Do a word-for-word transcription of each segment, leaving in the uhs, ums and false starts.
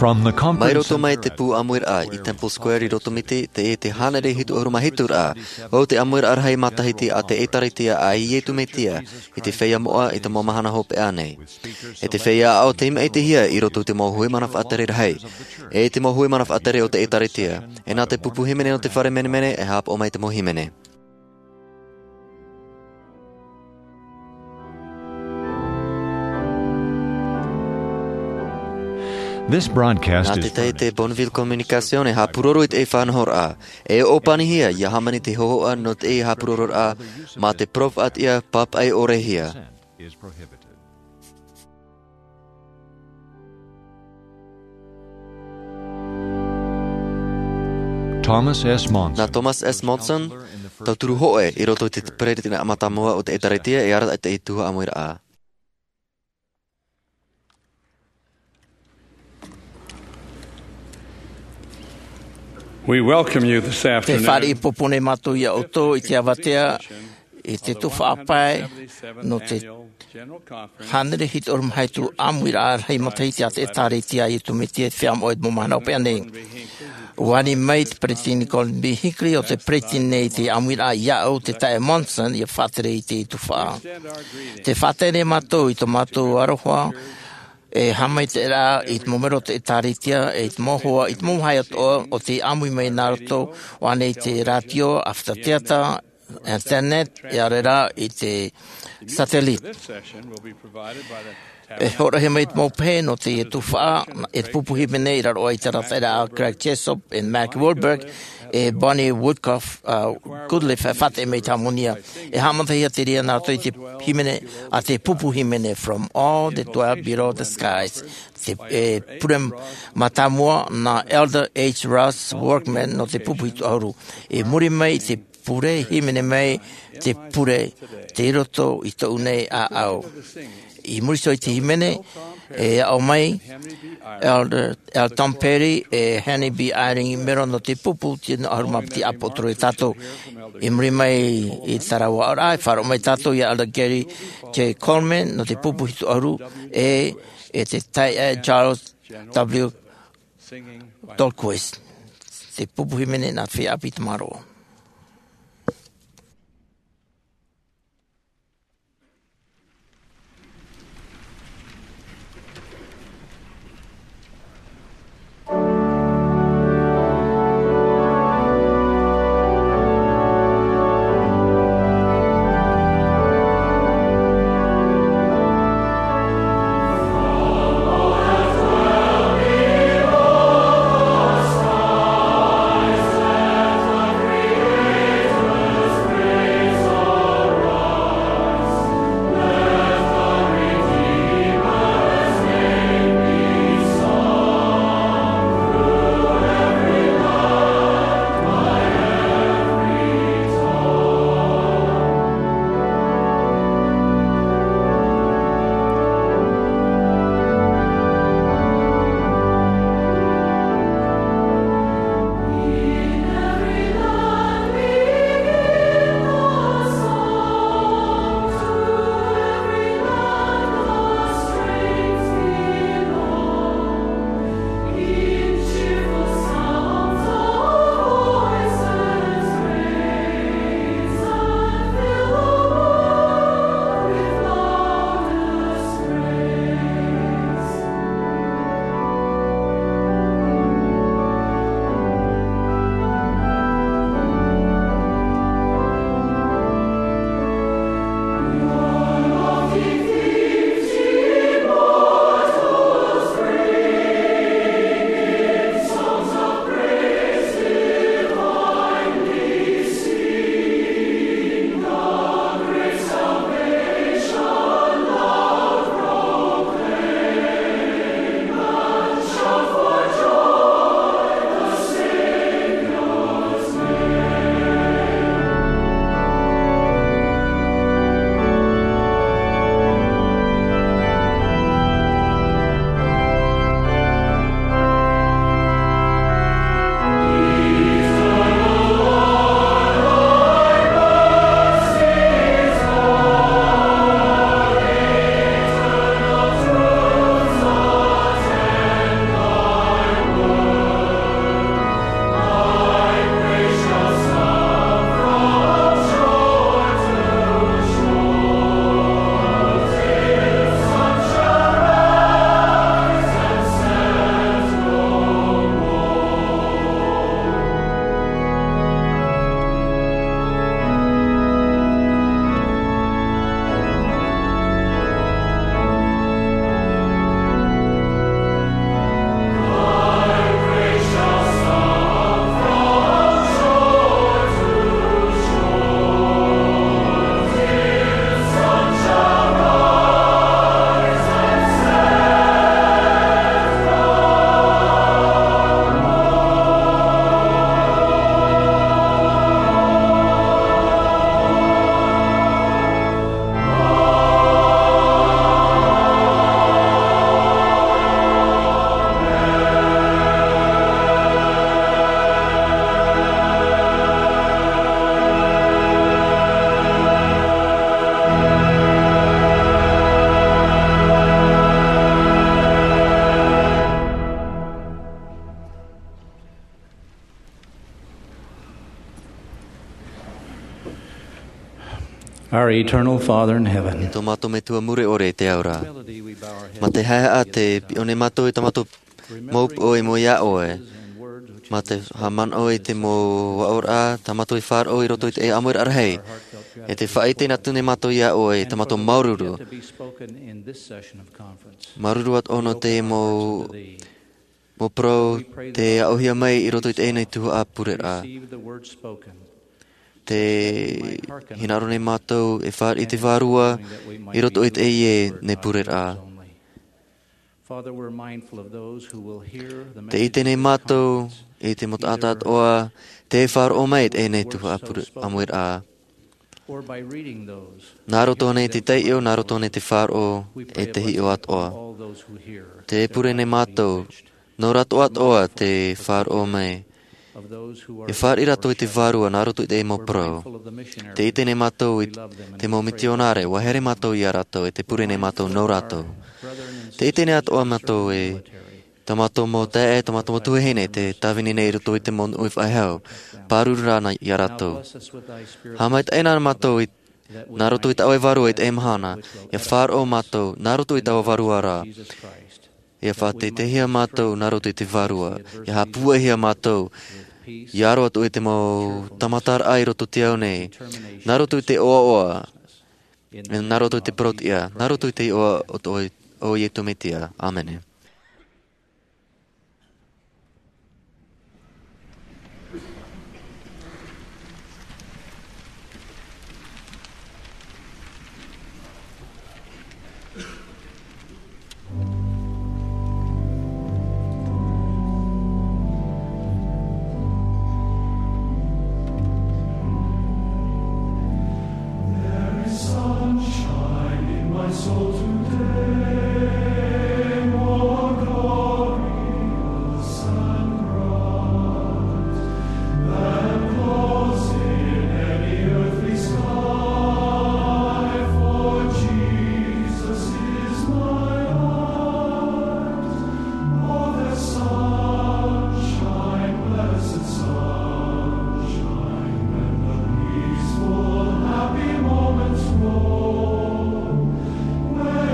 Mai roto mai te pū ʻāmuiraʻa i Temple Square i Rotomiti, teie te hānere hitu ʻahuru mā hitu ra, ʻo te ʻāmuiraʻa rahi matahiti a te ʻĒtārētia a Iesu Mesia, i te feiā moʻa i te mau mahana hopeʻa nei. E te feiā aʻo tei maʻitihia i roto i te mau hui mana faʻatere rahi, e te mau hui mana faʻatere o te ʻĒtārētia, e nā te pupu hīmene o te fare menemene e haʻapaʻo mai te mau hīmene. Nā te tahi te Bonneville Communication e haʻapūroro i te faʻanahoraʻa, e ʻōpanihia ia hāmani te hōhoʻa nō te haʻapūrororaʻa mā te parau faʻatiʻa pāpaʻi ʻore hia. Thomas S. Monson. Nā Thomas S. Monson, tauturu hōʻē i roto i te peresideni mātāmua o te ʻĒtārētia e arataʻi i te tuhaʻa ʻāmuiraʻa. We welcome you this afternoon. Te fāriʻi pōpō nei mātou ia ʻoutou i te avatea i te tuhaʻa pae nō te hānere hitu ʻahuru mā hitu ʻāmuiraʻa rahi matahiti a te ʻĒtārētia a Iesu Mesia i te feiā moʻa i te mau mahana hopeʻa nei. ʻUa ani mai te peresideni Gordon B. Hinckley ʻo te peresideni nei i te ʻāmuiraʻa ia ʻoutou te taeaʻe Monson ia faʻatere i te tuhaʻa. Tē faʻatere nei mātou i tō mātou aroha e haʻamaitaʻiraʻa i te mau melo o te ʻĒtārētia, e i te mau hoa, i te mau vāhi atoʻa o tei ʻāmui mai nā roto, ʻo ʻānei i te rātio, ʻāfata teata, internet, e ʻaore rā i te satellite. E hōroʻahia mai te mau pehe nō teie tuhaʻa, e te pupu hīmene i raro aʻe i te arataʻiraʻa a Greg Jessop, e Mac Wilberg, e Bonnie Woodcock, uh, Goodliffe, e faʻatere mai i te hāmani. E haʻamatahia te reira nā roto i te hīmene, a te pupu hīmene, From All That Dwell Below the Skies. Te, e, pure mātāmua nā Elder H. Russ Workman nō te pupu hitu ʻahuru. I muri mai i te pure, hīmene mai te pure, tei roto i tōʻu nei ʻāʻau. I muri iho i te hīmene, e aʻo mai Elder L. Tom Perry, e Henry B. Eyring i mero nō te pupu, tino ʻahuru mā piti ʻāpoʻotoro ia tātou. I muri mai i terā aʻoraʻa, e faʻaroʻo mai tātou ia Elder Gary J. Coleman nō te pupu hitu ʻahuru, e, e te taeaʻe Charles W. Tolquist. Te pupu hīmene nā te feiā ʻāpī Tamaro. Our eternal Father in heaven. E tō mātou Metua mure ʻore i te ao ra. Mā te haʻehaʻa te piʻo nei mātou i tā mātou mau upoʻo i mua iā ʻoe. Mā te haʻamanaʻo i te mau aʻoraʻa tā mātou i faʻaroʻo i roto i te ʻāmuiraʻa rahi. E te faʻaʻite atu nei mātou iā ʻoe i tā mātou māuruuru. Māuruuru atoʻa nō te mau, mau parau tei aʻohia mai i roto i teie nei tuhaʻa pureraʻa. Tē hinaʻaro nei mātou e fāriʻi i te Vārua i roto i teie nei pureraʻa. Tē ʻite nei mātou i te mau taʻata atoʻa tē faʻaroʻo mai i teie nei tuhaʻa pure-, ʻāmuiraʻa. Nā roto nei i te taiʻo, nā roto nei i te faʻaroʻo, e te hiʻo atoʻa. Tē pure nei mātou, nō rātou atoʻa tē faʻaroʻo mai. E fāriʻi rātou i te Vārua nā roto i te mau parau. Tē ʻite nei mātou i te mau mitionare, ʻua haere mātou iā rātou, e tē pure nei mātou nō rātou. Tē ʻite nei atoʻa mātou e tā mātou mau taeaʻe, tā mātou mau tuahine, tē tāvini nei i roto i te mau nūnaʻa faʻehau. Pāruru rā na iā rātou. Haʻamaitaʻi na mātou i, nā roto i tā ʻoe Vārua i teie mahana, ʻia faʻaroʻo mātou, nā roto i taua Vārua ra. ʻIa faʻateiteihia mātou nā roto i te Vārua, ʻia haʻapūaihia mātou, ʻia aro atu i te mau tāmataraʻa i roto i te ao nei, nā roto i te ʻoaʻoa, nā roto i te parauʻtiʻa, nā roto i te iʻoa o tō, o Iesu Mesia. ʻĀmene. There is sunshine in my soul today, more glorious and bright than clouds in any earthly sky, for Jesus is my light. Oh, the sunshine, blessed sunshine, when the peaceful, happy moments roll, when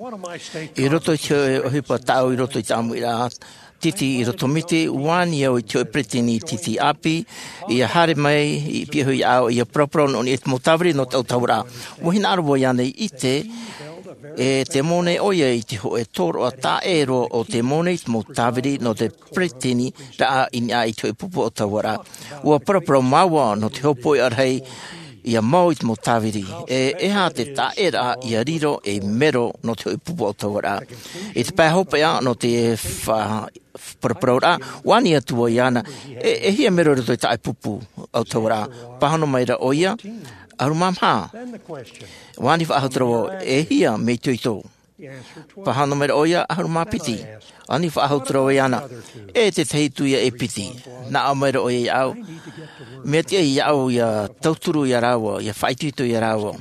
I roto i te ʻohipa tāʻu i roto i te ʻāmuiraʻa titi i roto miti, ua ani au i te hōʻē peretiteni titi ʻāpī, ia haere mai i piahi iāʻu, ia paraparau nō niʻa i te mau tāviri nō te autahuʻaraʻa. Ua hinaʻaro vau iāna i ʻite, e te mau nei ʻoia i te hōʻē tōroʻa taʻero o te mau nei i te mau tāviri nō te peretiteniraʻa i niʻa i te hōʻē pupu autahuʻaraʻa. Ua paraparau māua nō te hopoiʻa rahi ia mau i te mau tāviri. E, e aha te taʻeraʻa ia riro ei mero nō te hōʻē pupu autahuʻaraʻa. I te pae hopeʻa nō te fa-, paraparauraʻa, ua ani atu vau iāna, e, e hia mero i roto i tā ʻoe pupu autahuʻaraʻa? Pāhono mai ra ʻoia, ʻahuru mā maha. Ua ani faʻahou atu ra vau, e hia mea itoito? Pāhono mai ra ʻoia, ʻahuru mā piti. Ani faʻahou atu ra vau iāna, e tētahi atu ia e piti. Naʻo mai ra ʻoia iāʻu, mea tiʻa iāʻu ia tauturu ia rāua, ia faʻaitoito ia rāua.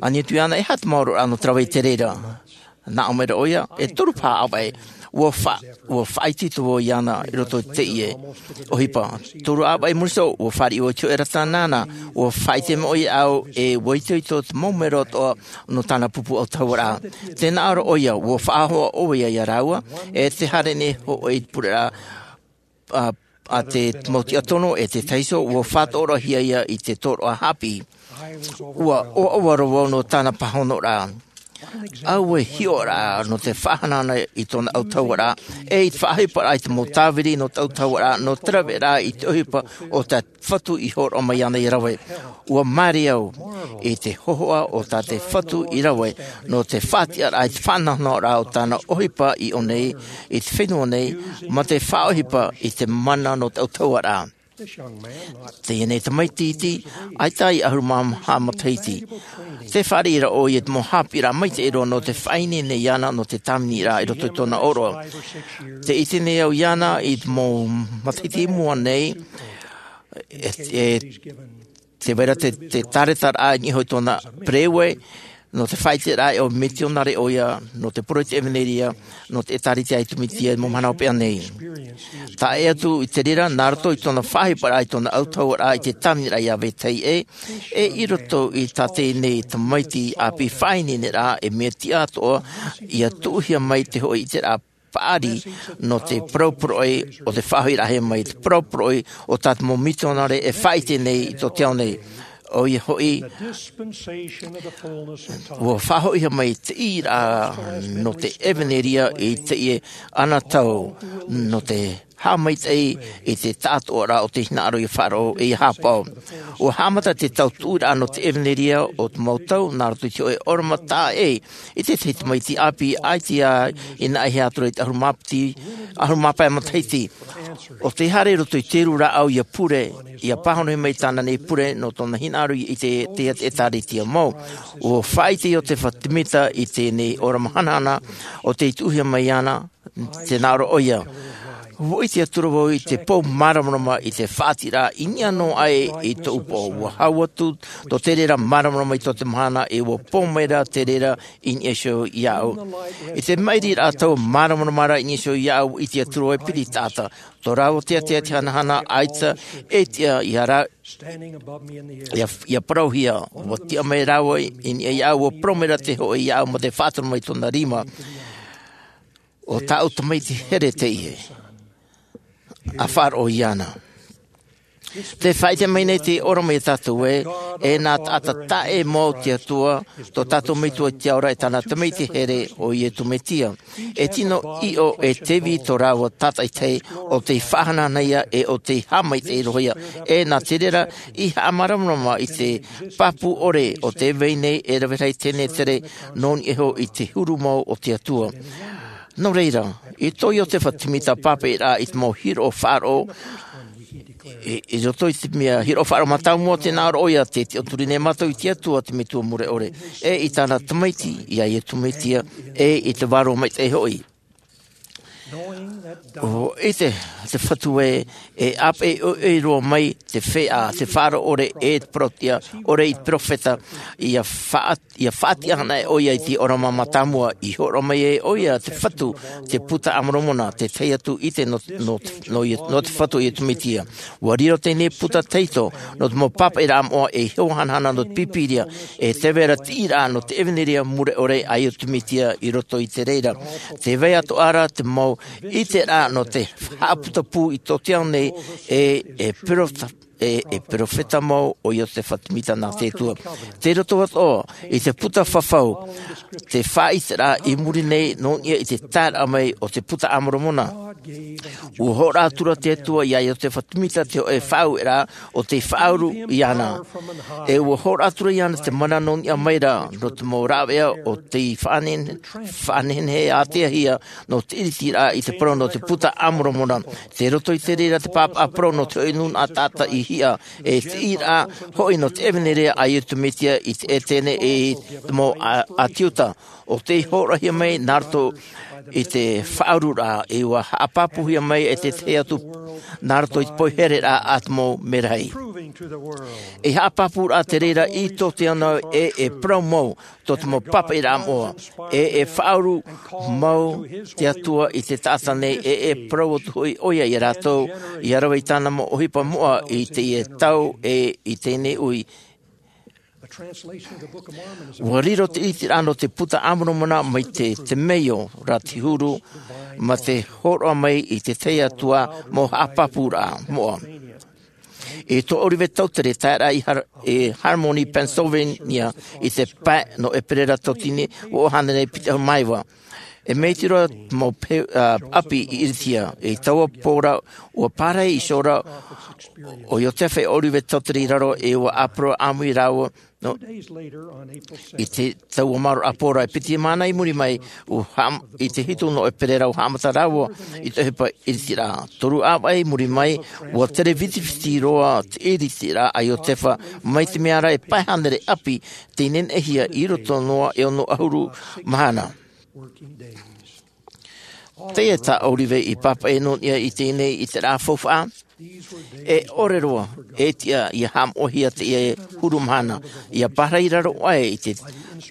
Ani atu iāna, e aha te maororaʻa nō te rave i te reira? Naʻo mai ra ʻoia, e toru paha ʻāvaʻe. Ua fa-, ua faʻaitoito vau iāna i roto i teie ʻohipa. Toru ʻāvaʻe i muri iho, ua fāriʻi vau i te hōʻē rata nāna, ua faʻaʻite mai ʻoia iāʻu, e ua itoito te mau mero atoʻa nō tāna pupu autahuʻaraʻa. Tē naʻo ra ʻoia, ua faʻahoʻi ʻoia ia rāua, e te haere nei hoʻi i te pureraʻa, a, a te mau tiʻa tono, e te taiso, ua faʻatoʻoraʻahia ia i te tōroʻa haʻapiʻi. Ua ʻoaʻoa roa vau nō tāna pāhonoraʻa. ʻAuē hiʻoraʻa nō te faʻahanahana i tōna autahuʻaraʻa, e i te faʻaʻohiparaʻa i te mau tāviri nō te autahuʻaraʻa, nō te raveraʻa i te ʻohipa o tā Fatu i hōroʻa mai ana i rave. Ua māere au i te hōhoʻa o tā te Fatu i rave, nō te faʻatiʻaraʻa i te faʻanahonahoraʻa o tāna ʻohipa i ʻō nei, i te fenua nei, mā te faʻaʻohipa i te mana nō te autahuʻaraʻa. Teie nei tamaiti iti, ʻaita i ʻahuru mā maha matahiti. Tē fāriʻi ra ʻoia i te mau haʻapiʻiraʻa maitaʻi roa nō te faʻaineine iāna nō te tāviniraʻa i roto i tōna ʻōroʻa. Tē ʻite nei au iāna i te mau matahiti i mua nei, e, e, tē vai ra te, te tāretaraʻa i niʻa iho i tōna pereue, nō te faʻaʻiteraʻa e ʻo mitionare ʻoia, nō te poro i te ʻevaneria, nō te ʻĒtārētia i Tū Mītia i te mau mahana hopeʻa nei. Tae atu i te reira, nā roto i tōna faʻaʻohiparaʻa i tōna autahuʻaraʻa i te tāviniraʻa iā vetahi ʻē, e i roto i tā teie nei tamaiti ʻāpī faʻaineineraʻa, e mea tiʻa atoʻa, ʻia tuʻuhia mai te hōʻē ʻiteraʻa paʻari nō te parau poroʻi o te faʻahoʻiraʻahia mai, te parau poroʻi o tā te mau mitionare e faʻaʻite nei i tō te ao nei. ʻOia hoʻi, ua faʻahoʻihia mai te ʻīraʻa nō te ʻevaneria i teie anotau, nō te haʻamaitaʻi i te taʻatoʻaraʻa o te hinaʻaro ʻia faʻaroʻo e ʻia haʻapaʻo. Ua haʻamata te tautuʻuraʻa nō te ʻevaneria o te mau tau, nā roto i te hōʻē ʻōrama taʻa ʻē, i te tahi tamaiti ʻāpī, ʻaita i naʻe hia atu ra i te ʻahuru mā piti, ʻahuru mā pae matahiti. ʻO tē haere i roto i te rū rāʻau ʻia pure, ʻia pāhonohia mai tāna nei pure nō tōna hinaʻaro i te, te, te ʻĒtārētia mau. Ua faʻaʻite Iosepha Semita i teie nei ʻōrama hanahana, ʻo tei tuʻuhia mai ana, tē nā ʻō ra ʻoia. Ua ʻite atu ra vau i te pou māramarama i te faʻatiʻaraʻa i niʻa noa aʻe i tōʻu pō. Ua hau atu tō te reira māramarama i tō te mahana, e ua pou mai ra te reira i niʻa iho iāʻu. I te maʻiriraʻa taua māramarama ra i niʻa iho iāʻu, ua ʻite atu ra vau e piri taʻata. Tō rāua teatea te hanahana, ʻaita e tiʻa ia rā, ʻia, ʻia parauhia. Ua tiʻa mai rāua i niʻa iāʻu, ua parau mai ra te hōʻē iāʻu mā te faʻaroʻo mai tōna rima. ʻO tāʻu tamaiti here teie. ʻA faʻaroʻo iāna. Tē faʻaʻite mai nei te ʻōrama iā tātou ē, e nā taʻata taʻe mau te Atua, tō tātou Metua i te ao ra e tāna tamaiti here ʻo Iesu Mesia. E tino ʻīʻo e te vī tō rāua tātaʻitahi, ʻo tei faʻahanahana ia e ʻo tei haʻamaitaʻi roa ia. E nā te reira, i haʻamāramarama i te pāpū ʻore o tē vai nei e rave rahi tenetere nō niʻa iho i te huru mau o te Atua. Nō reira, i tō Iosepha Semita pāpaʻiraʻa i te mau hiroʻa faʻaroʻo, i, i roto i te mea hiroʻa faʻaroʻo mātāmua, tē nā ʻō ra ʻoia, tē tiʻaturi nei mātou i te Atua, te Metua mure ʻore, e i tāna tamaiti, iā Iesu Mesia, e i te Vārua Maitaʻi hoʻi. ʻO ʻite te Fatu ē, e ʻāpeʻe ʻoiʻoi roa mai te feiā, te faʻaroʻo ʻore e te parau tiʻa ʻore i te peropheta, ia faʻa-, ia faʻatiʻa ana ʻoia i te ʻōrama mātāmua, i hōroʻa mai ai ʻoia te Fatu, te Puta a Moromona, te tahi atu ʻite nō, nō, nō, nō te Fatu o Iesu Mesia. ʻUa riro teie nei puta tahito nō te mau pāpaʻiraʻa moʻa e hiʻo hanahana nō te Pīpīria, e tē vai ra te tiʻiraʻa nō te ʻevaneria mure ʻore a Iesu Mesia i roto i te reira. Tē vai atoʻa ra te mau ʻiteraʻa nō te haʻaputapū i tō te ao nei e, e perofeta, e, e peropheta mau ʻo Iosefa Sāmita nā te Atua. Tei roto atoʻa i te puta fafau, te faʻaʻiteraʻa i muri nei nō niʻa i te taeraʻa mai o te Puta a Moromona. ʻUa hōroʻa atura te Atua ia Iosefa Sāmita te hōʻē faʻaueraʻa ʻo tei faʻauru iāna. E ʻua hōroʻa atura iāna te mana nō niʻa mai ra, nō te mau rāveʻa ʻo tei faʻane-, faʻanehenehe āteahia, nō te ʻiritiraʻa i te parau nō te Puta a Moromona. Tei roto i te reira te pāpaʻi parau nō te hōʻē nūnaʻa taʻata i hiʻa, e te tiʻiraʻa hoʻi nō te ʻevaneria a Iesu Mesia i te Etene e i te mau ʻā-, ʻĀti Iuta. ʻO tei hōroʻahia mai nā roto i te faʻaururaʻa, e ʻua haʻapāpūhia mai e te tahi atu nā roto i te poihereraʻa a te mau merahi. E haʻapāpūraʻa te reira i tō te ao nei e, e parau mau tō te mau pāpaʻiraʻa moʻa, e, e faʻauru mau te Atua i te taʻata nei, e, e parau atu hoʻi ʻoia ia rātou, ia rave i tāna mau ʻohipa moʻa i teie tau e i teie nei ui. ʻUa riro te ʻiteraʻa nō te Puta a Moromona mai te, te temeio ra te huru, mā te hōroʻa mai i te tahi atu mau haʻapāpūraʻa moʻa. I tō ʻōrave tautere taeraʻa i Har-, i Harmony, Pennsylvania, i te pae nō ʻEperēra tauatini, ua ʻohana nei piti ʻahuru mā iva. E mea iti roa mau pe-, ā, ʻapi i ʻiritia. I taua pō ra, ʻua pārahi iho ra ʻo Iosefa e ʻōrave tautere i raro, e ʻua ʻāparau ʻāmui rāua, nō, i te taua mārō ʻāpōraʻa, e piti mahana i muri mai, ʻua haʻam-, i te hitu nō ʻEperēra ʻua haʻamata rāua i te ʻohipa ʻiritiraʻa. Toru ʻāvaʻe i muri mai, ʻua tere vitiviti roa te ʻiritiraʻa a Iosefa, mai te mea ra e pae hānere ʻapi tei neneʻihia i roto noa e ono ʻahuru mahana. Teie tā ʻōrave i pāpaʻi nō niʻa i teie nei ʻiteraʻa faufaʻa. E ʻore roa e tiʻa ia haʻamoʻahia teie huru mahana, ia pārahi raro aʻe i te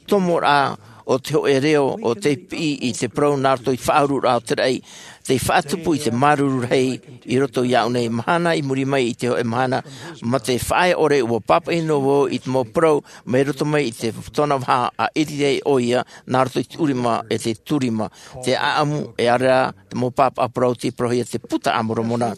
tomoraʻa o te hōʻē reo ʻo tei piʻi i te parau nā roto i te faʻaururaʻa o te raʻi, tei faʻatupu i te māuruuru rahi i roto iāʻu nei. Mahana i muri mai i te hōʻē mahana, mā te faʻaea ʻore ʻua pāpaʻi noa vau i te mau parau mai roto mai i te tōna vaha a ʻiritia ʻoia nā roto i te ʻurima e te turima, te ʻāʻamu, e ʻaore rā te mau pāpaʻi parau tei parauhia te Puta a Moromona.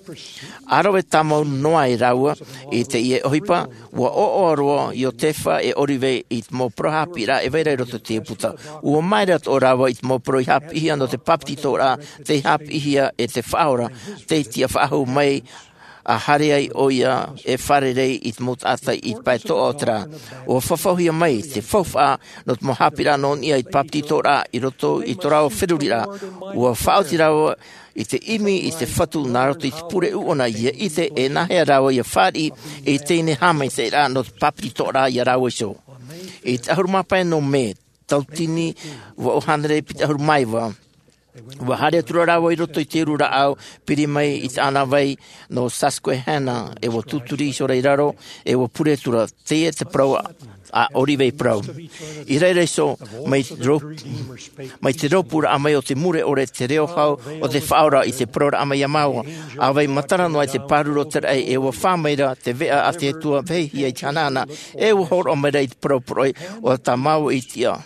ʻA rave tāmau noa ai rāua i teie ʻohipa, ʻua ʻoaʻoa roa Iosefa e ʻōrave i te mau parau haʻapiʻiraʻa e vai ra i roto i te puta. ʻUa māere atoʻa rāua i te mau parau i haʻapiʻihia nō te bāpetizoraʻa, tei haʻapiʻihia e te Faʻaora, tei tiʻa faʻahou mai, ʻa haere ai ʻoia e fārerei i te mau taʻata i te pae toʻa o te rā. ʻUa fafauhia mai te faufaʻa nō te mau haʻapiʻiraʻa nō niʻa i te bāpetizoraʻa i roto i tō rāua feruriraʻa. ʻUa faʻaoti rāua i te ʻimi i te Fatu nā roto i te pure ʻuʻana ia ʻite e nāhea rāua ia fāriʻi i teie nei haʻamaitaʻiraʻa nō te bāpetizoraʻa ia rāua iho. I te ʻahuru mā pae nō Mē, tauatini vaʻu hānere piti ʻahuru mā iva, ʻua haere atu ra rāua i roto i te uru rāʻau, piri mai i te ʻānāvai nō Susquehanna, e ʻua tūturi iho ra i raro, e ʻua pure atu ra. Teie te parau a ʻŌlive i parau. I reira iho, mai te rō-, mai te rōpūraʻa mai o te mure ʻore te reo hau o te Faʻaora i te parauraʻa mai iā māua. ʻA vai matara noa i te pāruru o te raʻi, e ʻua fā mai ra te veʻa a te Atua vehehia i te hanahana, e ʻua hōroʻa mai ra i te parau poroʻi, ʻo tā māua i tiʻa,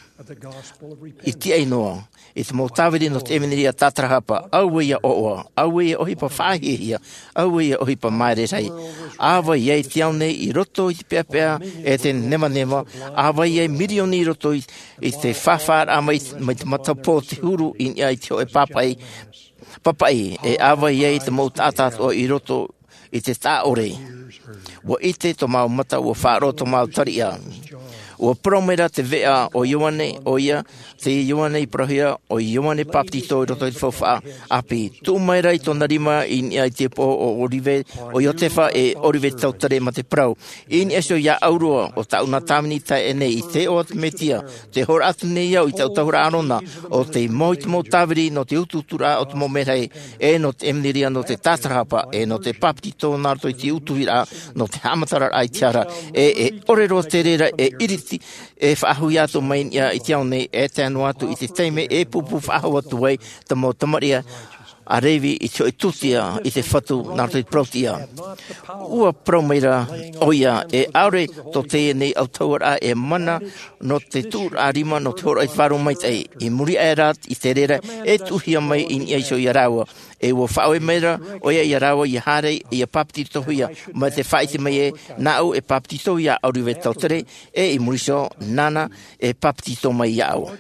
i tiʻa noa i te mau tāviri nō te ʻevaneria tātarahapa. Auē ia ʻoaʻoa, auē ia ʻohipa faʻahiahia, auē ia ʻohipa māere rahi. ʻA vai ai te ao nei i roto i te peʻapeʻa e te nevaneva, ʻa vai ai mirioni i roto i, i te fāfāraʻa mai, mai te matapō o te huru i niʻa i te hōʻē pāpaʻi, pāpaʻi, e ʻa vai ai te mau taʻata atoʻa i roto i te taʻa ʻore. ʻUa ʻite tō māua mata, ʻua faʻaroʻo tō māua tariʻa. Ua parau mai ra te veʻa o Ioane, ʻoia, te Ioane i parauhia, ʻo Ioane Papetito i roto i te faufaʻa ʻāpī. Tuʻu mai ra i tōna rima i niʻa i te upoʻo o Orive, ʻo Iotefa e Orive Tautere ma te parau. I niʻa iho iāʻu roa, ʻo tāʻu nā tāvini i tae aʻe nei i te iʻoa o te Mesia, tē hōroʻa atu nei au i te autahuʻaraʻa Arona, ʻo tē mau i te mau tāviri nō te utuuturaʻa o te mau merahi, e nō te ʻevaneria nō te tātarahapa, e nō te papetito nā roto i te utuhiraʻa, nō te haʻamataraʻa i te hara, e, e ʻore roa te reira e iriti, e faʻahou atu mai niʻa i te ao nei, e tae noa atu i te taime e pūpū faʻahou atu ai te mau tamariʻi a Revi i te hoʻi tūtia i te Fatu nā roto i te parau tiʻa. Ua parau mai ra ʻoia, e ʻaore tō teie nei autahuʻaraʻa e mana nō te tuʻuraʻa rima nō te hōroʻa i te Vārua Maitaʻi. I muri aʻe ra i te reira, e tuʻuhia mai i niʻa iho iā rāua. E ua faʻaue mai ra ʻoia iā rāua ʻia haere, ʻia papetitohia, mai te faʻaʻite mai ē, nāʻu e papetitohia ʻa Orive Tautere, e i muri iho, nāna e papetito mai iāʻu.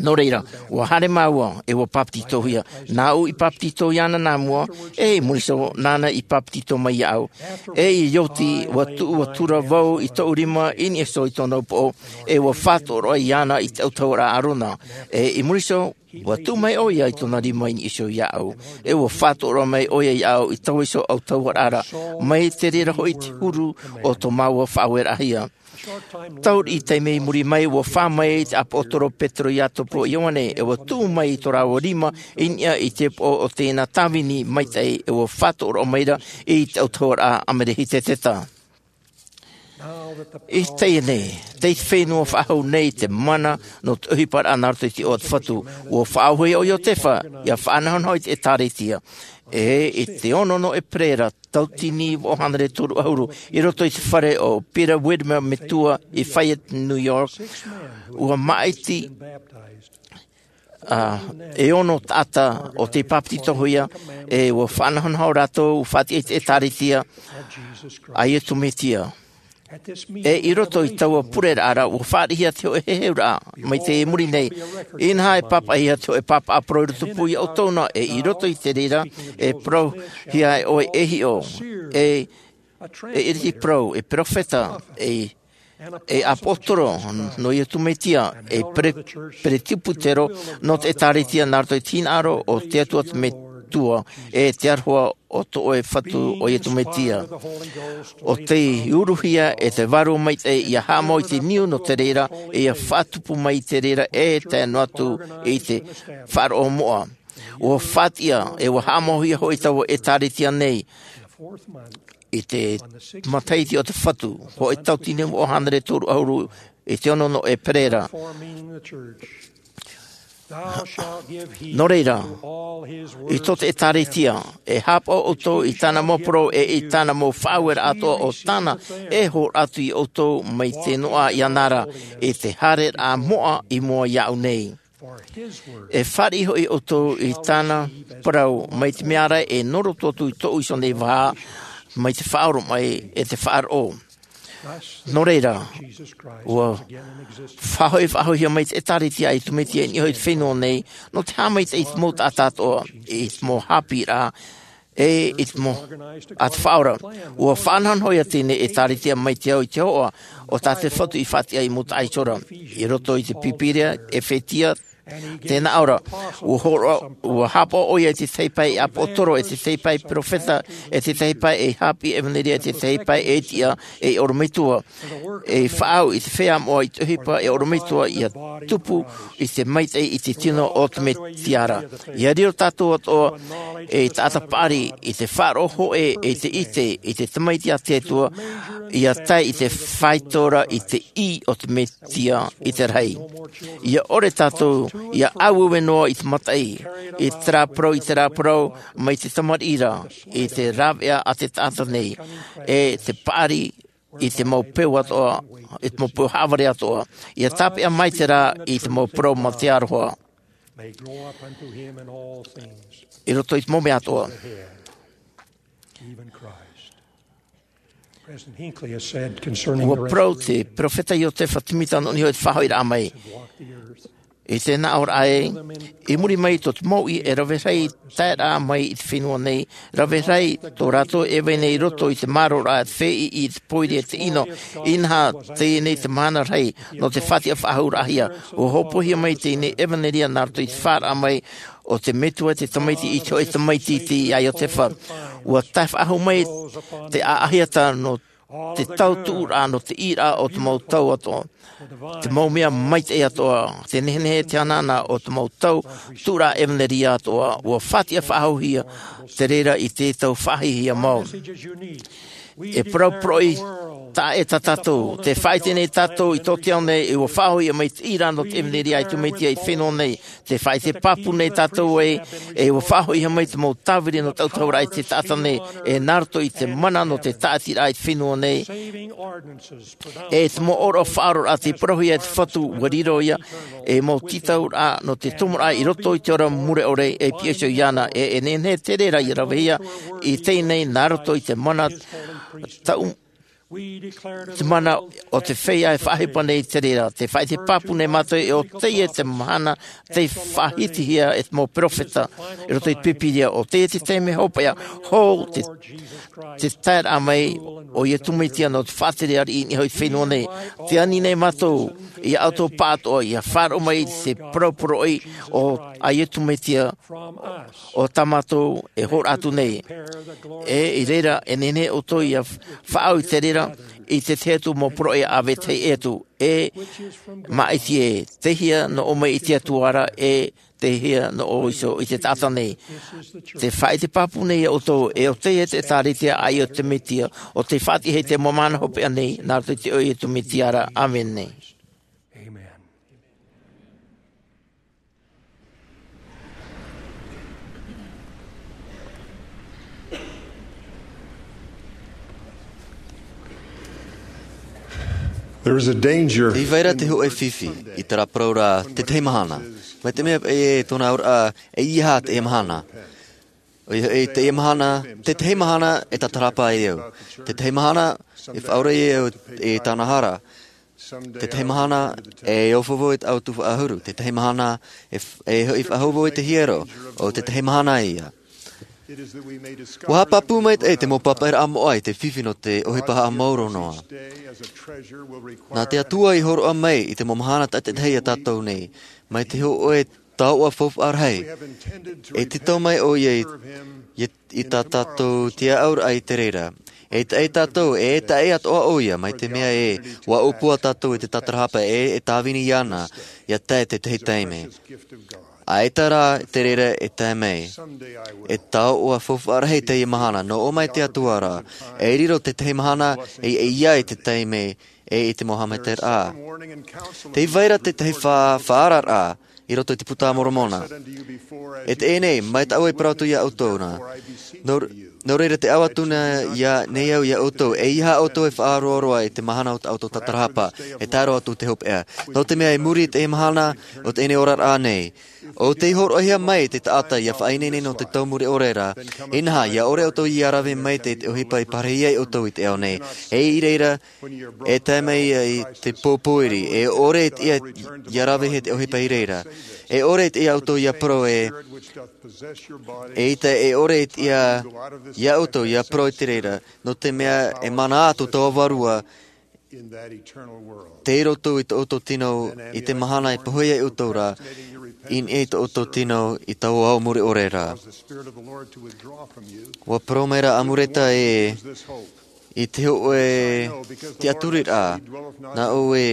Nō reira, ua haere māua, e ua papetitohia, nāʻu i papetito iāna nā mua, e i muri iho, nāna i papetito mai iāʻu. E i oti, ua tuʻu atu ra vau i tōʻu rima i niʻa iho i tōna upoʻo, e ua faʻatoʻo roa iāna i te autahuʻaraʻa Arona. E i muri iho, ua tuʻu mai ʻoia i tōna rima i niʻa iho iāʻu. E ua faʻatoʻo roa mai ʻoia iāʻu i taua iho autahuʻaraʻa ra, mai te reira hoʻi te huru o tō māua faʻaueraʻahia. Tau riʻi taime i muri mai, ua fā mai te ʻāpōsetolo Petero, Iakobo, Ioane, e ua tuʻu mai i tō rāua rima i niʻa i te upoʻo o teie nā tāvini maitaʻi, e ua faʻatoʻo roa mai ra i te autahuʻaraʻa Amelehiteseta. I teie nei, tei te fenua faʻahou nei te mana nō te ʻohiparaʻa nā roto i te iʻoa o te Fatu, ua faʻaauhia ʻo Iotefa ʻia faʻanahonaho i te ʻĒtārētia. E i te ono nō ʻEperēra, tauatini vaʻu hānere toru ʻahuru, i roto i te fare o Peter Widmer Metua i Fayette, New York, ua māʻiti, ā, e ono taʻata ʻo tei papetitohia, e ua faʻanahonaho rātou, ua faʻatiʻa i te ʻĒtārētia a Iesu Mesia. E i roto i taua pureraʻa ra, ua fāriʻihia te hōʻē heheuraʻa, mai te muri nei. Inaha, e pāpaʻihia te hōʻē pāpaʻi parau i rotopū iā ʻoutou na, e i roto i te reira, e parauhia e ʻoe e hiʻo, e, e iriti parau, e perofeta, e, e ʻāpōsetolo nō Iesu Mesia, e pere-, peresibutero nō te ʻĒtārētia nā roto i te hinaʻaro o te Atua te Metua, e te aroha o tō ʻoe Fatu ʻo Iesu Mesia. ʻO tei uruhia e te Vārua Maitaʻi ʻia haʻamau i te niu nō te reira, e ʻia faʻatupu mai i te reira, e tae noa atu i te faʻaroʻo moʻa. Ua faʻatiʻa, e ua haʻamauhia hoʻi taua ʻĒtārētia nei, i te matahiti o te Fatu, hōʻē tauatini vaʻu hānere toru ʻahuru, i te ono nō ʻEperēra. Nō reira, i tō te ʻĒtārētia, e haʻapaʻo ʻoutou i tāna mau parau, e i tāna mau faʻaueraʻa atoʻa ʻo tāna e hōroʻa atu iā ʻoutou mai te noaʻa iāna ra, i te haereraʻa moʻa i mua iāʻu nei. E fāriʻi hoʻi ʻoutou i tāna parau, mai te mea ra e nō roto atu i tōʻu iho nei vaha, mai te faʻaoromaʻi e te faʻaroʻo. Nō reira, ua faʻahoʻi, faʻahoʻihia mai te ʻĒtārētia a Iesu Mesia i niʻa iho i te fenua nei, nō te haʻamaitaʻi i te mau taʻata atoʻa, i te mau haʻapiʻiraʻa, e i te mau, a te Faʻaora. Ua faʻanahonahohia teie ʻĒtārētia mai te ao i te hoʻa, ʻo tā te Fatu i faʻatiʻa i mau taʻata iho ra. I roto i te Pīpīria, Efetia, tēnā ʻō ra, ua hōroʻa, ua haʻapaʻo ʻoia i te tahi pae ʻāpōsetolo, e te tahi pae perofeta, e te tahi pae e haʻapiʻi ʻevanelia, e te tahi pae e tiʻa ei ʻorometua, e faʻaau i te feiā moʻa i te ʻohipa e ʻorometua, ʻia tupu i te maitaʻi i te tino o te Mesia ra. ʻIa riro tātou atoʻa ei taʻata paʻari i te faʻaroʻo hōʻē, e te ʻite i te Tamaiti a te Atua, ʻia tae i te faito ra i te ʻī o te Mesia i te rahi. ʻIa ʻore tātou ʻia auaue noa i te mataʻi, i terā parau, i terā parau, mai te tamariʻi ra, i te rāveʻa a te taʻata nei, e te paʻari i te mau peu atoʻa, i te mau peu haʻavare atoʻa. ʻIa tāpeʻa maitaʻi rā i te mau parau mā te aroha. May grow up unto him in all things, i roto i te mau mea atoʻa. The head, even Christ. President Hinckley has said concerning the rest of the Ua parau te perofeta Iotefa Timita nō niʻa i te faʻahoʻiraʻa mai. Walk the earth. I te nāʻōraʻa ē, i muri mai tō te mouʻi e rave rahi taeraʻa mai i te fenua nei, rave rahi tō rātou e vai nei i roto i te māroraʻa, te feiʻi, i te pōiri e te ʻino. Inaha, teie nei te mahana rahi nō te faʻatiʻa faʻahou raʻahia. ʻUa hōpoihia mai teie nei ʻevanelia nā roto i te faʻaraʻa mai o te Metua te Tamaiti i te hōʻē tamaiti i te ʻāiʻa o te fā. ʻUa tae faʻahou mai te ʻaʻahiata nō te tau tuʻuraʻa, nō te ʻīraʻa o te mau tau atoʻa, te mau mea maitaʻi atoʻa, te nehenehe, te anaana o te mau tau tuʻuraʻa ʻevanelia atoʻa. ʻUa faʻatiʻa faʻahouhia te reira i te tau faʻahiahia mau. E parau poroʻi taʻa ʻē tā tātou, tē faʻaʻite nei tātou i tō te ao nei, e ʻua faʻahouhia mai te ʻīraʻa nō te ʻevanelia a Iesu Mesia i te fenua nei. Tē faʻaʻite pāpū nei tātou ē, e ʻua faʻahouhia mai te mau tāviri nō te ʻautahuʻaraʻa i te taʻata nei, e nā roto i te mana nō te tāʻatiraʻa i te fenua nei. E te mau ʻōroʻa faʻaroʻoraʻa tei parauhia e te Fatu, ʻua riro ia ei mau tītauraʻa nō te tomoraʻa i roto i te ora mure ʻore, e pihaʻi iho iāna, e, e nehenehe te reira ʻia ravehia i teie nei nā roto i te mana tau, te mana o te feiā e faʻaʻohipa nei te reira. Tē faʻaʻite pāpū nei mātou ē, ʻo teie te mahana tei faʻahitihia e te mau peropheta i roto i te Pīpīria, ʻo teie te taime hopeʻa hou te, te taeraʻa mai o Iesu Mesia nō te faʻatere ariʻi i niʻa i te fenua nei. Tē ani nei mātou ia ʻoutou pāʻatoʻa ʻia faʻaroʻo mai i te parau poroʻi o, a Iesu Mesia, ʻo tā mātou e hōroʻa atu nei. E i reira, e nehenehe ʻoutou ʻia faʻaau i te reira, i te tahi atu mau poroʻi ʻāvetahi ʻē atu, e māʻiti ē, tei hea nō ʻō mai i te Atua ra, e tei hea nō ʻō iho i te taʻata nei. Tē faʻaʻite pāpū nei ia ʻoutou ē, ʻo teie te ʻĒtārētia a Iesu Mesia, ʻo tei faʻatiʻahia i te mau mahana hopeʻa nei, nā roto i te iʻoa o Iesu Mesia ra. ʻĀmene. There is a danger. Tē vai ra te hōʻē fifi i terā parau ra, te tahi mahana. Mai te mea e, tōna auraʻa, ʻeiaha teie mahana. ʻOia hoʻi, teie mahana, te tahi mahana e tātarahapa ai au. Te tahi mahana e faʻaora ai au i tāna hara. Te tahi mahana e ofovo i te ʻautu faʻahuru. Te tahi mahana e f-, e hoʻi faʻahou i te hiero. ʻO te tahi mahana ia. ʻUa haʻapāpū maitaʻi te mau pāpaʻiraʻa moʻa i te fifi nō te ʻohipa haʻamaoro noa. Nā te Atua i hōroʻa mai i te mau mahana taʻa-, taʻa-, taʻa-, ia tātou nei, mai te hōʻē taoʻa faufaʻa rahi. E tītau mai ʻoia i, i, i tā tātou tiaʻauraʻa i te reira. E taʻa-, e tātou, e taʻa-, e atoʻa ʻoia, mai te mea ē, ʻua ʻōpua tātou i te tātarahapa ē, e tāvini iāna, ʻia tae te tahi taime. ʻAita rā te reira e tae mai. E taoʻa faufaʻa rahi teie mahana, nō ʻō mai te Atua ra, e riro te tahi mahana, e, e ʻia i te taime, e i te mau haʻamaitaʻiraʻa. Tē vai ra te tahi fa-, faʻaararaʻa i roto i te Puta a Moromona. E teie nei, mai tāʻu e parau atu ia ʻoutou na. Nō, nō reira tē ʻau atu na ia, nei au ia ʻoutou, ʻeiaha ʻoutou e faʻaroaroa i te mahana o tā ʻoutou tātarahapa, e tae roa atu te hopeʻa. Nō te mea i muri i teie mahana, ʻo teie nei oraraʻa nei. ʻO tei hōroʻahia mai te taʻata ʻia faʻaineine nō te tau mure ʻore ra, inaha, ʻia ʻore ʻoutou ʻia rave maitaʻi i te ʻohipa i parahi ai ʻoutou i te ao nei. E i reira, e tae mai ia i te pō pōiri, e ʻore i te ʻia, ʻia rave hia te ʻohipa i reira. E ʻore i te ʻia ʻoutou ʻia parau ē, eʻita e ʻore i te ʻia, ia ʻoutou ʻia parau i te reira, nō te mea e mana atu tō vārua, tei roto i tō ʻoutou tino i te mahana e pohe ai ʻoutou ra, i niʻa i tō ʻoutou tino i taua ao mure ʻore ra. ʻUa parau mai ra Amureta ē, i te hōʻē tiʻaturiraʻa, nā ʻō ē,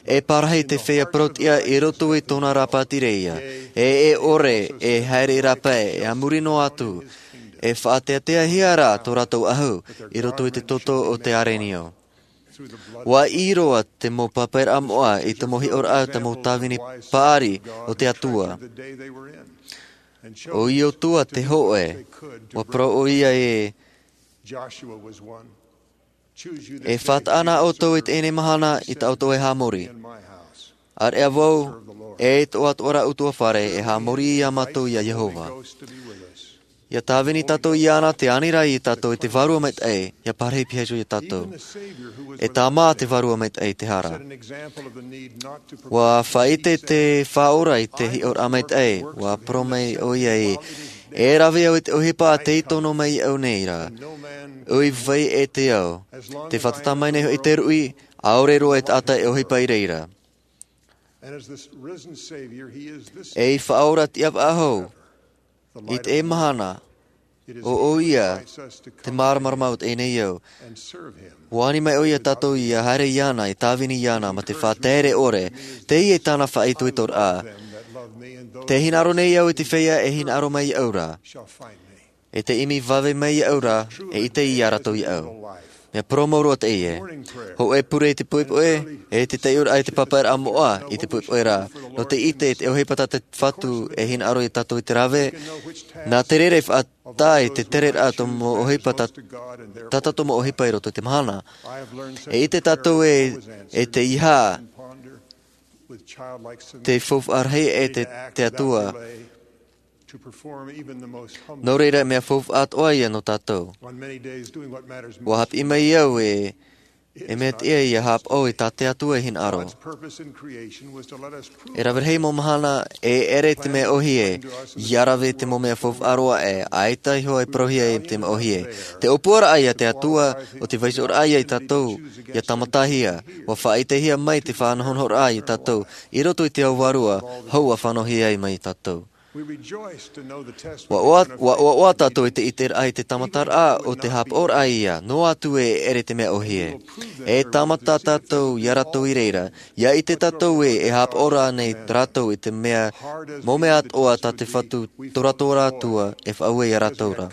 e parahi te feiā parau-tiʻa i roto i tōna rāpae tīreia, e, e ʻore, e haere i rāpae, e a muri noa atu, e faʻateateahia rā tō rātou ʻahu, i roto i te toto o te arenio. ʻUa ʻī roa te mau pāpaʻiraʻa moʻa i te mau hiʻoraʻa o te mau tāvini paʻari o te Atua. ʻO Iosua te hōʻē, ʻua parau ʻoia ē, e faʻataʻa na ʻoutou i teie mahana i tā ʻoutou e haʻamori. ʻĀreʻa vau, e tō ʻoe ʻutuāfare, e haʻamori ia mātou ia Iehova. Ia tāvini tātou iāna te aniraʻa iā tātou i te Vārua Maitaʻi, ia parahi pihaʻi iho iā tātou. E tāmā te Vārua Maitaʻi i te hara. Ua faʻaʻite te Faʻaora i te hiʻoraʻa maitaʻi, ua parau mai ʻoia ē, e rave au i te ʻohipa tei tono mai iāʻu nei ra. ʻUa vai ʻē te au. Tē fātata mai nei hoʻi te ruʻi, ʻaore roa e taʻata e ʻohipa i reira. E Faʻaora tiʻa faʻahou, i teie mahana, ʻo ʻoia te māramarama o teie nei ao. ʻUa ani mai ʻoia iā tātou ia haere iāna, e tāvini iāna, mā te faʻatere ʻore, teie tāna faʻaitoitoraʻa. Tē hinaʻaro nei au i te feiā e hinaʻaro mai iāʻu ra. E tē ʻimi vave mai iāʻu ra, e ʻite ia rātou iāʻu. Mea parau mau roa teie. Hōʻē pure i te poʻipoʻi, e te taiʻoraʻa i te pāpaʻiraʻa moʻa i te poʻipoʻi ra. Nō te ʻite te ʻohipa tā te Fatu e hinaʻaro iā tātou i te rave, nā te reira e faʻatae i te tereraʻa tō mau ʻohipa tā, tā tātou mau ʻohipa i roto i te mahana. E ʻite tātou ē, e tē ʻeiaha te faufaʻa rahi e te, te Atua. Nō reira, mea faufaʻa atoʻa ia nō tātou. ʻUa haʻapiʻi mai au ē, e mea tiʻa ia haʻapaʻo i tā te Atua e hinaʻaro. E rave rahi mau mahana, e ʻere te mea ʻōhie, ia rave te mau mea faufaʻa roa ē, ʻaita iho e parauhia e te mea ʻōhie. Te ʻōpuaraʻa iā te Atua, ʻo te vaiihoraʻa iā tātou, ia tāmatahia, ʻua faʻaʻitehia mai te faʻanahonahoraʻa iā tātou, i roto i te ao vārua, hou ʻua fānauhia ai mai tātou. ʻUa ʻoaʻoa, ʻua ʻoaʻoa tātou i te ʻiteraʻa i te tāmataraʻa o te haʻapaʻoraʻa ia, noa atu ē e ʻere te mea ʻōhie. E tāmata tātou iā rātou i reira, ia ʻite tātou ē e haʻapaʻo ra nei rātou i te mea, mau mea atoʻa tā te Fatu tō rātou Atua e faʻaue iā rātou ra.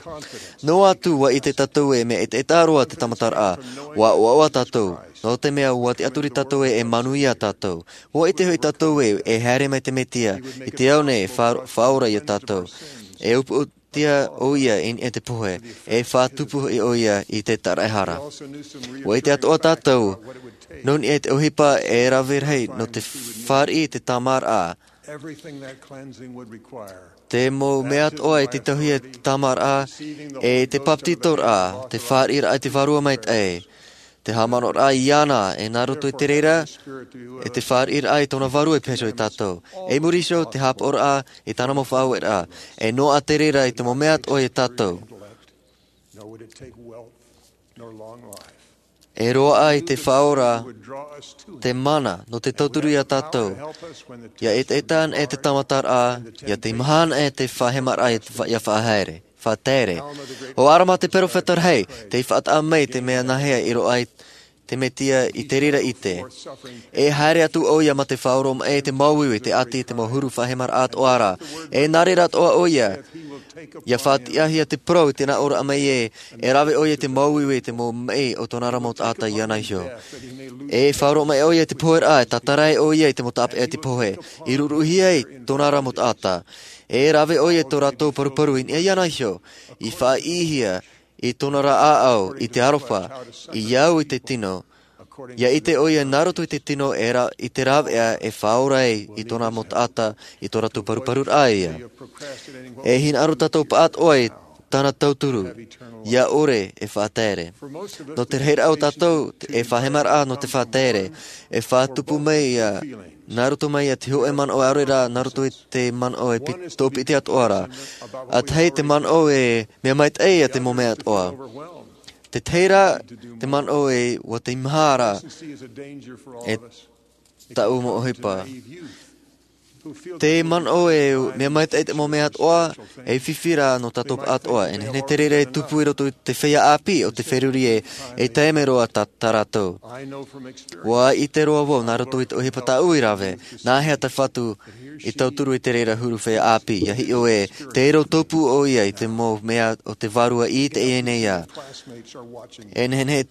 Noa atu ʻua ʻite tātou ē mea ʻetaʻeta roa te tāmataraʻa, ʻua ʻoaʻoa tātou, nō te mea ʻua tiʻaturi tātou ē e manuia tātou. ʻUa ʻite hoʻi tātou ē, e haere mai te Mesia, i te ao nei e fa-, faʻaora iā tātou. E upoʻotia ʻoia i niʻa i te pohe, e faʻatupu hoʻi ʻoia i te taraehara. ʻUa ʻite atoʻa tātou, nō niʻa i te ʻohipa e rave rahi nō te fāriʻi i te tāmāraʻa. Te mau mea atoʻa e tītauhia te tāmāraʻa, e te bāpetizoraʻa, te fāriʻiraʻa i te Vārua Maitaʻi. Te haʻamanaʻoraʻa iāna, e nā roto i te reira, e te fāriʻiraʻa i tōna Vārua e pihaʻi iho iā tātou. E muri iho, te haʻapaʻoraʻa i tāna mau faʻaueraʻa. E noaʻa te reira i te mau mea atoʻa iā tātou. E roaʻa i te Faʻaora te mana nō te tauturu iā tātou. ʻIa ʻetaʻeta anaʻe te tāmataraʻa, ʻia teimaha anaʻe te faʻahemaraʻa ʻia fa-, ʻia faʻahaere, faʻatere. ʻO Arama te perofeta rahi, tei faʻataʻa mai te mea nāhea i roaʻa ai te Mesia i te reira ʻite. E haere atu ʻoia mā te faʻaoromaʻi i te māuiui, te ʻati, te mau huru faʻahemaraʻa atoʻa ra. E nā reira atoʻa ʻoia, ʻia faʻatiʻahia te parau i te nā ʻōraʻa mai ē, e rave ʻoia i te māuiui, te mau maʻi o tōna ra mau taʻata iāna iho. E faʻaoromaʻi ʻoia i te poheraʻa, e tātara ai ʻoia i te mau tāpeʻa i te pohe. I ruruʻihia ai tōna ra mau taʻata. E rave ʻoia i tō rātou paruparu i niʻa iāna iho. I faʻaʻīhia i tōna ra ʻāʻau, i te aroha, i au i te tino. ʻIa ʻite ʻoia nā roto i te tino e ra-, i te rāveʻa e faʻaora ai i tōna mau taʻata, i tō rātou paruparuraʻa ia. E hinaʻaro tātou pāʻatoʻa i tāna tauturu, ʻia ʻore e faʻatere. Nō te rahiraʻa o tātou, e faʻahemaraʻa nō te faʻatere, e faʻatupu mai ia, nā roto mai ia te hōʻē manaʻo ʻaore rā, nā roto i te manaʻo e pi-, tōpiti atoʻa ra. ʻA tahi te manaʻo e mea maitaʻi ia te mau mea atoʻa. Te tahi rā, te manaʻo e ʻua teimaha ra e tāʻu mau ʻohipa. Te manaʻo e mea maitaʻi te mau mea atoʻa, e fifi rā nō tātou pāʻatoʻa. E nehenehe te reira e tupu i roto i te feiā ʻāpī o te feruri ē, e tae mai roa tā, tā rātou. ʻUa ʻite roa vau nā roto i te ʻohipa tāʻu i rave, nāhea te Fatu i tauturu i te reira huru feiā ʻāpī, ʻia hiʻo ē, tē rau tōpū ʻoia i te mau mea o te Vārua i teie nei ao. E nehenehe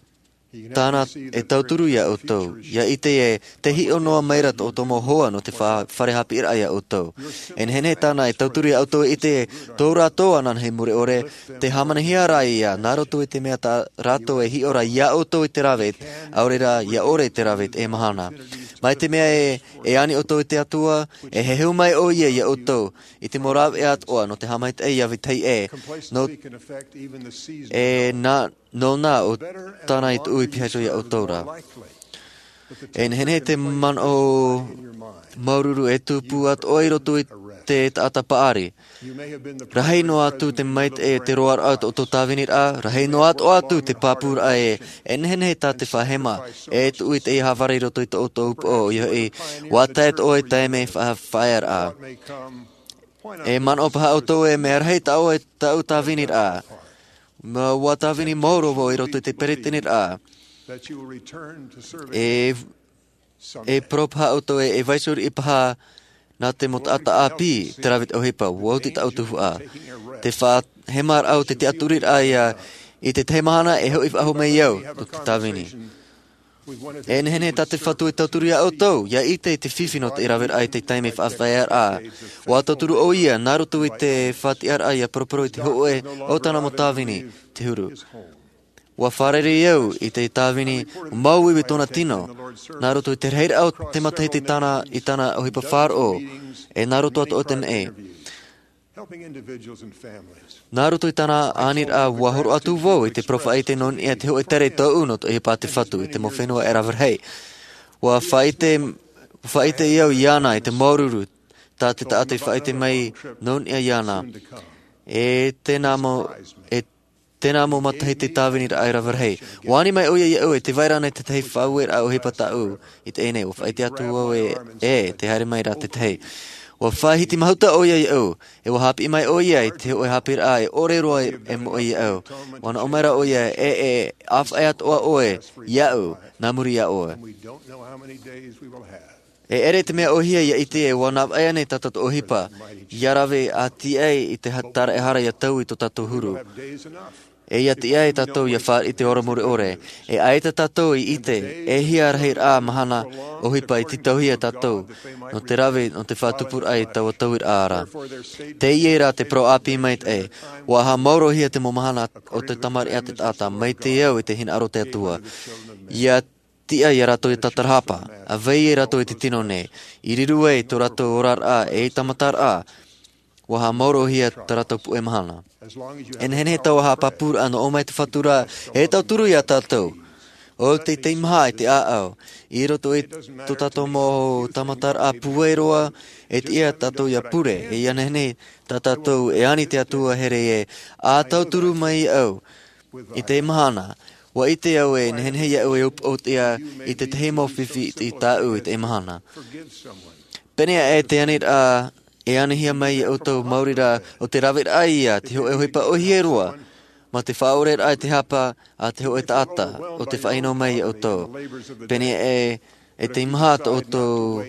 tāna e tauturu ia ʻoutou, ʻia ʻite ē, tē hiʻo noa mai ra tō ʻoutou mau hoa nō te fa-, fare haʻapiʻiraʻa ia ʻoutou. E nehenehe tāna e tauturu ia ʻoutou e ʻite ē, tō rātou ananahi mure ʻore, tē hāmanihia ra ia, nā roto i te mea tā rātou e hiʻo ra ia ʻoutou i te rave, ʻaore rā, ʻia ʻore i te rave i teie mahana. Mai te mea e, e ani ʻoutou i te Atua, e heheu mai ʻoia ia ʻoutou i te mau rāveʻa atoʻa nō te haʻamaitaʻi i te vetahi ʻē, nō, e nā, nō nā ʻo tāna i tuʻu i piha iho ia ʻoutou ra. E nehenehe te manaʻo māuruuru e tupu atoʻa i roto i te taʻata paʻari. Rahi noa atu te maitaʻi e te roaraʻa o tō ʻoutou tāviniraʻa, rahi noa atoʻa atu te pāpūraʻa ē, e nehenehe tā te faʻahema e tuʻu i te haʻavare i roto i tō ʻoutou upoʻo, ʻoia hoʻi, ʻua tae atoʻa i te taime faʻaearaʻa. E manaʻo paha ʻoutou e mea rahi tāʻu e tāʻu tāviniraʻa. Mea ʻua tāvini maoro vau i roto i te peresideniraʻa. E, e parau paha ʻoutou e, e vaiiho riʻi paha nā te mau taʻata ʻāpī te rave i te ʻohipa, ʻua oti tāʻu tuhaʻa. Te faʻahemaraʻa o te tiʻaturiraʻa ia, i te tahi mahana e hoʻi faʻahou mai au nō te tāvini. E nehenehe tā te Fatu e tauturu ia ʻoutou, ia ʻite i te fifi nō te raveraʻa i te taime faʻaearaʻa. ʻUa tauturu ʻoia, nā roto i te faʻatiʻaraʻa ia poroporo i te hōʻē o tāna mau tāvini, te huru. ʻUa fārerei au i te tāvini māuiui tōna tino, nā roto i te rahiraʻa o te matahiti i tāna, i tāna ʻohipa faʻaroʻo, e nā roto atoʻa te meʻe. Nā roto i tāna aniraʻa, ʻua hōroʻa atu vau i te parau faʻaʻite nō niʻa i te hōʻē tere tōʻu nō te ʻohipa a te Fatu i te mau fenua e rave rahi. ʻUa faʻaʻite, faʻaʻite au iāna i te māuruuru tā te taʻata i faʻaʻite mai nō niʻa iāna. E tēnā mau, e tēnā mau matahiti tāviniraʻa e rave rahi. ʻUa ani mai ʻoia iaʻu e tē vai ra na i te tahi faʻaueraʻa ʻohipa tāʻu i teie nei, ʻua faʻaʻite atu vau ē, e tē haere mai ra te tahi. ʻUa faʻahiti mahuta ʻoia iaʻu, e ʻua haʻapiʻi mai ʻoia i te hōʻē haʻapiʻiraʻa e ʻore roa e, e moʻe iaʻu. ʻUa nā ʻō mai ra ʻoia, e, e, ʻāfaʻi atoʻa ʻoe iaʻu, nā muri iā ʻoe. E ʻere te mea ʻōhie ia ʻite ē ʻua navaʻi ānei tā tātou ʻohipa, ia rave ā tiʻa ai i te ha-, tāraʻehara ia taui tō tātou huru. E ia tiʻa ai tātou ia fāriʻi i te ora mure ʻore. E ʻaita tātou i ʻite, e hia rahiraʻa mahana ʻohipa i tītauhia tātou, nō te rave, nō te faʻatupuraʻa i taua tauiraʻa ra. Teie rā te parau ʻāpī maitaʻi, ʻua haʻamaurohia te mau mahana o te tamariʻi a te taʻata, mai te au i te hinaʻaro o te Atua. Ia tiʻa ia rātou ia tātarahapa, ʻa vai ia rātou i te tino nei, i riro ai tō rātou oraraʻa e i tāmataraʻa, ʻua haʻamaurohia tā rātou puʻe mahana. E nehenehe taua haʻapāpūraʻa nō ʻō mai te Fatu ra, e tauturu ia tātou. ʻO te teimaha i te ʻāʻau, i roto i tō tātou mau tāmataraʻa pūai roa, e tiʻa tātou ia pure, e ia nehenehe tā tātou e ani te Atua here ē, ʻa tauturu mai au, i te mahana, ʻua ʻite au e nehenehe iaʻu e upoʻotiʻa i te tahi mau fifi i tāʻu i te mahana. Pēneiaʻe te aniraʻa e anihia mai ia ʻoutou maori rā ʻo te raveraʻa ia te hōʻē ʻohipa ʻōhie roa, mā te faʻaʻoreraʻa i te hapa a te hōʻē taʻata ʻo tē faʻaʻino mai ia ʻoutou. Pēneiaʻe e teimaha tō ʻoutou,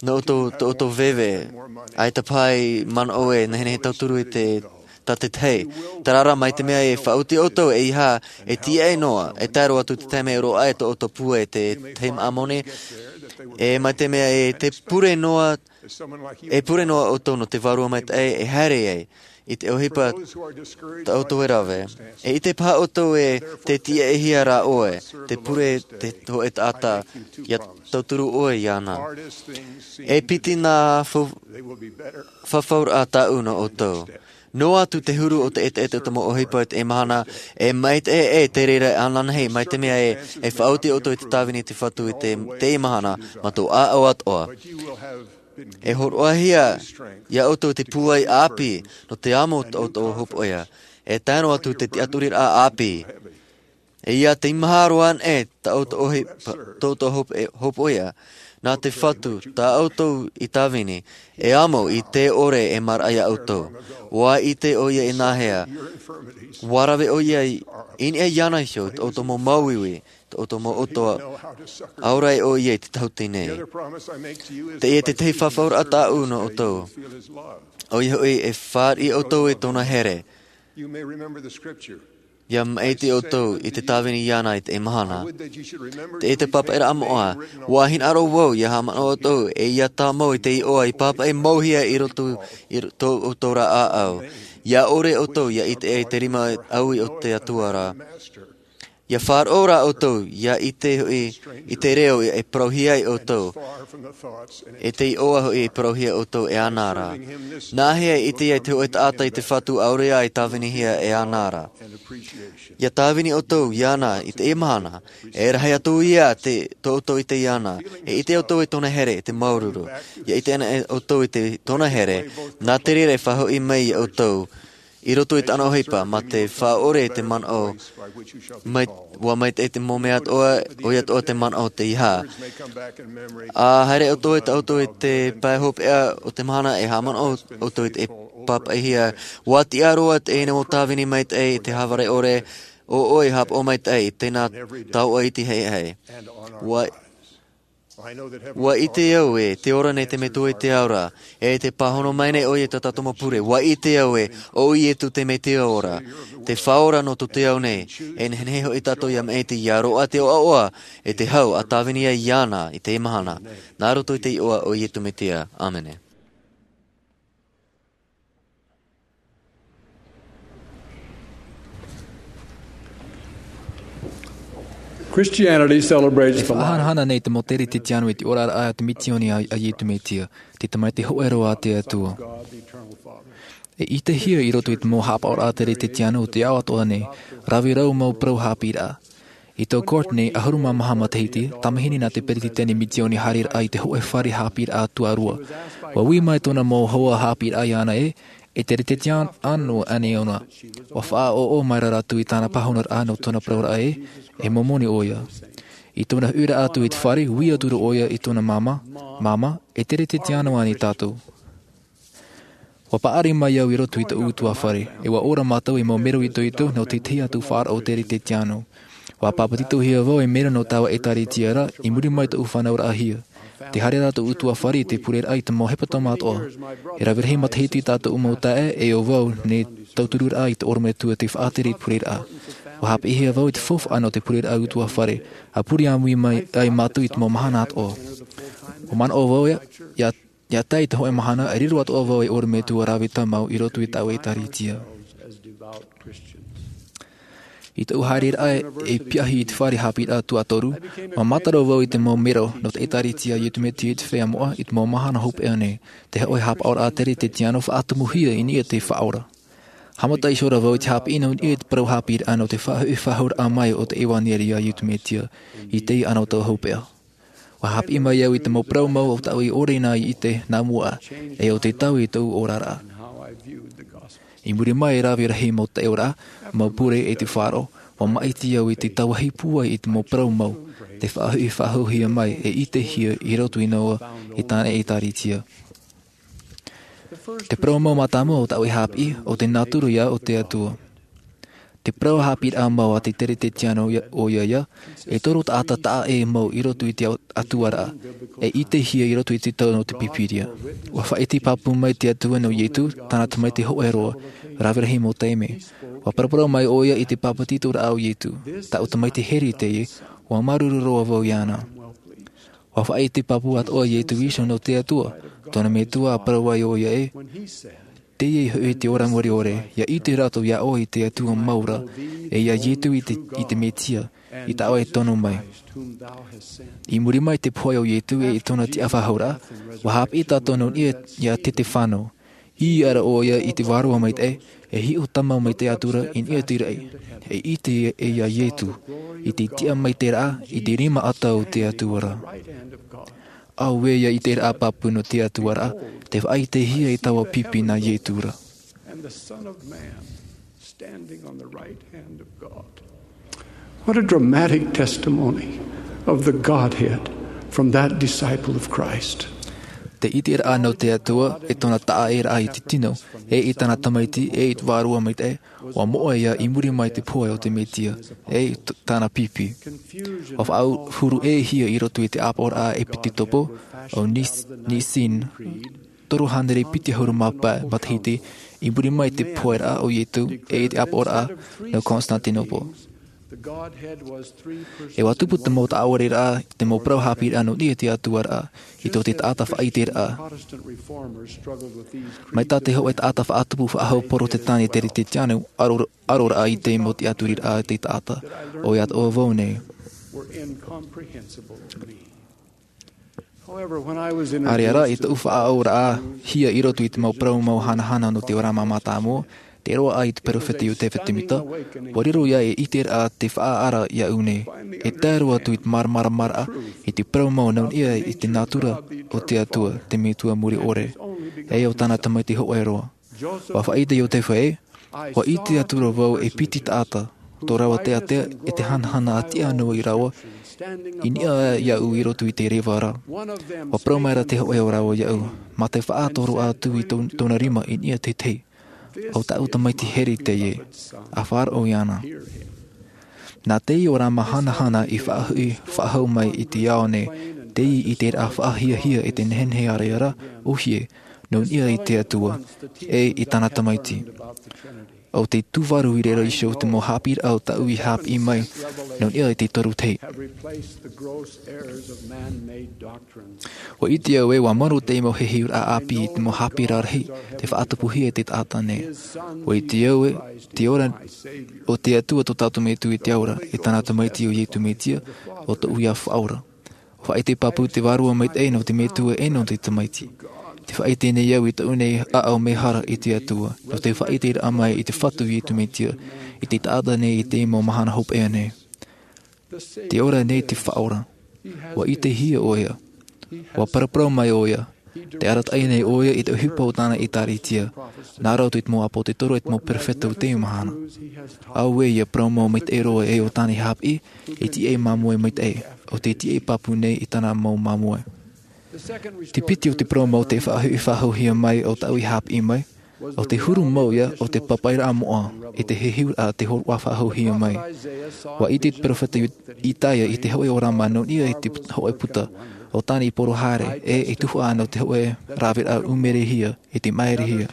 nō ʻoutou, tō ʻoutou veve, ʻaita paha i manaʻo e nehenehe tauturu i te, tā te tahi. Terā rā mai te mea e faʻaoti ʻoutou eiaha, e tiaʻi noa, e tae roa atu te taime e roaʻa ai tō ʻoutou pūai i te tahi māʻa moni, e mai te mea e te pure noa, e pure noa ʻoutou nō te Vārua Maitaʻi e haere ai, i te ʻohipa tā ʻoutou e rave. E ʻite paha ʻoutou ē tē tiaʻihia ra ʻoe, tē pure te hōʻē taʻata, ia tauturu ʻoe iāna. E piti nā fau-, fafauraʻa tāʻu nō ʻoutou. Noa atu te huru o te ʻeteʻete o te mau ʻohipa i teie mahana, e maitaʻi ē te reira ananahi, mai te mea ē, e faʻaoti ʻoutou i te tāvini a te Fatu i te, teie mahana, mā tō ʻāʻau atoʻa. E hōroʻahia ia ʻoutou te pūai ʻāpī, nō te amo tō ʻoutou hopoiʻa. E tae noa atu te tiʻaturiraʻa ʻāpī. E ia teimaha roa anaʻe tā ʻoutou ʻohi-, tō ʻoutou hopo-, hopoiʻa. Nā te Fatu, tā ʻoutou i tāvini, e amo i te ʻore e maraʻa ia ʻoutou. ʻUa ʻite ʻoia i nāhea. ʻUa rave ʻoia i, i niʻa iāna iho, tō ʻoutou mau māuiui, tō ʻoutou mau ʻoto, ʻaore ʻoia i te tahuti nei. Teie te tahi fafauraʻa tāʻu nō ʻoutou. ʻOia hoʻi e fāriʻi ʻoutou i tōna here. Ia maʻiti ʻoutou i te tāvini iāna i teie mahana. Teie te pāpaʻiraʻa moʻa, ʻua hinaʻaro vau, ia haʻamanaʻo ʻoutou, e ia tāmau i te iʻoa i pāpaʻi mauhia i roto i ro-, tō ʻoutou ra ʻāʻau. Ia ʻore ʻoutou, ia ʻite ai te rima ʻaui o te Atua ra. Ia faʻaroʻo rā ʻoutou, ia ʻite hoʻi i te reo e parauhia ai ʻoutou, e te iʻoa hoʻi e parauhia ʻoutou e ana rā. Nā hea e ʻite ai te hōʻē taʻata i te Fatu ʻaore rā e tāvinihia e ana rā? Ia tāvini ʻoutou iāna i teie mahana, e rahi atu ia te, tō ʻoutou ʻite iāna, e ʻite ʻoutou i tōna here, i te māuruuru. Ia ʻite ana ʻoutou i te, tōna here, nā te reira e faʻahoʻi mai ia ʻoutou, i roto i tāna ʻohipa, mā te faʻaʻore i te manaʻo, mai, ʻua maitaʻi te mau mea atoʻa, ʻoia atoʻa te manaʻo o te iʻa. ʻA haere ʻoutou e tā ʻoutou i te pae hopeʻa o te mahana e haʻamanaʻo ʻoutou i te pāpaʻihia. ʻUa tiʻa roa teie mau tāvini maitaʻi i te hāvare ʻore, ʻo ʻoe haʻapaʻo maitaʻi i tēnā taoʻa iti haʻehaʻe. ʻUa, ʻua ʻite au ē, tē ora nei te Metua i te ao ra, e tē pāhono mai nei ʻoia i tā tātou mau pure. ʻUa ʻite au ē, ʻo Ietu te Mesia ora, te Faʻaora nō tō te ao nei, e nehenehe hoʻi tātou ia maʻiti, ia roaʻa te ʻoaʻoa, e te hau, ʻa tāvini ai iāna i teie mahana. Nā roto i te iʻoa o Ietu Mesia. ʻĀmene. Christianity celebrates E the life faʻahanahana nei te mau teretetiano i te oraraʻa a te misioni a, a Ietu Mesia, te Tamaiti hōʻē roa a te Atua. E ʻitehia i roto i te mau haʻapaʻoraʻa teretetiano o te ao atoʻa nei, rave rau mau parau haʻapiʻiraʻa. I tō Courtney, ʻahuru mā maha matahiti, tamahine nā te peretiteni misioni haereraʻa i te hōʻē fare haʻapiʻiraʻa tuarua. ʻUa ui mai tōna mau hoa haʻapiʻiraʻa iāna ē, e teretetiano ānei ʻōna. ʻUa faʻaʻoʻo mai rā rātou i tāna pāhonoraʻa nō tōna parauraʻa ē, e Momoni ʻoia. I tōna huiraʻa atu i te fare, ui atu ra ʻoia i tōna māmā, Māmā, e teretetiano ānei tātou? ʻUa paʻari mai au i roto i tōʻu ʻutuāfare, e ʻua ora mātou ei mau mero itoito nō te tahi atu faʻaroʻo teretetiano. ʻUa pāpetitohia vau ei mero nō taua ʻētārētia ra, i muri mai tōʻu fānauraʻahia. Tē haere ra tōʻu ʻutuāfare i te pureraʻa i te mau hepetoma atoʻa. E rave rahi matahiti tā tōʻu mau taeaʻe e ʻo vau nei tautururaʻa i te ʻorometua tei faʻatere i te pureraʻa. ʻUa haʻapiʻihia vau i te faufaʻa nō te pureraʻa ʻutuāfare, ʻa pure ʻāmui mai ai mātou i te mau mahana atoʻa. ʻUa manaʻo vau ia, ia, ia tae i te hōʻē mahana, e riro atoʻa vau ei ʻorometua rave tāmau i roto i tāʻu ʻētārētia. I tōʻu haereraʻa ei piahi i te fare haʻapiʻiraʻa tuatoru, ʻua mātaro vau i te mau mero nō te ʻētārētia a Ietu Mesia i te feiā moʻa i te mau mahana hopeʻa nei, te hōʻē haʻapaʻoraʻa teretetiano faʻatumuhia i niʻa i te Faʻaora. Haʻamata iho ra vau i te haʻapiʻi nō niʻa i te parau haʻapiʻiraʻa nō te faʻahuʻi faʻahou mai o te ʻevaniria a Ietu Mesia i teie anotau hopeʻa. ʻUa haʻapiʻi mai au i te mau parau mau o tāʻu i ʻore na i ʻite nā mua, e ʻo te taui i tōʻu oraraʻa. I muri mai e rave rahi mau taʻoraʻa, mau pure e te faʻaroʻo, ʻua maʻiti au i te tāvahi pūai i te mau parau mau, tei faʻahuʻi faʻahouhia mai e ʻitehia i roto i noa i tāna ʻētārētia. Te parau mau mātāmua o tāʻu e haʻapiʻi, ʻo te nātura ia o te Atua. Te parau haʻapiʻiraʻa mau a te teretetiano ia, ʻoia ia, e toru taʻata taʻa ʻē mau i roto i te au-, Atuaraʻa, e ʻitehia i roto i te tau nō te Pīpīria. ʻUa faʻaʻite pāpū mai te Atua nō Ietu, tāna tamaiti hōʻē roa, rave rahi mau taime. ʻUa paraparau mai ʻoia i te pāpetitoraʻa o Ietu, tāʻu tamaiti here teie, ʻua māuruuru roa vau iāna. ʻUa faʻaʻite pāpū atoʻa Ietu Iso nō te Atua, tōna Metua ʻa parau ai ʻoia ē, teie hoʻi te ora mure ʻore, ia ʻite rātou iā ʻoe i te Atua mau ra, e iā Ietu i te, i te Mesia, i tā ʻoe e tono mai. I muri mai te pohe o Ietu e i tōna tiʻafaʻahouraʻa, ʻua haʻapiʻi tātou nō niʻa iā Setefano. ʻĪ ra ʻoia i te Vārua Maitaʻi, e hiʻo tāmau mai te atura i niʻa i te raʻi. E ʻite e iā Ietu, i te tiʻamaitaʻiraʻa, i te rima ʻata o te Atua ra. Auē ia ʻiteraʻa pāpū nō te Atua ra, tē faʻaʻitehia i taua pipi nā Ietu ra. And the Son of Man standing on the right hand of God. What a dramatic testimony of the Godhead from that disciple of Christ. Te ʻiteraʻa nō te Atua, e tōna taʻaʻēraʻa i te tino, e i tāna Tamaiti, e i te Vārua Maitaʻi, ʻua moʻe ia i muri mai te pohe o te Mesia, e i t-, tāna pipi. ʻUa faʻahuru ʻē hia i roto i te ʻāpoʻoraʻa Epitetopo, ʻo Nis-, Nisini, toru hānere piti ʻahuru mā pae matahiti, i muri mai te poheraʻa o Ietu, e i te ʻāpoʻoraʻa nō Constantinople. E ua tupu te mau taʻaoreraʻa i te mau parau haʻapiʻiraʻa nō niʻa i te Atua ra, i tō te taʻata faʻaiteraʻa. Mai tā te hōʻē taʻata faʻatupu faʻahou Porotetani Teretetiano, aro, aroraʻa i te mau tiʻaturiraʻa a te taʻata, ʻoia atoʻa vau nei. ʻĀreʻa rā, i tōʻu faʻaʻoraʻahia i roto i te mau parau mau hanahana nō te ora mātāmua, te roaʻa i te perofeta Iotefa Temita, ua riro ia e ʻiteraʻa te faʻaara iāʻu nei. E tae roa atu i te māramarama i te parau mau nō niʻa i te nātura o te Atua, te Metua muri ʻore, e ʻo tāna Tamaiti hōʻē roa. Ua faʻaʻite Iotefa ē, ua ʻite atu ra vau e piti taʻata, tō rāua teatea e te hanahana a tiʻa noa i rāua, i niʻa iāʻu i roto i te reva ra. Ua parau mai ra te hōʻē o rāua iāʻu, mā te faʻatoro atu i tō-, tōna rima i niʻa i te tahi. ʻO tāʻu tamaiti here teie, ʻa faʻaroʻo iāna. Nā teie ora māhanahana i faʻahuʻi faʻahou mai i te ao nei, teie i te ʻiteraʻa faʻahiahia e te nehenehe ʻāreʻa ra, ʻōhie, nō niʻa i te Atua, e i tāna Tamaiti. ʻO te tūvaru i reira iho te mau haʻapiʻiraʻa o tāʻu i haʻapiʻi mai, nō niʻa i te toru tahi. Ua ʻite au ē, ua maoro te mau heheuraʻa ʻāpī i te mau haʻapiʻiraʻa rahi, tei faʻatupuhia e te taʻata nei. Ua ʻite au ē, te ora o te Atua tō tātou Metua i te ao ra, e tāna Tamaiti ʻo Iesu Mesia, ʻo tōʻu ia Faʻaora. Faʻaʻite pāpū te Vārua Maitaʻi nō te Metua e nō te Tamaiti. Tē faʻaʻite nei au i tōʻu nei ʻāʻau mehara i te Atua, nō te faʻaʻiteraʻa mai i te Fatu Iesu Mesia, i te taʻata nei i te mau mahana hopeʻa nei. Te ora nei te Faʻaora. Ua ʻitehia ʻoia. Ua paraparau mai ʻoia. Tē arataʻi nei ʻoia i te ʻohipa o tāna ʻĒtārētia. Nā roto i te mau ʻāpōsetolo e te mau perofeta o teie mahana. Auē ia parau mau maitaʻi roa e ʻo tāna i haʻapiʻi, e tiʻa e māmoe maitaʻi, ʻo tē tiʻa e pāpū nei i tāna mau māmoe. Te piti o te parau mau tei faʻahuʻi faʻahouhia mai ʻo tāʻu i haʻapiʻi mai, ʻo te huru mau ia o te papaʻiraʻa moʻa, e te heheuraʻa tei hōroʻa faʻahouhia mai. Ua ʻite te perofeta Isaia i te hōʻē ʻōrama nō niʻa i te put-, hōʻē puta, ʻo tāna i poro haere, e i tuhaʻa nō te hōʻē raveraʻa ʻumerehia, e te maerehia.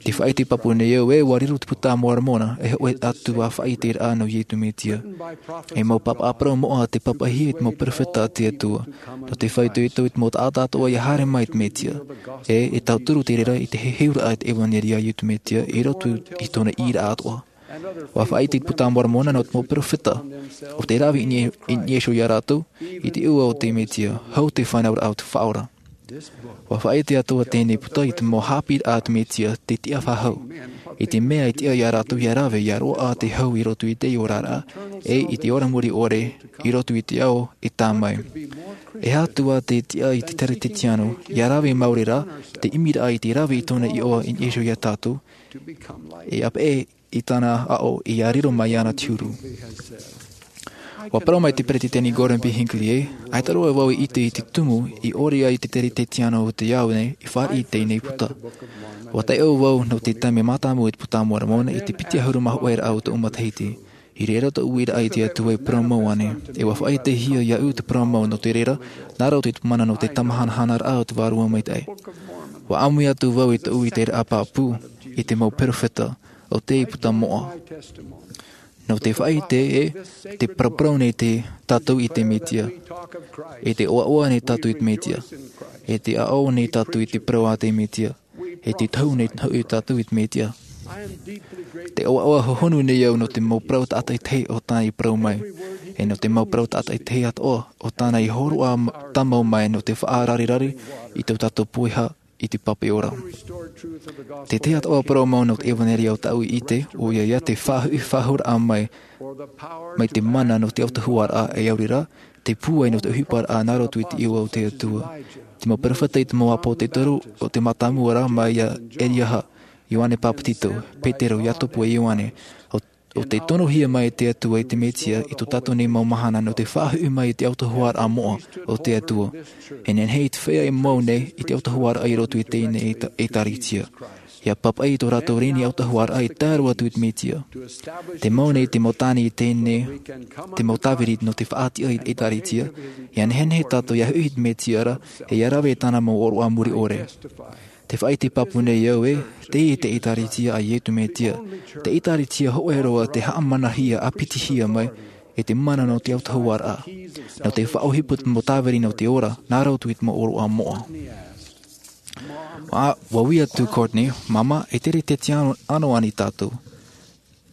Tē faʻaʻite pāpū nei au ē, ua riro te Buka a Moromona, e hōʻē atu ā faʻaʻiteraʻa nō Iesu Mesia. E mau pāpaʻi parau moʻa tei pāpaʻihia e te mau perofeta a te Atua. Nō te faʻaitoito i te mau taʻata atoʻa ia haere mai te Mesia. E, e tauturu te reira i te heheuraʻa i te ʻevanelia a Iesu Mesia, i roto i tōna ʻīraʻa atoʻa. Ua faʻaʻite te Buka a Moromona nō te mau perofeta, ʻo tei rave i niʻa, i niʻa iho ia rātou, i te ʻua o te Mesia, hau te fānauraʻa o te Faʻaora. Ua faʻaʻite atoʻa teie puta i te mau haʻapiʻiraʻa a te Mesia tei tiʻa faʻahou. I te mea e tiʻa ia rātou ia rave, ia roaʻa te hau i roto i te oraraʻa, e i te ora muri ʻore, i roto i te ao e tā mai. E aha atu ā te tiʻa i te Teretetiano, ia rave maori rā, te ʻimiraʻa i te rave i tōna iʻoa i niʻa iho ia tātou, e ʻāpeʻe i tāna aʻo ia riro mai iāna te huru. Ua parau mai te Peretiteni Gordon B. Hinckley ē, ʻaita roa vau i ʻite i te tumu i ʻore ai te Teretetiano o te ao nei i fāriʻi i teie puta. Ua taiʻo vau nō te taime mātāmua i te Buka a Moromona i te piti ʻahuru mā hōʻē raʻa o tōʻu matahiti. I reira tōʻu uiraʻa i te Atua e parau mau ānei, e ua faʻaʻitehia iāʻu te parau mau nō te reira, nā roto i te mana nō te tāmāhanahanaraʻa o te Vārua Maitaʻi. Ua ʻāmui atu vau i tōʻu ʻiteraʻa pāpū, i te mau perofeta, ʻo te puta moʻa. Nō te faʻaʻite ē, tē paraparau nei tātou i te Mesia. E tē ʻoaʻoa nei tātou i te Mesia. E tē aʻo nei tātou i te parau a te Mesia. E tē tohu nei hoʻi tātou i te Mesia. Tē ʻoaʻoa hohonu nei au nō te mau parau tātaʻitahi o tāna i parau mai. E nō te mau parau tātaʻitahi atoʻa o tāna i hōroʻa m-, tāmau mai nō te faʻarareraʻa i tō tātou poiha i te pape ora. Te tahi atoʻa parau mau nō te ʻevanelia o tāʻu i ʻite, ʻoia ia te faʻahuʻi faʻahouraʻa mai, mai te mana nō te autahuʻaraʻa e aore rā, te pūai nō te ʻohiparaʻa nā roto i te iʻoa o te Atua. Te mau perofeta i te mau ʻāpōsetolo, ʻo te mātāmua rā mai iā Eliaha, Ioane Papetito, Petero, Iakobo e Ioane, ʻo ʻo tei tonohia mai e te Atua i te Mesia i tō tātou nei mau mahana nō te faʻahuʻi mai i te autahuʻaraʻa moʻa o te Atua. E nehenehe te feiā e mau nei i te autahuʻaraʻa i roto i teie nei ʻētā-, ʻētārētia. ʻIa pāpaʻi i tō rātou reni autahuʻaraʻa e tae roa atu i te Mesia. Te mau nei te mau tāne i teie nei, te mau tāviri nō te faʻatiʻa i te ʻētārētia, ʻia nehenehe tātou ʻia huʻi i te Mesia ra, e ʻia rave i tāna mau ʻōroʻa muri ʻore. Te faʻaʻite pāpū nei au ē, teie te ʻĒtārētia a Iesu Mesia, te ʻĒtārētia hōʻē roa tē haʻamanahia ʻāpitihia mai, e te mana nō te autahuʻaraʻa, nō te faʻaʻohipa i te mau tāviri nō te ora, nā roto i te mau ʻōroʻa moʻa. Ua, ua ui atu Courtney, māmā, e tere te tiano, ʻano ani tātou.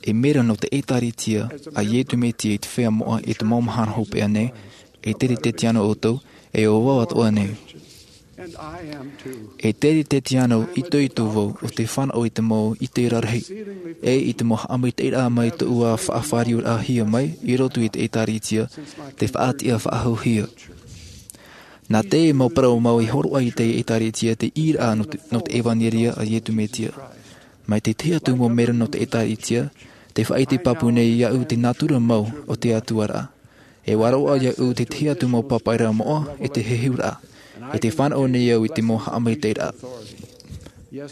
E mea ra nō te ʻĒtārētia a Iesu Mesia i te feiā moʻa i te mau mahana hopeʻa nei, e tere te tiano ʻoutou, e ʻo vau atoʻa nei. E tere te tiano itoito vau o te fānaʻo i te mau ʻite rarahi, e i te mau haʻamaitaʻiraʻa mai tōʻu ā faʻafāriuraʻahia mai i roto i te ʻĒtārētia, te faʻatiʻa faʻahouhia. Nā te mau parau mau i hōroʻa i te ʻĒtārētia te ʻīraʻa nō te, nō te ʻevanelia a Iesu Mesia. Mai te tahi atu mau mea ra nō te ʻĒtārētia, te faʻaʻite pāpū nei iāʻu te nātura mau o te Atua ra. E ʻua roaʻa iāʻu te tahi atu mau pāpaʻiraʻa moʻa, e te hehuraʻa, e te fānaʻo nei au i te mau haʻamaitaʻiraʻa.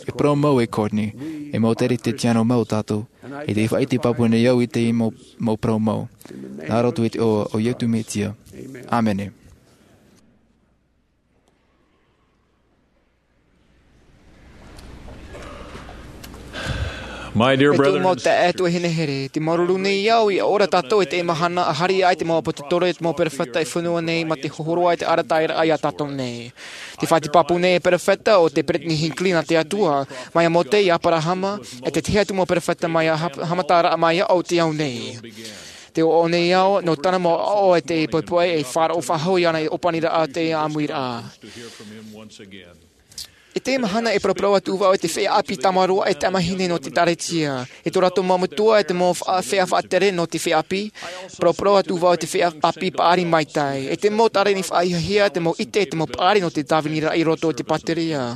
E parau mau e Courtney, e mau tere te tiano mau tātou, e te faʻaʻite pāpū nei au i te mau, mau parau mau. Nā roto i te iʻoa o Iesu Mesia. ʻĀmene. My dear E tō brethren mau and taeaʻe, sisters, tuahine here, tē māuruuru nei au ʻia ora tātou i teie mahana, ʻa haere ai te mau ʻāpōsetolo, te mau perofeta e fenua nei, mā te hōroʻa i te arataʻiraʻa iā tātou nei. Tē faʻaʻite pāpū nei e perofeta ʻo te Brittany Hinckley nā te Atua, mai iā Mōse, iā Aperahama, e te tahi atu mau perofeta mai iā Ha-, haʻamataraʻa mai iā ʻō i te ao nei. Tē ʻoaʻoa nei au, nō tāna mau aʻo e te poʻipoʻi e faʻaroʻo faʻahou iāna i te ʻōpaniraʻa o te ʻāmuiraʻa. I teie mahana e paraparau atu vau i te feiā ʻāpī tāmāroa e tamahine nō te ʻĒtārētia. I tō rātou mau metua e te mau fa-, feiā faʻatere nō te feiā ʻāpī, paraparau atu vau i te feiā ʻāpī paʻari maitaʻi. E te mau tāreni faʻahiahia, te mau ʻite, te mau paʻari nō te tāviniraʻa i roto i te pātireia.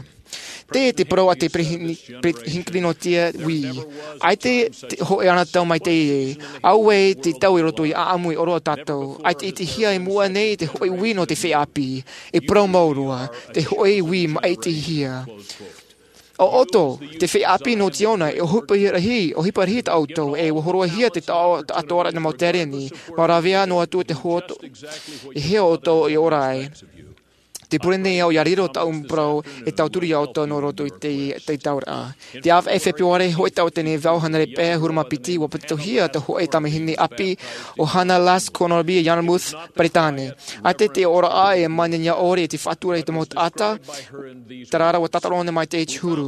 Teie te parau a te Pere-, Pere-, Hinckley nō te ui. ʻAita te hōʻē anotau mai teie. Auē te tau i roto i ʻāʻamu i ʻōroʻa tātou. ʻAita i ʻitehia i mua nei te hōʻē ui nō te feiā ʻāpī. E parau mau roa, te hōʻē ui maʻitihia. ʻO ʻoutou, te feiā ʻāpī nō Ziona, e ʻohipa rahi, ʻohipa rahi tā ʻoutou, e ʻua hōroʻahia te taʻo-, taʻatoʻaraʻa i te mau tāreni, mau rāveʻa noa atu te hoʻo, e hea ʻoutou e ora ai. Tē pure nei au ʻia riro tāʻu parau e tauturu iā ʻoutou nō roto i te, te tauraʻa. Te ʻāvaʻe Fepuare, hōʻē tau teie nei vaʻu hānere pae ʻahuru mā piti, ʻua pātitihia te hōʻē tamahine ʻāpī ʻo Hannah Lass Connolly i Yarmouth, Peretāne. ʻAita te ora ʻā e manenea ʻore i te faʻatura i te mau taʻata, terā rā ʻua tātaro nei mai te huru.